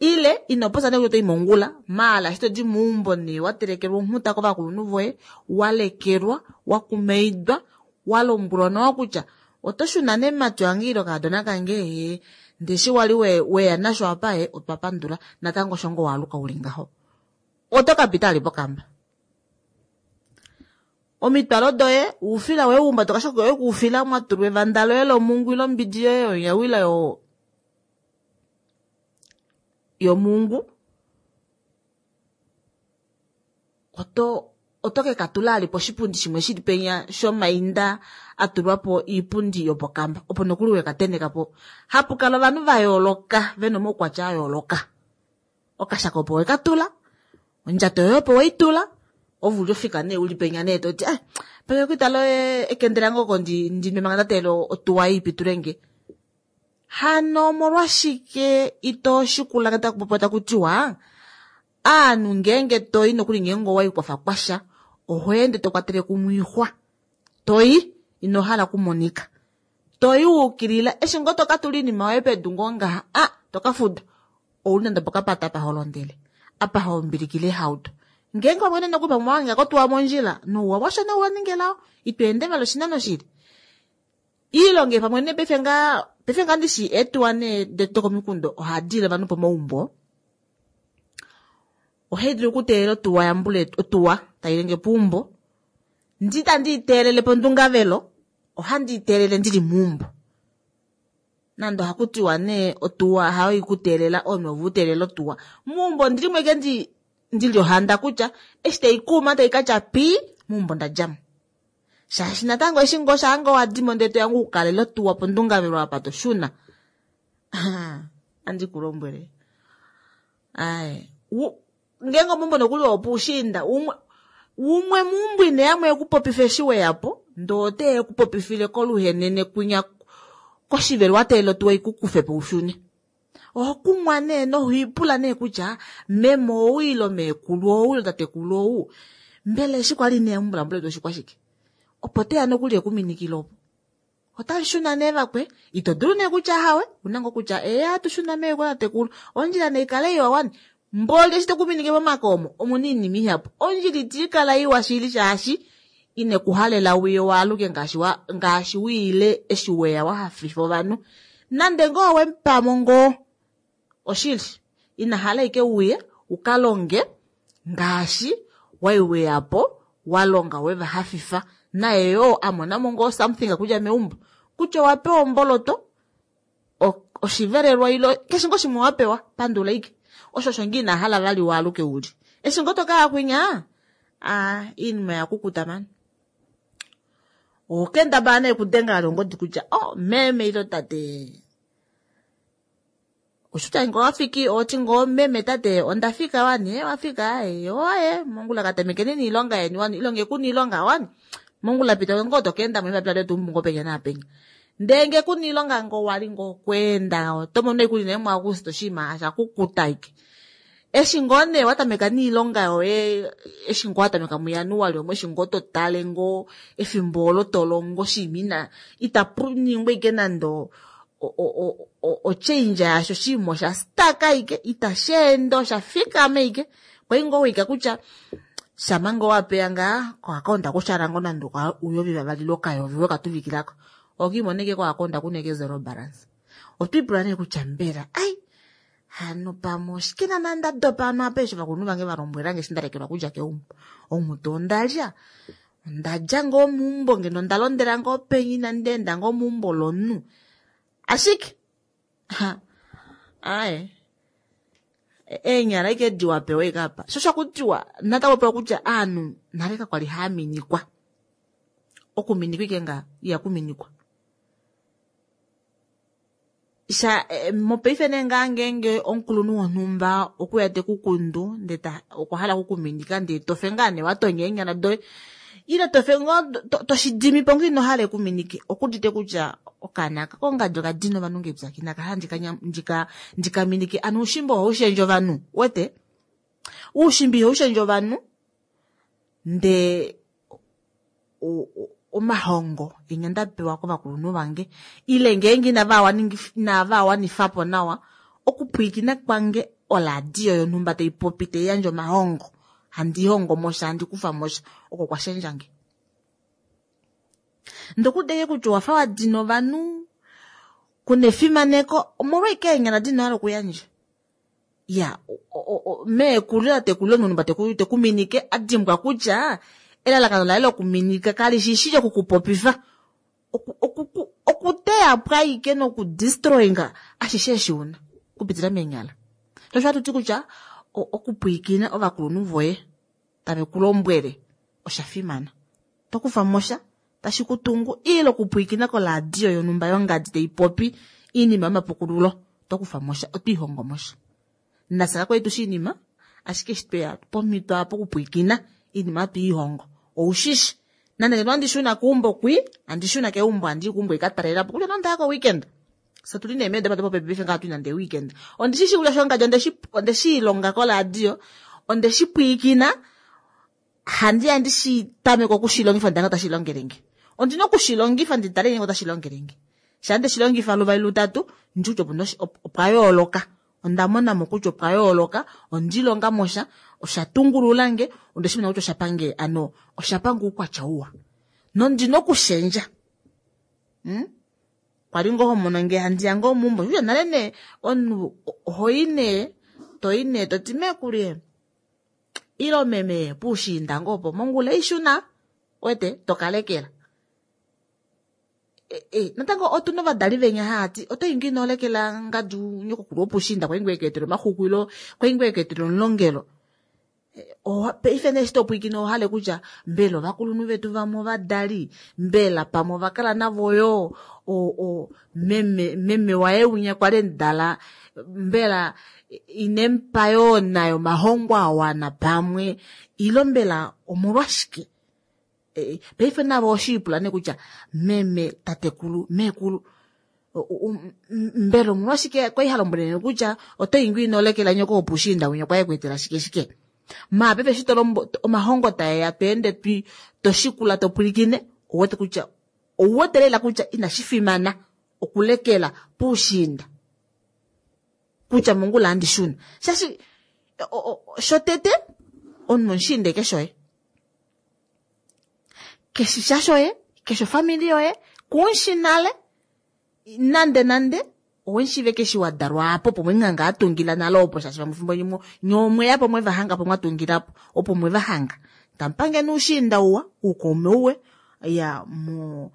Ile ino popya nee kutya oto i mongula, maala eshi to di meumbo nee wa telekelwa onghuta kovakulunhu voye, wa lekelwa, wa kumaidwa, wa lombwelwa nawa kutya oto shuna nemati wange ile okaadona kange, ee, ndee eshi wali weya nasho apa, ee, otwa pandula, natango osho ngoo waaluka uli ngaho. Oto ka pita ali pokamba. Omitwalo doye, oufila woye uhumbata okashako koye koufila mwa tulwa evanda loye lomungu ile ombidi yoye yonyawila yomungu, oto ke ka tula ali poshipundi shimwe shili penya shomainda a tulwa po iipundi yopokamba, opo nokuli we ka teneka po. Hapu kala ovanhu va yooloka, ve na omaukwatya a yooloka. Okashako opo we ka tula, ondjato yoye opo we i tula, ove uli ofika nee uli penya nee to ti, ah, penge okwiitala ekende lange oko ndi nwe manga nda teelela otuwa ei pitule nge. Hano omolwashike ito shikula ngee taku popiwa taku tiwa, aanhu ngeenge to i nokuli ngeenge owa i kwafa kwasha, oho ende to kwatele kumwe oixwa. To i, ino hala okumonika. To i wa ukilila, eshi ngoo to ka tula oinima yoye pedu ngoo ngaha, ah, to ka fuda. Ouli nande opokapata apa ho londele, apa ho mbilikile eehauto. Ngeenge pamwe nene nokuli pamwe owa hanga kotuwa mondjila, nouwa washo nee owa ninga elao, ito ende vali oshinano shili. Iilonga pamwe nee paife ngaa, paife ngaa ndishi eetuwa nee dokomikunda ohadi ile ovanhu pomaumbo. Ohai dulu okuteelela otuwa yambule, otuwa tai lenge peumbo. Ndi tandi i teelele pondungavelo, ohandi i teelele ndili meumbo. Nande ohaku tiwa nee otuwa hayo ikuteelela, omunhu ove uteelela otuwa. Meumbo ondili mo ashike ndili ohanda kutya eshi tai kuuma tai ka tya pii, meumbo nda dja mo. Shaashi natango eshi ngoo shaa ngoo wa dimo ndele toya ngoo ukalele otuwa pondungavelo apa to shuna. Andi ku lombwele. Ai, ngeenge omeumbo nokuli opuushiinda, umwe meumbo ine ya mo ekupopifa eshi we ya po, ndee ote ya ekupopifile koluhenene kwinya koshivelo wa teelela otuwa ikukufe po ushune. Oho kumwa nee noho ipula nee kutya meme ou ile meekulu ou ile tatekulu ou, mbela eshi kwali ine ya meumbo letu oshikwashike? Opo teya nokuli ekuminikile opo. Otamu shuna nee vakwe, ito dulu nee kutya hawe, una ngoo kutya ee hatu shuna meekulu tatekulu, ondjila nei kale iwa wani. Mboli eshi tokuminike momake omo, omuna oinima ihapu. Ondjila iti kala iwa shili shaashi ine kuhalela wiye waaluke ngaashi wiile eshi weya wa hafifa ovanhu. Nande ngoo wemupamo ngoo, oshili, ina hala ike uye uka longe ngaashi wai weya po, wa longa we va hafifa. Naye yoo a mona mo ngoo something okudja meumbo. Kutya owa pewa omboloto, oshivelelwa ile keshe ngoo shimwe wa pewa, pandula ike. Osho osho ngoo ina hala vali waaluke uli. Eshi ngoo to kaya kwinya, a iinima oya kukuta mani. Okendabala nee okudenga vali ongodi kutya oh meme ilo tate oshutya ngoo wafiki oti ngoo meme tate onda fika wani wafika oye mongula katamekeni niilonga yeni wani ilonge kuna iilonga wani mongula pita ngoo tokeenda mo embapila letu ngoo penya naapenya ndee nge kuna iilonga ngoo wali ngoo kweenda oto mono ikuli nee muAguste oshinima osha kukuta ike eshi ngoo nee watameka niilonga yoye eshi ngoo watameka muJanuali omo eshi ngoo totale ngoo efimbo olo tolongo oshinima ina itapu ningwa ike nande ochange yasho oshinima osha stuck ike itashi ende osha fikama ike kwai ngoo wika kutya shama ngoo wapeya ngaa koakaunta kushala ngoo nande uyovi vavali lokayovi wekatuvikilako okiimona ike koakaunta kuna ike zero balance otwiipula nee kutya mbela ai hano pamwe oshike naana nda dopa ano apa eshi ovakulunhu vange va lombwelange eshi nda lekelwa kudja keumbo omuto ondalya ondadja ngoo meumbo ngeno onda londela ngoo penya inandi enda ngoo meumbo lomunhu ashike aaye eenyala ike diwa pewa ike apa sho shakutiwa natango pewa kutya aanhu nale kakwali haaminikwa okuminikwa ike ngaa ihakuminikwa sha mopaife nee ngaa ngeenge omukulunhu wonhumba okuya te kukundu ndee okwa hala okukuminika ndee tofe ngaa nee watonya eenyala doye ile tofe ngoo toshidimipo ngoo ino hala ekuminike okuudite kutya okaana aka kongadi okadina ovanhu ngeepyaki nakahala ndikaminike ano oushimba ohaushendje ovanhu wete oushimba ihaushendje ovanhu ndee omahongo enya nda pewa kovakulunhu vange ile ngeenge inava wanifapo nawa okupwiikina kwange oladio yonhumba tai popi tai yandje omahongo handi hongo mosha handi kufa mosha oko kwa shendjange ndokudeke kutya owafa wa dina ovanhu kuna efimaneko omolwaike eenyala dina hala okuyandja ya meekulu tatekulu omunhu tekuminike a dimbwa kutya elalakano laye lokuminika kali shi shi lyokukupopifa okuteya po ashike nokudestroyinga ashishe eshi una okupitila meenyala sho osho hatu ti kutya okupwiikina ovakulunhu voye tave ku lombwele osha fimana tokufa mosha tashi kutungu ile okupwiikina koladio yonhumba yongadi tai popi iinima yomapukululo tokufa mosha otwiihongo mosha nafye kakwali tushi iinima ashike eshi tweya pomhito apa okupwiikina iinima hatwiihongo oushishi nande ngeno handi shuna keumbo kwi handi shuna keumbo handii keumbo ikatalelapo kutya nande ako weekend so tuli nee meedopa dopopepi paife ngaha tuli nande weekend ondishishi kutya shongadi ondeshiilonga koladio ondeshipwiikina handi handi shi tameke okushilongifa ndanga tashi longelenge ondina okushilongifa ndi tale ngenge otashi longelenge sha nde shilongifa luvali lutatu ndi kutya opuna opwa yooloka onda monamo kutya opwa yooloka ondilonga mosha osha tungululange onde shi mona kutya osha pange ano osha pange oukwatya uwa nondina okushendja kwali ngoo homono nge handi ya ngoo meumbo kutya nale nee omunhu ohoyi nee toyi nee toti meekulu ilo meme puushiinda ngoo opo mongula ishuna wete tokalekela natango otuna ovadali venya haati oto ingi ino lekela ngadi nyokokulu wopushiinda kwai ngoo ekeetele omaxuku ilo kwai ngoo ekeetele omulongelo paife nee eshi topwiikine ohale kutya mbela ovakulunhu vetu vamwe ovadali mbela pamwe ovakala navo yoo meme meme waye winya kwali emudala mbela inemupa yoo nayo omahongo awana pamwe ilo mbela omolwashike paife navo oshiipula nee kutya meme tatekulu meekulu mbela omolwashike kwali ha lombwelele kutya oto ingi ino lekela nyoko wopushiinda winya kwaye kuetela shike shike maa paife eshi tolombo omahongo taeya tweende toshikula topwilikine ouwete kutya ouwete lela kutya inashi fimana okulekela puushiinda kutya mongula handi shuna shaashi shotete omunhu omushiinda eke shoye keshi sha shoye keshi ofamili yoye kumushi nale nande nande owemushiive keshi wa dalwa apo opo mwenganga atungila nale opo shaashi vamwe fimbo limwe nye omweya po mweva hanga po mwatungilapo opo mweva hanga tamupange noushiinda uwa oukaume uwe ya mo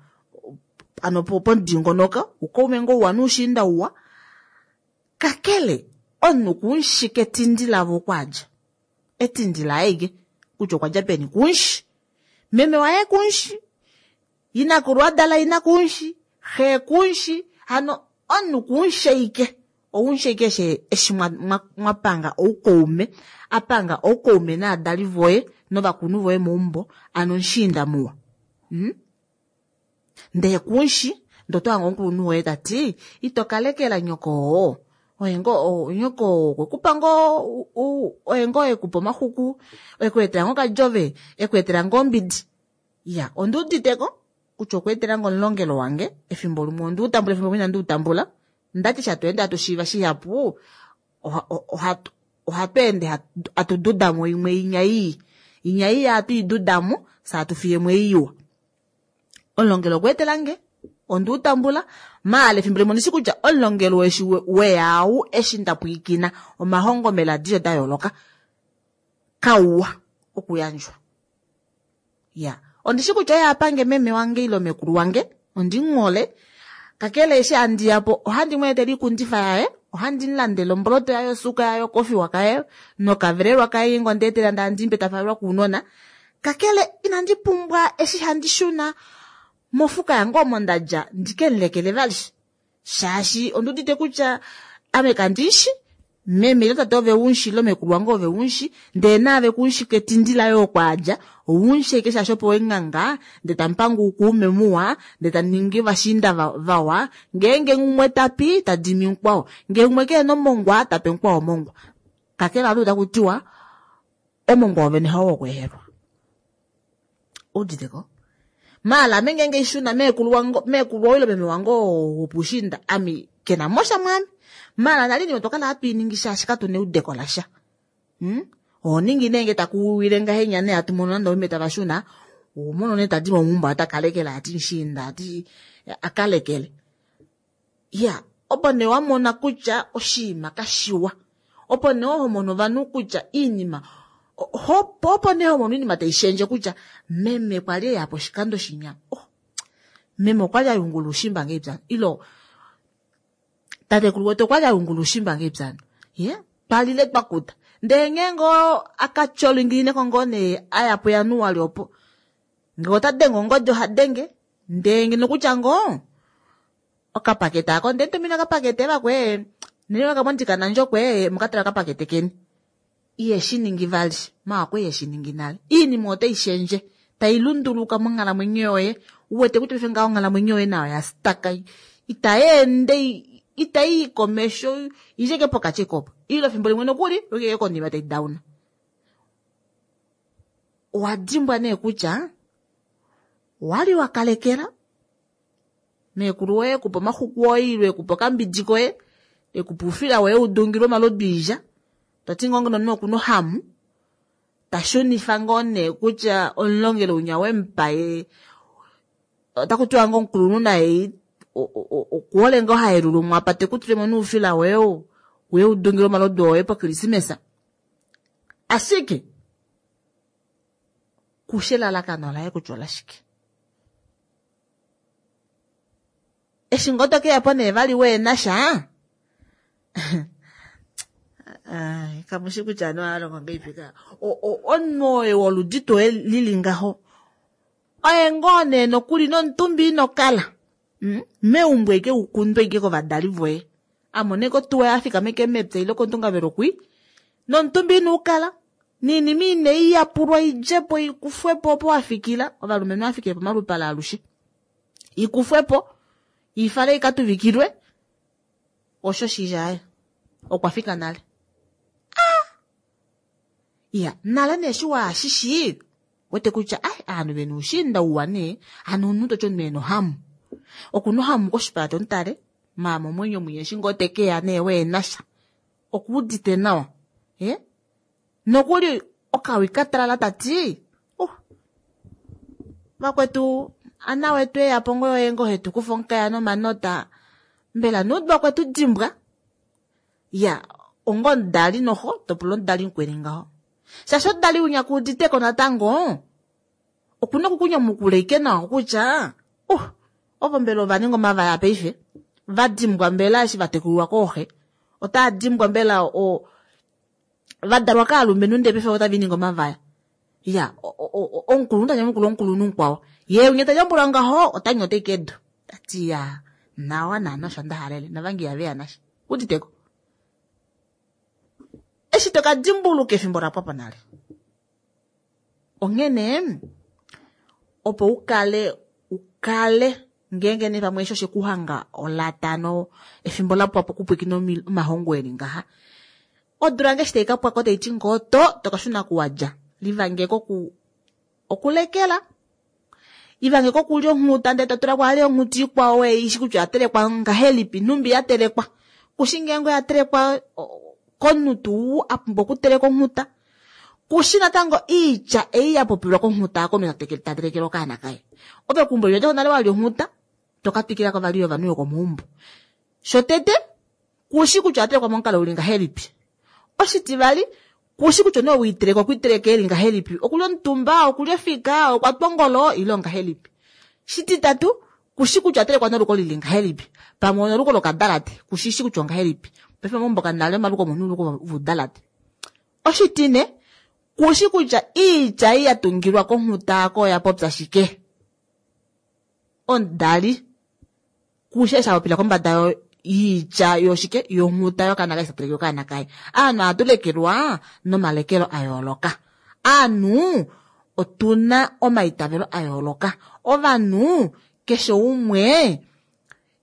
ano pomudingonoko oukaume ngoo uwa noushiinda uwa kakele omunhu kumushi ketindi lavo okwaadja. Etindi laye ike kutya okwa dja peni kunshi. Meme waye kunshi, inakulu a dala ina kunshi, xe kunshi, hano omunhu kunshi ike. Ounshi ike eshi mwa panga oukaume, a panga oukaume naadali voye novakulunhu voye meumbo, ano omushiinda muwa. Ndee kunshi, ndee oto hange omukulunhu woye tati, ito kalekela nyoko oo. Oye ngoo, nyoko oo okwe kupa ngoo, oye ngoo ekupa omaxuku, ekweetela ngoo okadjove, ekweetela ngoo ombidi. Iya, onduuditeko kutya okweetela nge omulongelo wange, efimbo limwe onde u tambula, efimbo limwe inandi u tambula. Ndati eshi hatu ende hatu shiiva shihapu, ohatu ende hatu dudamo imwe inya ii. Inya ii ohatu i dudamo, fye hatu fiyemo ei iwa. Omulongelo okweetela nge, onde u tambula, maala efimbo limwe ondishi kutya omulongelo eshi weya ou eshi nda pwiikina omahongo meladiyo da yooloka, kauwa okuyandjwa. Ya, ondishi kutya oye apange meme wange ile mekulu wange, ondimuhole, kakele eshi handi ya po ohandi mu etele oikundifa yaye, ohandi mu landele omboloto yaye, osuuka yaye, okofiwa kaye nokavelelwa kaye ngeenge onda etela ndee handi mupe ta falelwa kounona. Kakele inandi pumbwa eshi handi shuna mofuka yange omo nda dja ndi ke mu lekele vali, shaashi ondi udite kutya ame kandi shi meme ile tate ove unshi ile mekulu wange ove unshi, ndee naave kuunshi ketindi laye oko a dja, ounshi ashike shaashi opo wenganga, ndee tamupanga oukuume muwa, ndee tamuningi ovashiinda vawa, ngeenge umwe tapi tadimi mukwao, ngee umwe kehena omongwa tape mukwao omongwa. Kakele ohatu taku tiwa omongwa wovene hao wokweehelwa. Uditeko? Maala ame ngeenge ishuna meekulu wange, meekulu waye ile meme wange oo wopushiinda, ame kena mosha mwaame. Maala nali nime otwa kala hatu i ningi shaashi katuna eudeko lasha. Oho ningi nee nge taku wile ngahenya nee hatu mono nande omeme tava shuna, oho mono nee tadi momuumbo ata kalekele ati mushiinda ati akalekele. Ya, opo nee wa mona kutya oshinima kashiwa. Opo nee ho mono ovanhu kutya iinima, opo nee ho mono oinima tai shendje kutya meme kwali eya po oshikando shinya. Oh, meme okwali a yungula oushimba ngahelipi ilo tatekulu wetu okwali a yungula oushimba ngahelipi Ye, twalile twa kuta. Ndee ngeenge oo akatyolingilineko ngoo nee aya po Januali opo, ngee ota denge ongodi oha denge, ndee ngeno kutya ngoo okapakete ako ndee tumina okapakete vakwee, nene okamondika nandjokwe mukatala okapakete keni. Iye shi ningi vali, maako iye shi ningi nale. Iinima otai shendje, tai lunduluka monghalamwenyo yoye, u wete kutya paife ngaho onghalamwenyo yoye nayo ya staka, itai ende, itai i komesho, idje ke pokati kopo. Ile efimbo limwe nokuli, oike konima tai dauna. Owa dimbwa nee kutya, wali wa kalekela, meekulu woye ekupa omaxuku oye, ile ekupa okambidi koye, ekupa oufila woye udungilwe omalodu oilya. Toti ngoo ngeno omunhu okuna ohamu, ta shunifa ngoo nee kutya omulongelo unya wemupa ye, otaku tiwa ngoo omukulunhu naye okuhole ngoo haelula umwe apa te ku tulemo noufila woye uye udungilwe omalodu oye pokrisimesa. Ashike kushe elalakano laye kutya olashike. Eshi ngoo tokeya po nee vali weena sha, kamushi kutya ovanhu ohava longo ngahelipi ka. Omunhu oye woludi tuu lili ngaho, oye ngoo nee nokuli nomutumba ino kala. Meumbo eke ukundwe ike kovadali voye. Amone kotuwa ya fikama ike mepya ile kondungavelo kwi, nomutumba ino ukala. Niinima ine iyapulwa idjepo ikufwepo opo wafikila, ovalumenhu vafikile pomalupale alushe. Ikufwepo, ifale ikatuvikilwe, osho shijaye. Okwa fika nale. Iya, nale nee eshi waashishi, wete kutya, ai, aanhu vena oushiinda uwa nee, hano omunhu toti omunhu ena ohamu. Okuna ohamu koshipala tomutale, maama omwenyo mwinya eshi ngoo tekeya nee weena sha. Okuudite nawa. Nokuli okawi katalala tati, vakwetu, ana wetu eya po ngoo oye ngoo hetu kufa omukaya nomanota, mbela nuudwa kwetu dimbwa? Ya, ongo omudali noho, topula omudali mukweni ngaho. Shaashi omudali unya kuuditeko natango, okuna okukunyamukula ike nawa kutya, ovo mbela ova ninga omavaya paife, va dimbwa mbela eshi va tekulilwa kooxe, otaa dimbwa mbela o, Vadalwa kaalumenhu ndele paife otava ningi omavaya. Ya, omukulunhu ta nyamukula omukulunhu mukwao. Ye winya ta nyamukula ngaho, ota nyota ashike edu. Ta ti ya, nawa naana osho nda halele, navange ihave ya nasha. Uditeko? Eshi to ka dimbuluka efimbo la pwa po nale. Onghene, opo u kale, u kale ngeenge nee pamwe eshi oshe ku hanga olatano efimbo la pwa po okupwiikina omahongo eli ngaha. Odula ngeshi tai ka pwako tai ti ngoo to, to ka shuna kuwadja. Livangeko ku okulekela. Ivangeko okulya onghuta ndele to tula ko ale onghuta ikwao we ishi kutya oya telekwa ngahelipi, nhumbi ya telekwa. Kushi ngeenge oya telekwa komunhu tuu a pumbwa okuteleka onghuta. Kushi natango iitya ei ya popilwa konghuta komunhu ta telekele okaana kaye. Ove keumbo lyoye nale walya onghuta, to ka twikila ko vali yovanhu yokomaumbo. Shotete, kushi kutya oya telekwa momukalo uli ngahelipi. Oshitivali, kushi kutya omunhu ou iteleka okwa iteleka eli ngahelipi. Okuli omutumba, okuli ofika, okwa twa ongolo, ile ongahelipi. Shititatu, kushi kutya oya telekwa noluko lili ngahelipi. Pamwe onoluko lokadalate, kushishi kutya ongahelipi. Paife momaumbo kanale omaluko omunhu oluko vudalate. Oshitine, kushi kutya iitya ei ya tungilwa konghuta ako oya popya shike. Omudali, kushi eshi a popila kombada yiitya yoshike yonghuta yokaana kaye shateleke okaana kaye. Aanhu ohatu lekelwa nomalekelo a yooloka. Aanhu otuna omaitavelo a yooloka. Ovanhu keshe umwe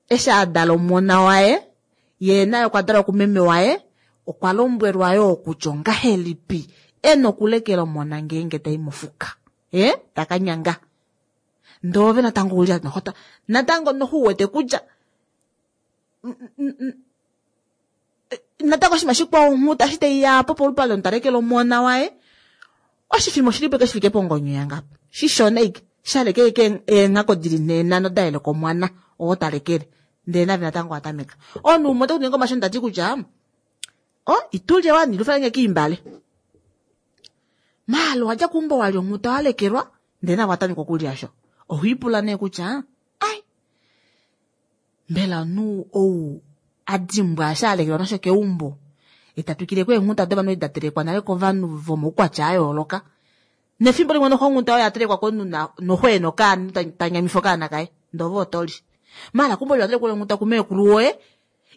eshi a dala omona waye, ye naye okwa dalwa kumeme waye, okwa lombwelwa yoo kutya ongahelipi e na okulekela omona ngeenge tai mofuka. E, ta ka nyanga. Ndele ove natango uli nohota. Natango noho u wete kutya natango oshinima shikwao onghuta eshi tai ya po polupale omunhu ta lekele omona waye, oshifima oshili po shi fike pongonyo yangapo. Shishona ashike, sha leka ashike eenghako dili nhee nhano da yeleka omwana oo ta lekele. Ndele nave natango owa tameka. Omunhu umwe ote ku ningi omashonda ta ti kutya, o, itulye wani, lufalenge kiimbale. Maala owa dja keumbo wa lya onghuta wa lekelwa, ndele nave owa tameka okulya sho. Oho ipula nee kutya, ai, mbela omunhu ou a dimbwa eshi a lekelwa nasho keumbo, eta twikile ko eenghuta dovanhu edi da telekwa nale kovanhu vomaukwatya a yooloka. Nefimbo limwe noho onghuta oyo ya telekwa komunhu noho e na okaana, ta nyamifa okaana kaye, ndele ove oto li. Maala keumbo liwa telekwa onghuta kumeekulu woye,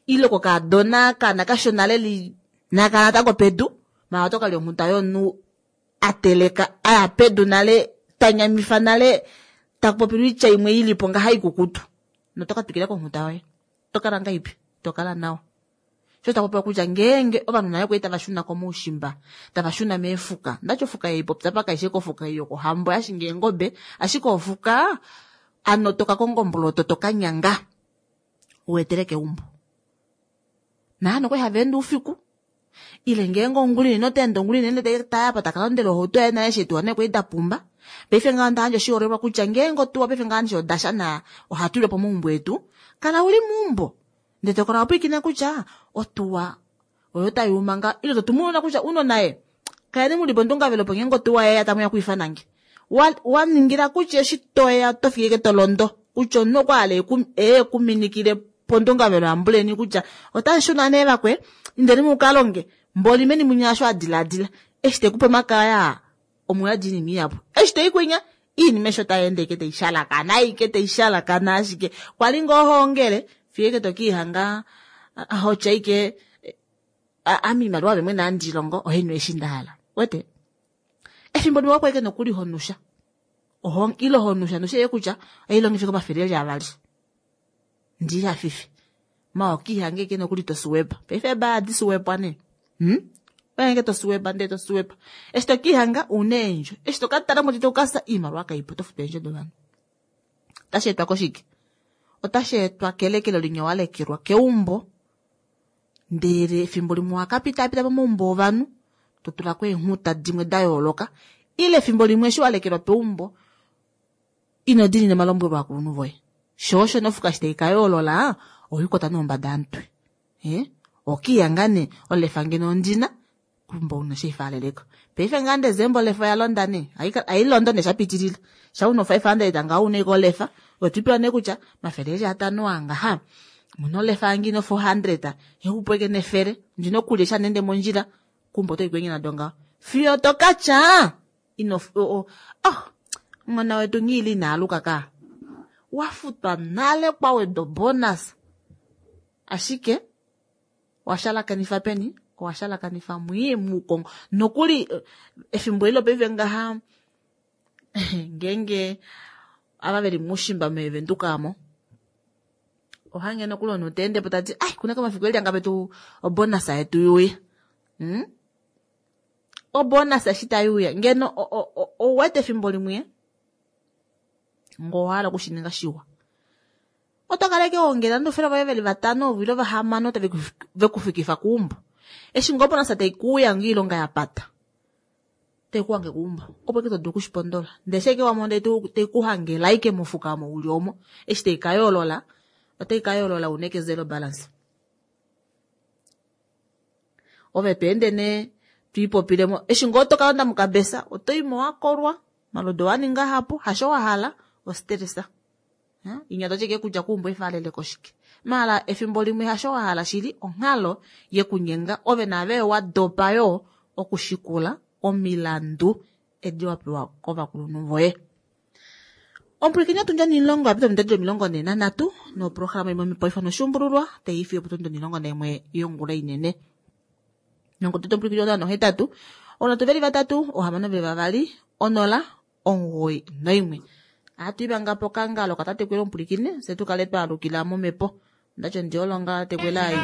ile kokaadona kaana kashona leli naka natango pedu, maala oto ka lya onghuta yomunhu a teleka a ya pedu nale, ta nyamifa nale, ta popilwa oitya imwe i li po ngaha ikukutu. Noto ka twikila konghuta yoye. To kala ngahelipi? To kala nawa. Sho ta popiwa kutya ngeenge ovanhu nale kwali tava shuna komaushimba, tava shuna meefuka. Ndati ofuka ei popya pa kaishe kofuka ei yokohambo ya shinga eengobe, ashike ofuka ano to ka konga omboloto to ka nyanga u etele keumbo. Naano kwali hava ende oufiku ile ngeenge ongula inene ota ende ongula inene ta ya pa taka londela ohauto yaye nale eshi eetuwa nee kwali da pumba. Paife ngaho onda yandja oshiholelwa kutya ngeenge otuwa paife ngaho eshi odasha na ohatu ilwa pomaumbo etu, kala uli meumbo. Ndele to kala wa pwilikina kutya otuwa oyo tai uma nga ile to tumu ounona kutya ounona ye kaleni muli pondungavelo opo ngeenge otuwa yeya tamu ya okwiifana nge. Wa ningila kutya eshi toya oto fiki ashike to londo kutya omunhu okwa hala e ku minikile pondungavelo yambuleni kutya otamu shuna nee vakwe indeni mu ka longe mboli meni munya osho a diladila eshi te ku pe omakaya omuyadi oinima ihapu eshi te i kwinya iinima eshi otai ende ashike tai shalakana ashike tai shalakana ashike kwali ngoo hoongele fiyo ashike to kiihanga hotya ashike ame iimaliwa ove mwene handi longo ohainhu eshi nda hala wete efimbo limwe opo ashike nokuli honusha ile honusha nusha ye kutya oilongife komafele eli avali ndi hafife ma okiihange eke nokuli to suwepa paife ba adi suwepwa ne oyange to suwepa ndee to suwepa eshi to kiihanga una eendjo eshi to ka tala moti to kasa iimaliwa kaipo to futu eendjo dovanhu otashi etwa koshike otashi etwa kelekelo linya wa lekelwa keumbo ndele efimbo limwe owa ka pitaapita pomaumbo ovanhu to tula ko eenghuta dimwe da yooloka ile efimbo limwe eshi wa lekelwa peumbo ino diinina omalombwelo ovakulunhu voye. Sho osho nofuka eshi tai ka yoolola, ohoikwata nombada yomutwe. Eh? Okiya ngaa nee, olefa ngeno ondina, kumbo una shi faaleleko. Paife ngaa Desemba olefa oya londa nee. Ai londo nee sha pitilila. Sha una 500 ngaho una ike olefa, otwipewa nee kutya mafele eli atano angaha. Muna olefa yange ino 400, exupo ike nefele, ndina okulya eshi handi ende mondjila. Kumbo oto ikwenye nado ngaho. Fiyo to katya ino oh, oh, mwana wetu nghiili ina aluka ka. Wafutwa nale kwa wedwa bonus. Ashike washalakanifa peni? Owashalakanifa mwii muukongo. Nokuli efimbo eli lopaife ngaha ngeenge ava veli muushimba meevenduka amo ohange nokuli omunhu ta ende po tati ai kuna komafiku eli angape tu obonus yetu yuuya. Obonus eshi tayuuya ngeno ouwete efimbo limwe ngo owahala okushininga shiwa. Oto kala ashike wongela nande voye veli vatano ile vahamano tave kufikifa keumbo. Eshi ngoo obonus tai kuuya ngoo oilonga ya pata. Tai kuhange keumbo. Opo ike to dulu okushipondola. Ndele eshi ashike wamona tai kuhangela ashike mofuka omo uli omo. Eshi tai ka yoolola, otai ka yoolola uneke zero balance. Ove to ende nee twiipopilemo. Eshi ngoo to kalonda mokabesa, oto imo wakolwa, malodo wa ninga hapu, hasho wa hala, ostresa. Inya to tye kutya kuumbo efalele koshike. Mala efimbo limwe hasho wa hala shili onghalo yekunyenga ove naave wa dopa yo okushikula omilandu edi wa pewa kovakulunhu voye. Omupwilikini otundja onimulongo yapita omitatu 43 noprograma imwe mipoifa noshuumbululwa taifi yopotundi 11 yongula inene. Nongototo omupwilikini otano 8 onatu veli 3 ohamano veli 2 0 9 1. Ohatu ivanga po kangalo katatekwela omupwilikini se tukale twaalukila momhepo. Ndacho ndiolonga tekwela ai.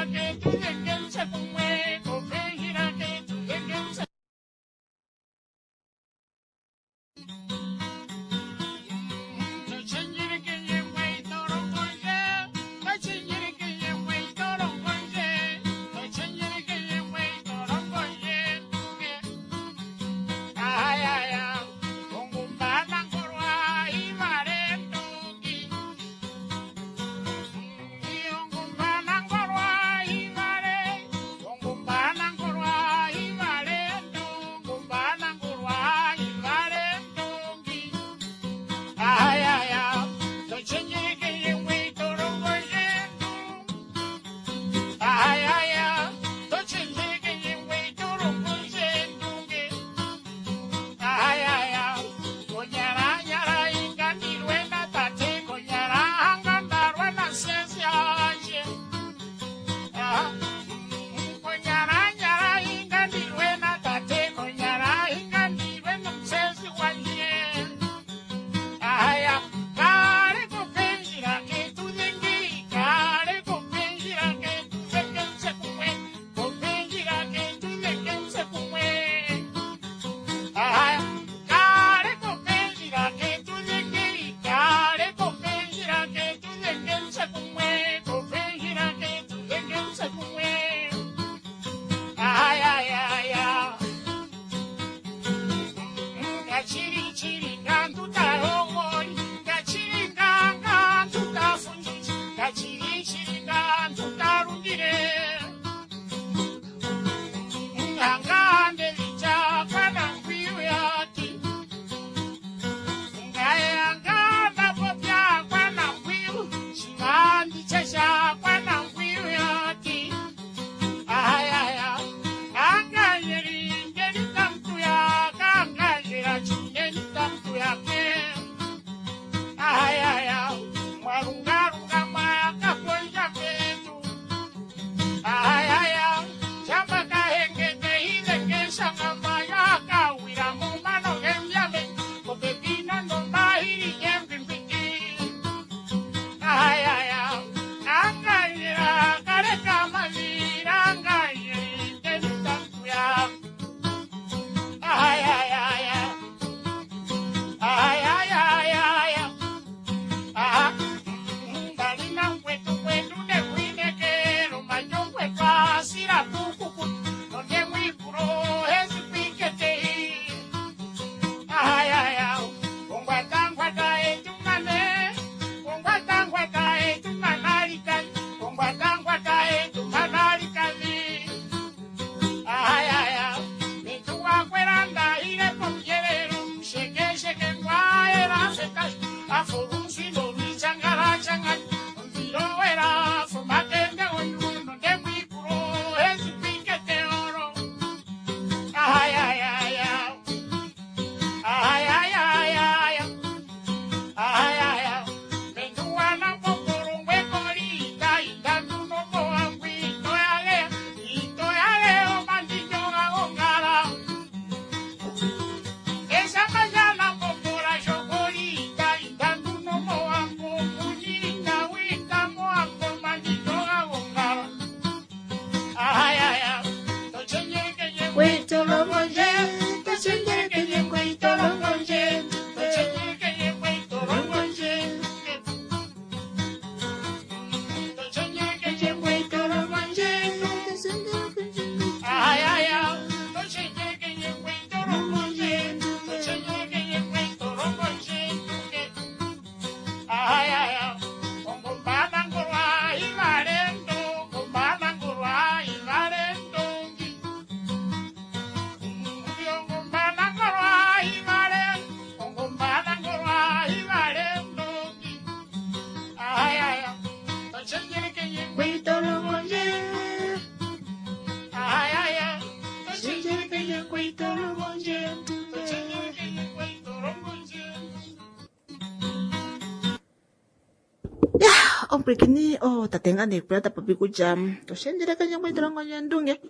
Ya omupwilikini oo tate ngaa nee kuya ta popi kutya toshendjele kendje to longo eendunge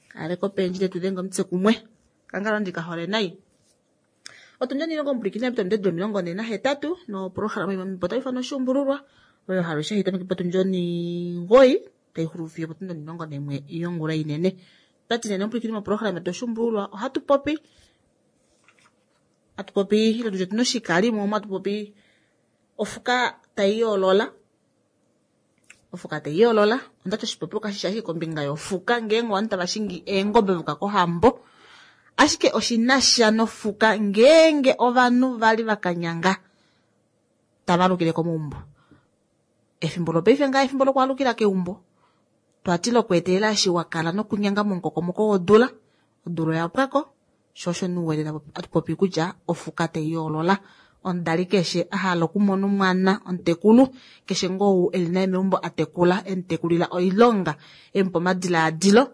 kaleko pendjile tu denge omutse kumwe kangalo ndika hole nai. Otundi onilongo omupwilikini yapita ominute 48 noprograma imwe otayi ifanwa oshuumbululwa oyo halushe hayi tameke potundi onimgoyi tai xulu fiyo opotundi 11 yongula inene. Otwati nene omupwilikini moprograma yetu oshuumbululwa ohatu popi hatu popi ile tutye otuna oshikalimo omo hatu popi ofuka tai yoolola. Ofuka tai yoolola ondati oshipopiwa kashi shi ashike kombinga yofuka ngeenge ovanhu tava shingi eengobe voka kohambo ashike oshinasha nofuka ngeenge ovanhu vali vakanyanga tava alukile komaumbo. Efimbo lopaife ngaa efimbo lokwaalukila keumbo twati lokweetelela eshi wakala nokunyanga momukokomoko wodula odula oya pwako sho osho nuwete atu popi kutya ofuka tai yoolola. Omudali keshe a hala okumona omwana omutekulu keshe ngoo ou eli naye meumbo a tekula emutekulila oilonga emupa omadilaadilo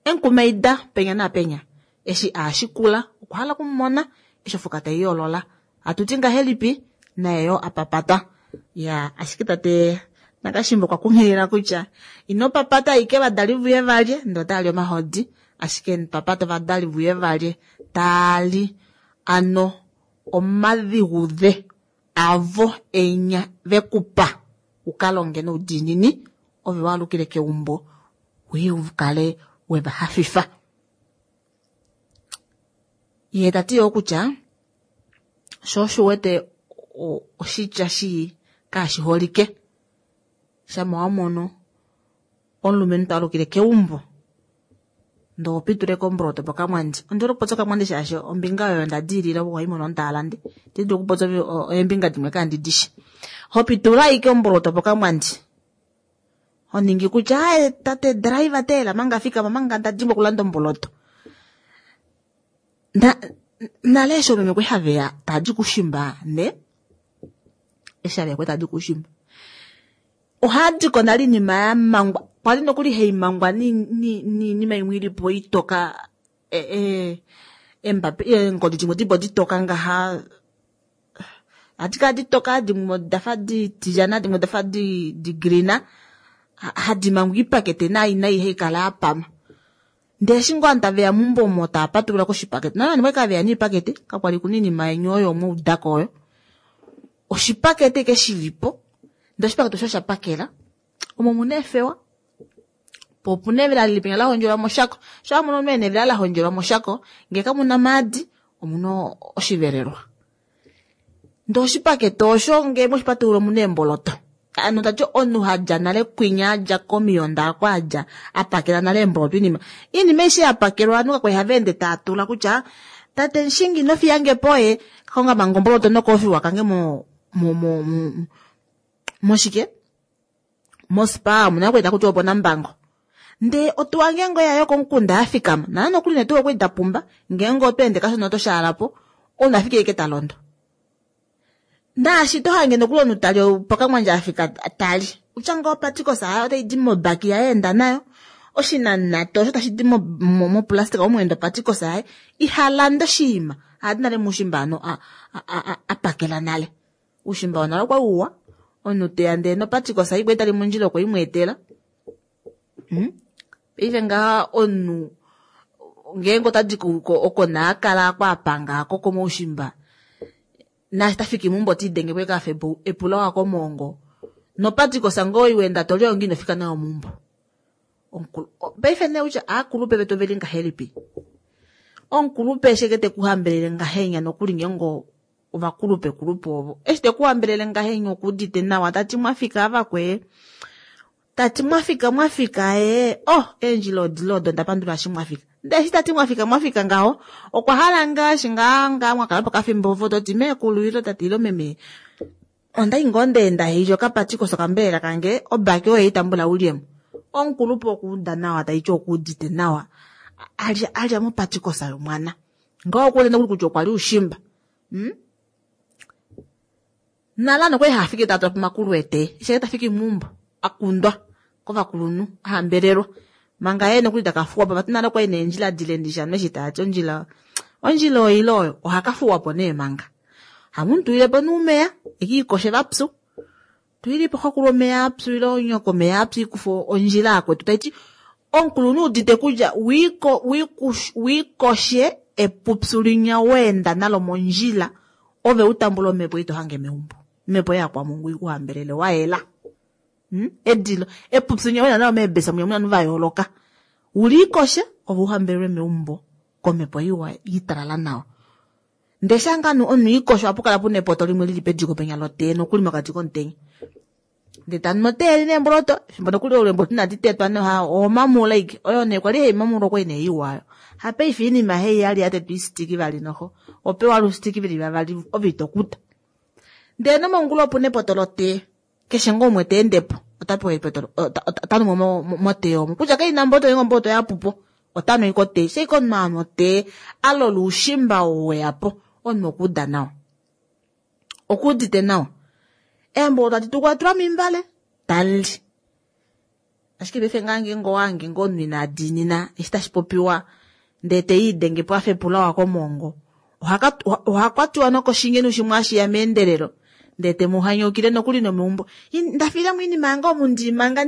emukumaida penya naapenya eshi aashikula okwa hala okumumona eshi ofuka tai yoolola. Hatuti ngahelipi naye yoo apapata. Ya ashike tate Nakashimba okwa kunghilila kutya ino papata ashike ovadali vuye valye ndee otali omahodi ashike papata ovadali vuye valye taali ano omadhigudhe avo enya vekupa uka longe noudiinini ove waalukile keumbo uye ukale weva hafifa. Ye tati yoo kutya sho osho uwete oshitya shii kashi holike shama wamono omulumenhu taalukile keumbo ndee ohopituleko omboloto pokamwandi. Ondihole okupopya okamwandi shaashi ombinga oyo nda diilila opo haimono omutaalande itandi dulu okupopya eembinga dimwe kandi dishi. Hopitula ashike omboloto pokamwandi honingi kutya aaye tate driver teela manga fikama manga nda dimbwa okulanda omboloto. Nale eshi oomeme kwali haveya tadi kushimba ne eshi haveya kwali tadi kushimba ohaadiko nale oinima ya mangwa kwali nokuli haimangwa niinima imwe ilipo itoka eengodi dimwe dipo ditoka ngaha ohadi kala ditoka dimwe odafa ditilyana dimwe odafa digreena hadi mangwa oipakete nai nai haikala yapama. Ndee eshi ngoo ovanhu taveya meumbo omo tava patulula koshipakete nale ovanhu okwali haveya noipakete kakwali kuna oinima yeni oyo mwaudako oyo oshipakete ashike shilipo ndee oshipakete osho oshapakela omo omuna eefewa po opuna evela lili penya lahondjelwa moshako sho wamono omunhu ena evela lahondjelwa moshako ngee kamuna omaadi omuna oshivelelwa. Ndee oshipakete osho ngee mweshipatulula omuna eemboloto ano tati omunhu hadja nale kwinya adja komiyonda oko adja apakela nale eemboloto oinima oinima aishe yapakelwa ovanhu kakwali hava ende tava tula kutya tate mushingi ino fiyangepo ye konga manga omboloto nokofiwa kange mo mo mo moshike mospa omuna kwali takuti opo Nambango. Ndee otuwa ngeenge oya yokomukunda yafikama nana nokuli netuwa okwali dapumba ngeenge oto ende kashona oto shaalapo omunhu afike ashike talondo. Naashi tohange nokuli omunhu tali pokamwandje afika tali utya ngoo opatikosa yaye otaidi mobaki yaye enda nayo oshinanato osho tashi di moplastic omweenda opatikosa yaye ihalande oshiima ahadi nale muushimba ano apakela nale. Uushimba wonale okwali uwa omunhu teya ndee nopatikosa ikwali tali mondjila okwe imweetela. Paife ngaha omunhu ngeenge otadi oko naakala ako apanga ako komoushimba naashi tafiki meumbo otiidenge po ashike afa epula wakomoongo nopatikosa ngoo iwenda toli oyo ngoo inofika nayo meumbo. Paife nee kutya aakulupe vetu oveli ngahelipi omukulupe eshi ashike tekuhambelele ngahenya nokuli ngeenge ovakulupe kulupe ovo eshi tekuhambelele ngahenya okuudite nawa tati mwafika avakwee tati mwafika mwafika ee oh eendjila odile odo ndapandula eshi mwafika ndee eshi tati mwafika mwafika ngaho okwa hala ngaashi ngaa ngaa mwakala pokafimbo ovo toti meekulu ile tati ile meme ondai ngoo ndeenda hailya okapatikosa okambelela kange obaki oyo itambula ulyemo. Omukulupe okuuda nawa taiti okuudite nawa alya alya mopatikosa yomwana ngaho okuwete nokuli kutya okwa li ushimba. Nale ano okwali hafiki tatula pomakulu ete eshi tafiki meumbo akundwa kovakulunhu ahambelelwa manga yee nokuli takafuwapo vati nale okwali neendjila dile ndishano eshi taati ondjila ondjila oile oyo ohakafuwapo nee manga hamutulilepo nuumeya ekiikoshe vapyu. Tuilipo xokulu omeya apyu ile onyoko omeya apyu ikufa ondjila akwetu. Taiti omukulunhu udite kutya wiikoshe epupyu linya weenda nalo mondjila ove utambula omhepo ito hange meumbo. Omhepo yakwamungu ikuhambelele wayela. Edilo epupyu linya weenda nalo meebesa munya muna va yooloka. Uliikoshe ove uhambelelwe meumbo komhepo iwa italala nawa. Ndee nganu omunhu ikosho ohapu kala puna epoto limwe lili pediko penya lotee nokuli mokati komutenya. Ndee tanu otee li neemboloto fimbo nokuli eemboloto inadi tetwa noha omamula ike oyo nee kwali haimamulwa okwali nee iwa hapaife iinima hei yali yatetwa isitiki vali noho opewa lusitiki veli vavali ove itokuta. Ndee nomongula opuna epoto lotee keshe ngoo umwe teendepo otapewa epoto otanu motee omo kutya kaina mboloto nenge omboloto yapupo otanu ike otee shaike omunhu anu otee alola oushimba weyapo omunhu okuuda nawa okuudite nawa. Eemboloto tadi tukwatula mimbale tali ashike paife ngaa ngeenge owange ngoo omunhu ina diinina eshi tashi popiwa ndee teiidenge po afa epulawa komongo ohakwatiwa nokoshingenu shimwe ashiya meendelelo ndee temuhanyaukile nokuli nomeumbo ndafilamo iinima yange omu ndimanga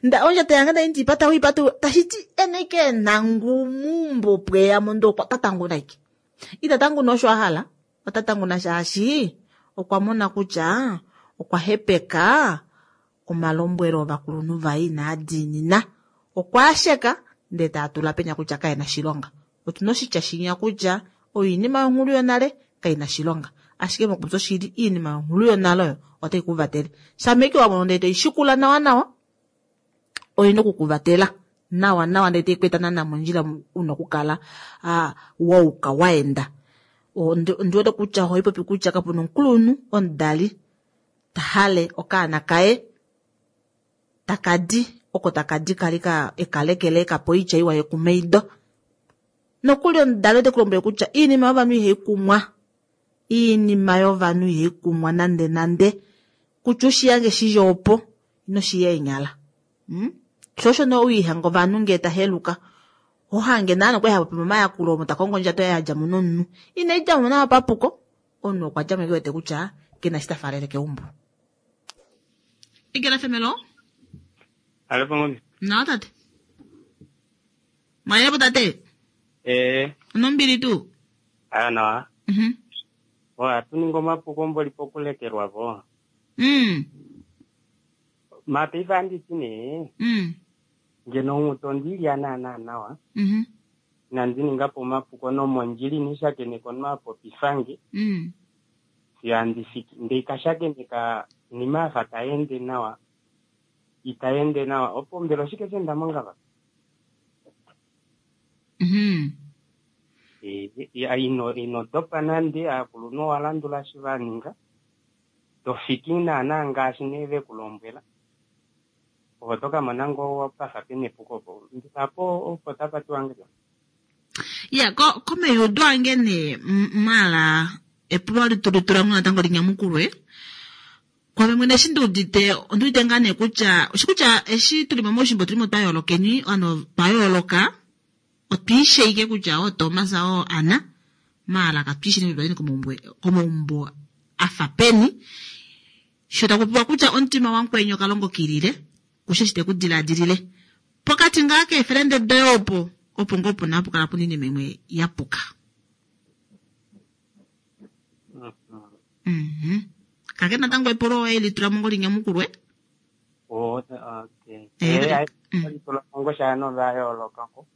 nda ondjato yange ndai ndiipata wiipata tashiti ena ike enangu muumbo pweyamo ndee okwa tatanguna ike ita tanguna osho ahala ota tanguna shaashi okwa mona kutya okwa hepeka omalombwelo ovakulunhu vaye inaa diinina okwa asheka ndee taatula penya kutya kaena shilonga. Otuna oshitya shinya kutya oinima yonghulu yonale kaina shilonga ashike mokupopya oshili iinima yonghulu yonale oyo otai kuvatele shameke wa mono ndee toishikula nawa nawa oyina okukuvatela nawa nawa ndee taikweta naana mondjila una okukala wauka waenda. Ondiwete kutya ohaipopi kutya kapuna omukulunhu omudali tahale okaana kaye takadi oko takadi kali ekalekele ekapo oitya iwa yekumaido. Nokuli omudali ote kulombwele kutya iinima yovanhu ihaikumwa iinima yovanhu ihaikumwa nande nande kutya ushiyange shidje opo inoshiya eenyala. Sho osho nee owiihanga ovanhu ngee taheluka ohange naana okwali hapopi momayakulo omo takongo ondjato yaye yadjamo nomunhu inaidjamo nawa papuko omunhu okwa djamo eke wete kutya kena eshi tafalele keumbo. Igela femelo? Alo pangombe. Nawa tate. Mwayelepo tate? Onombili tuu? Aya nawa. Ohatu ningi omapuko mboli pokulekelwa po. Mapaife anditi nee ngeno omutu ondilya naana nawa inandi ningapo omapuko nomondjila inishakeneka omunhu apopifange fiyo andifiki ndee kashakeneka nima afa taende nawa itaende nawa opo mbela oshike shenda mongava? Ino dopa nande aakulunhu owalandula eshi vaninga tofiki naana ngaashi nee vekulombwela opo tokamona ngoo pafa pena epuko opo apo opo tapatiwa ngahelipi. Ya komeyudo ange nee mala epulo litulitulamo natango linyamukulwe kwame mwene eshi ndiudite ondiudite ngaa nee kutya oshikutya eshi tulimo moushimba otulimo twa yoolokeni ano twa yooloka otwiisheike kutya oo Thomas oo Anna maala katwiishini kutya komaumbo afa peni sho takupiwa kutya omutima wamukweni okalongo kilile kushe shi tekudiladilile pokati ngaa keefelende doye opo opo ngoo puna hapu kala puna iinima imwe yapuka. Kake natango epulo oye litulamo ngo linyamukulwe. Litulamo shaano va yoolokako.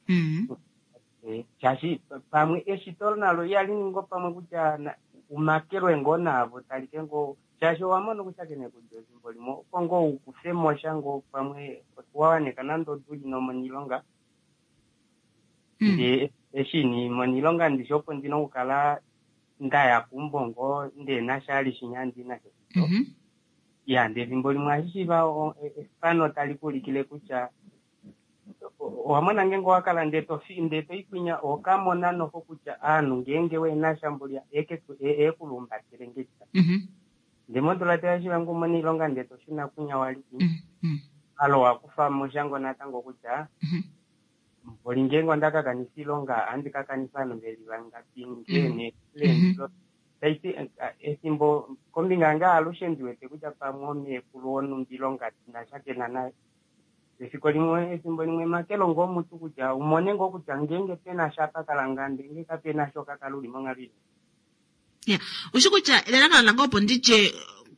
Shaashi pamwe eshito nalo ihali ningi pamwe kutya umakelwe ngoo naavo talike ngoo shaashi owamona okushakena kudja efimbo limwe opo ngoo ukufemo sha ngoo pamwe wawaneka nande oduli nomonilonga ndee eshi ni monilonga ndishi opo ndina okukala ndaya kumbo ngoo ndee nashali shinya ndina ya ndee efimbo limwe ashishiva efano tali kuulikile kutya owamona ngeenge owakala ndee toikwinya okamona noho kutya aanhu ngeenge wena shambulya eekulumbatele ngedita ndee modula toyashiva ngoo umone oilonga ndee toshuna kwinya wali alo wakufamo shango natango kutya mboli ngeenge ondakakanifa oilonga ohandi kakanifa ovanhu veli vangapi ngee nee Taiti efimbo kombinga yange alushe ndi wete kutya pamwe omeekulu wonhumba ilonga ndina naye. Efiko limwe efimbo limwe makelo ngoo omutu kutya umone ngoo kutya ngeenge pena sha pakala nga ndenge kapena sha okakala uli monghalo ili. Ya, ushi kutya elalakano lange opo nditye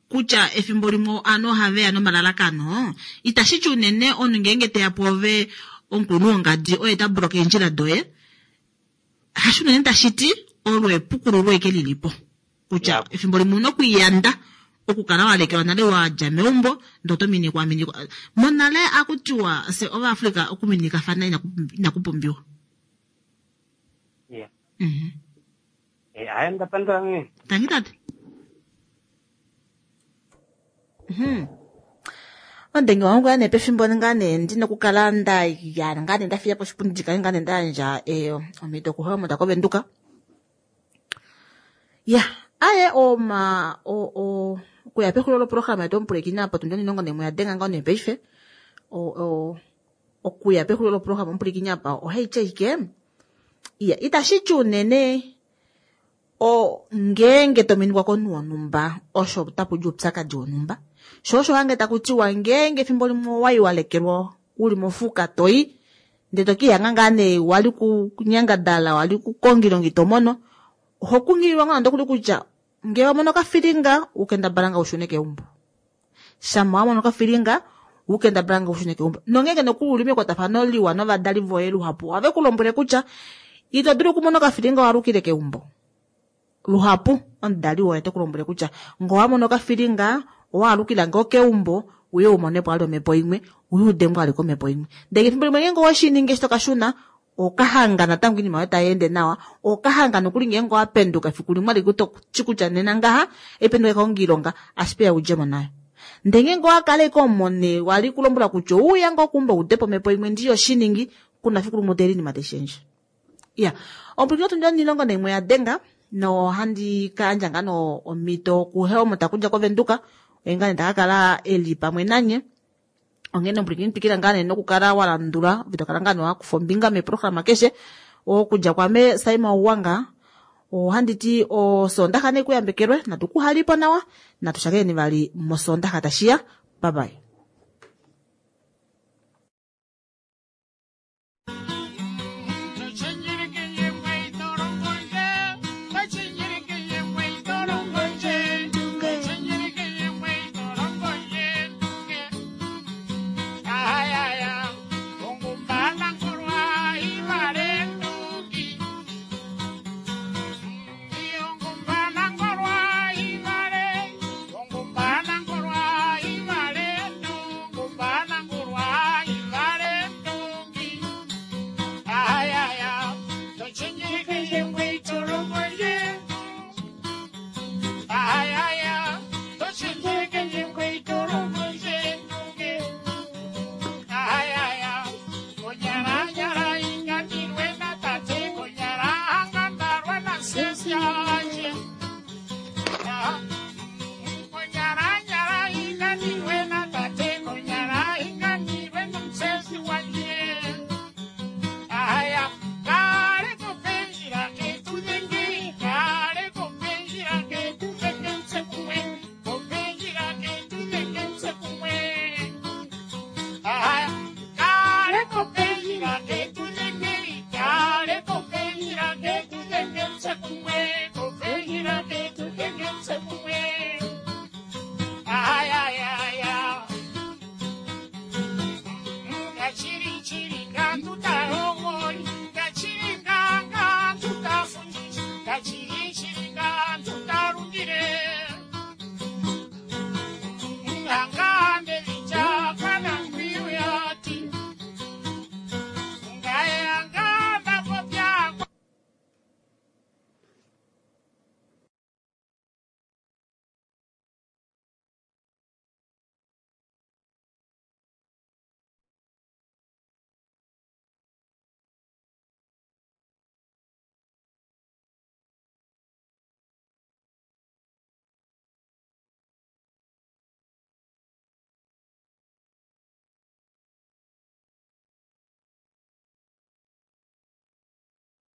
kutya efimbo limwe ovanhu ohaveya nomalalakano, itashi ti unene omunhu ngeenge teya pwoove omukulunhu wongadi oye ta bloka eendjila doye, hasho unene tashi ti olo epukululo eke lilipo. Kutya efimbo limwe ouna okwiiyanda okukala wa lekelwa nale wa dja meumbo ndee oto minikwa minikwa. Monale akutiwa fye Ovaafrika okuminikafana inaku pumbiwa. Yeah. Eh, aya ndapandula meme. Tangi tate. Ondenge wangu ngaa nee pefimbo ngaa nee ndina okukala nda ya ngaa nee nda fiya po oshipundi ndikale ngaa nee nda yandja omhito kuHelmut koVenduka. Ya, aye oma o o okuya pexulilo loprograma yetu omupulekini apa otundi 11 ya denga ngoo nee paife. O o okuya pexulilo loprograma omupulekini apa ohaiti ashike iya itashi ti unene o ngeenge to minikwa komunhu wonhumba osho tapu di oupyakadi wonhumba. Sho osho hange taku tiwa ngeenge efimbo limwe owai wa lekelwa uli mofuka toi ndee to kiihanga ngaa nee wali kunyangadala wali kukonga oilonga ito mono, oho kunghililwa ngoo nande okuli kutya ngee wa mono okafilinga ukendabala nga ushune keumbo. Shama wa mono okafilinga ukendabala nga ushune keumbo. Nongeenge nokuli uli mekwatafano liwa novadali voye luhapu ohave ku lombwele kutya ito dulu okumona okafilinga walukile keumbo. Luhapu omudali woye ote ku lombwele kutya ngee owa mono okafilinga owaalukila ngoo keumbo uye umonepo vali omhepo imwe uye udengwe vali komhepo imwe. Ndele efimbo limwe ngeenge oweshi ningi eshi tokashuna okahanga natango oinima yoye tai ende nawa, okahanga nokuli ngeenge owa penduka efiku limwe alike toti kutya nena ngaha ependuka kaonga oilonga ashike ya udjemo nayo. Ndele ngeenge owa kala ashike omone wali kulombwela kutya ouya ngoo keumbo udepo omhepo imwe ndiyo shiningi kuna fiku limwe utele oinima tai shendje. Ya, ompwilikini otundi 11 ya denga nohandi ka yandja ngaa no omhito kuHelmut okudja koVenduka oye ngaa nee taka kala eli pamwe nanye. Onghene ompwilikini twikila ngaa nee nokukala wa landula ove to kala ngaa nee wa kufa ombinga meprograma keshe. Okudja kwame Saima Uwanga ohandi ti osoondaxa ne kuyambekelwe natu kuhalipo nawa natu shakeneni vali mosoondaxa tashiya. Bye bye.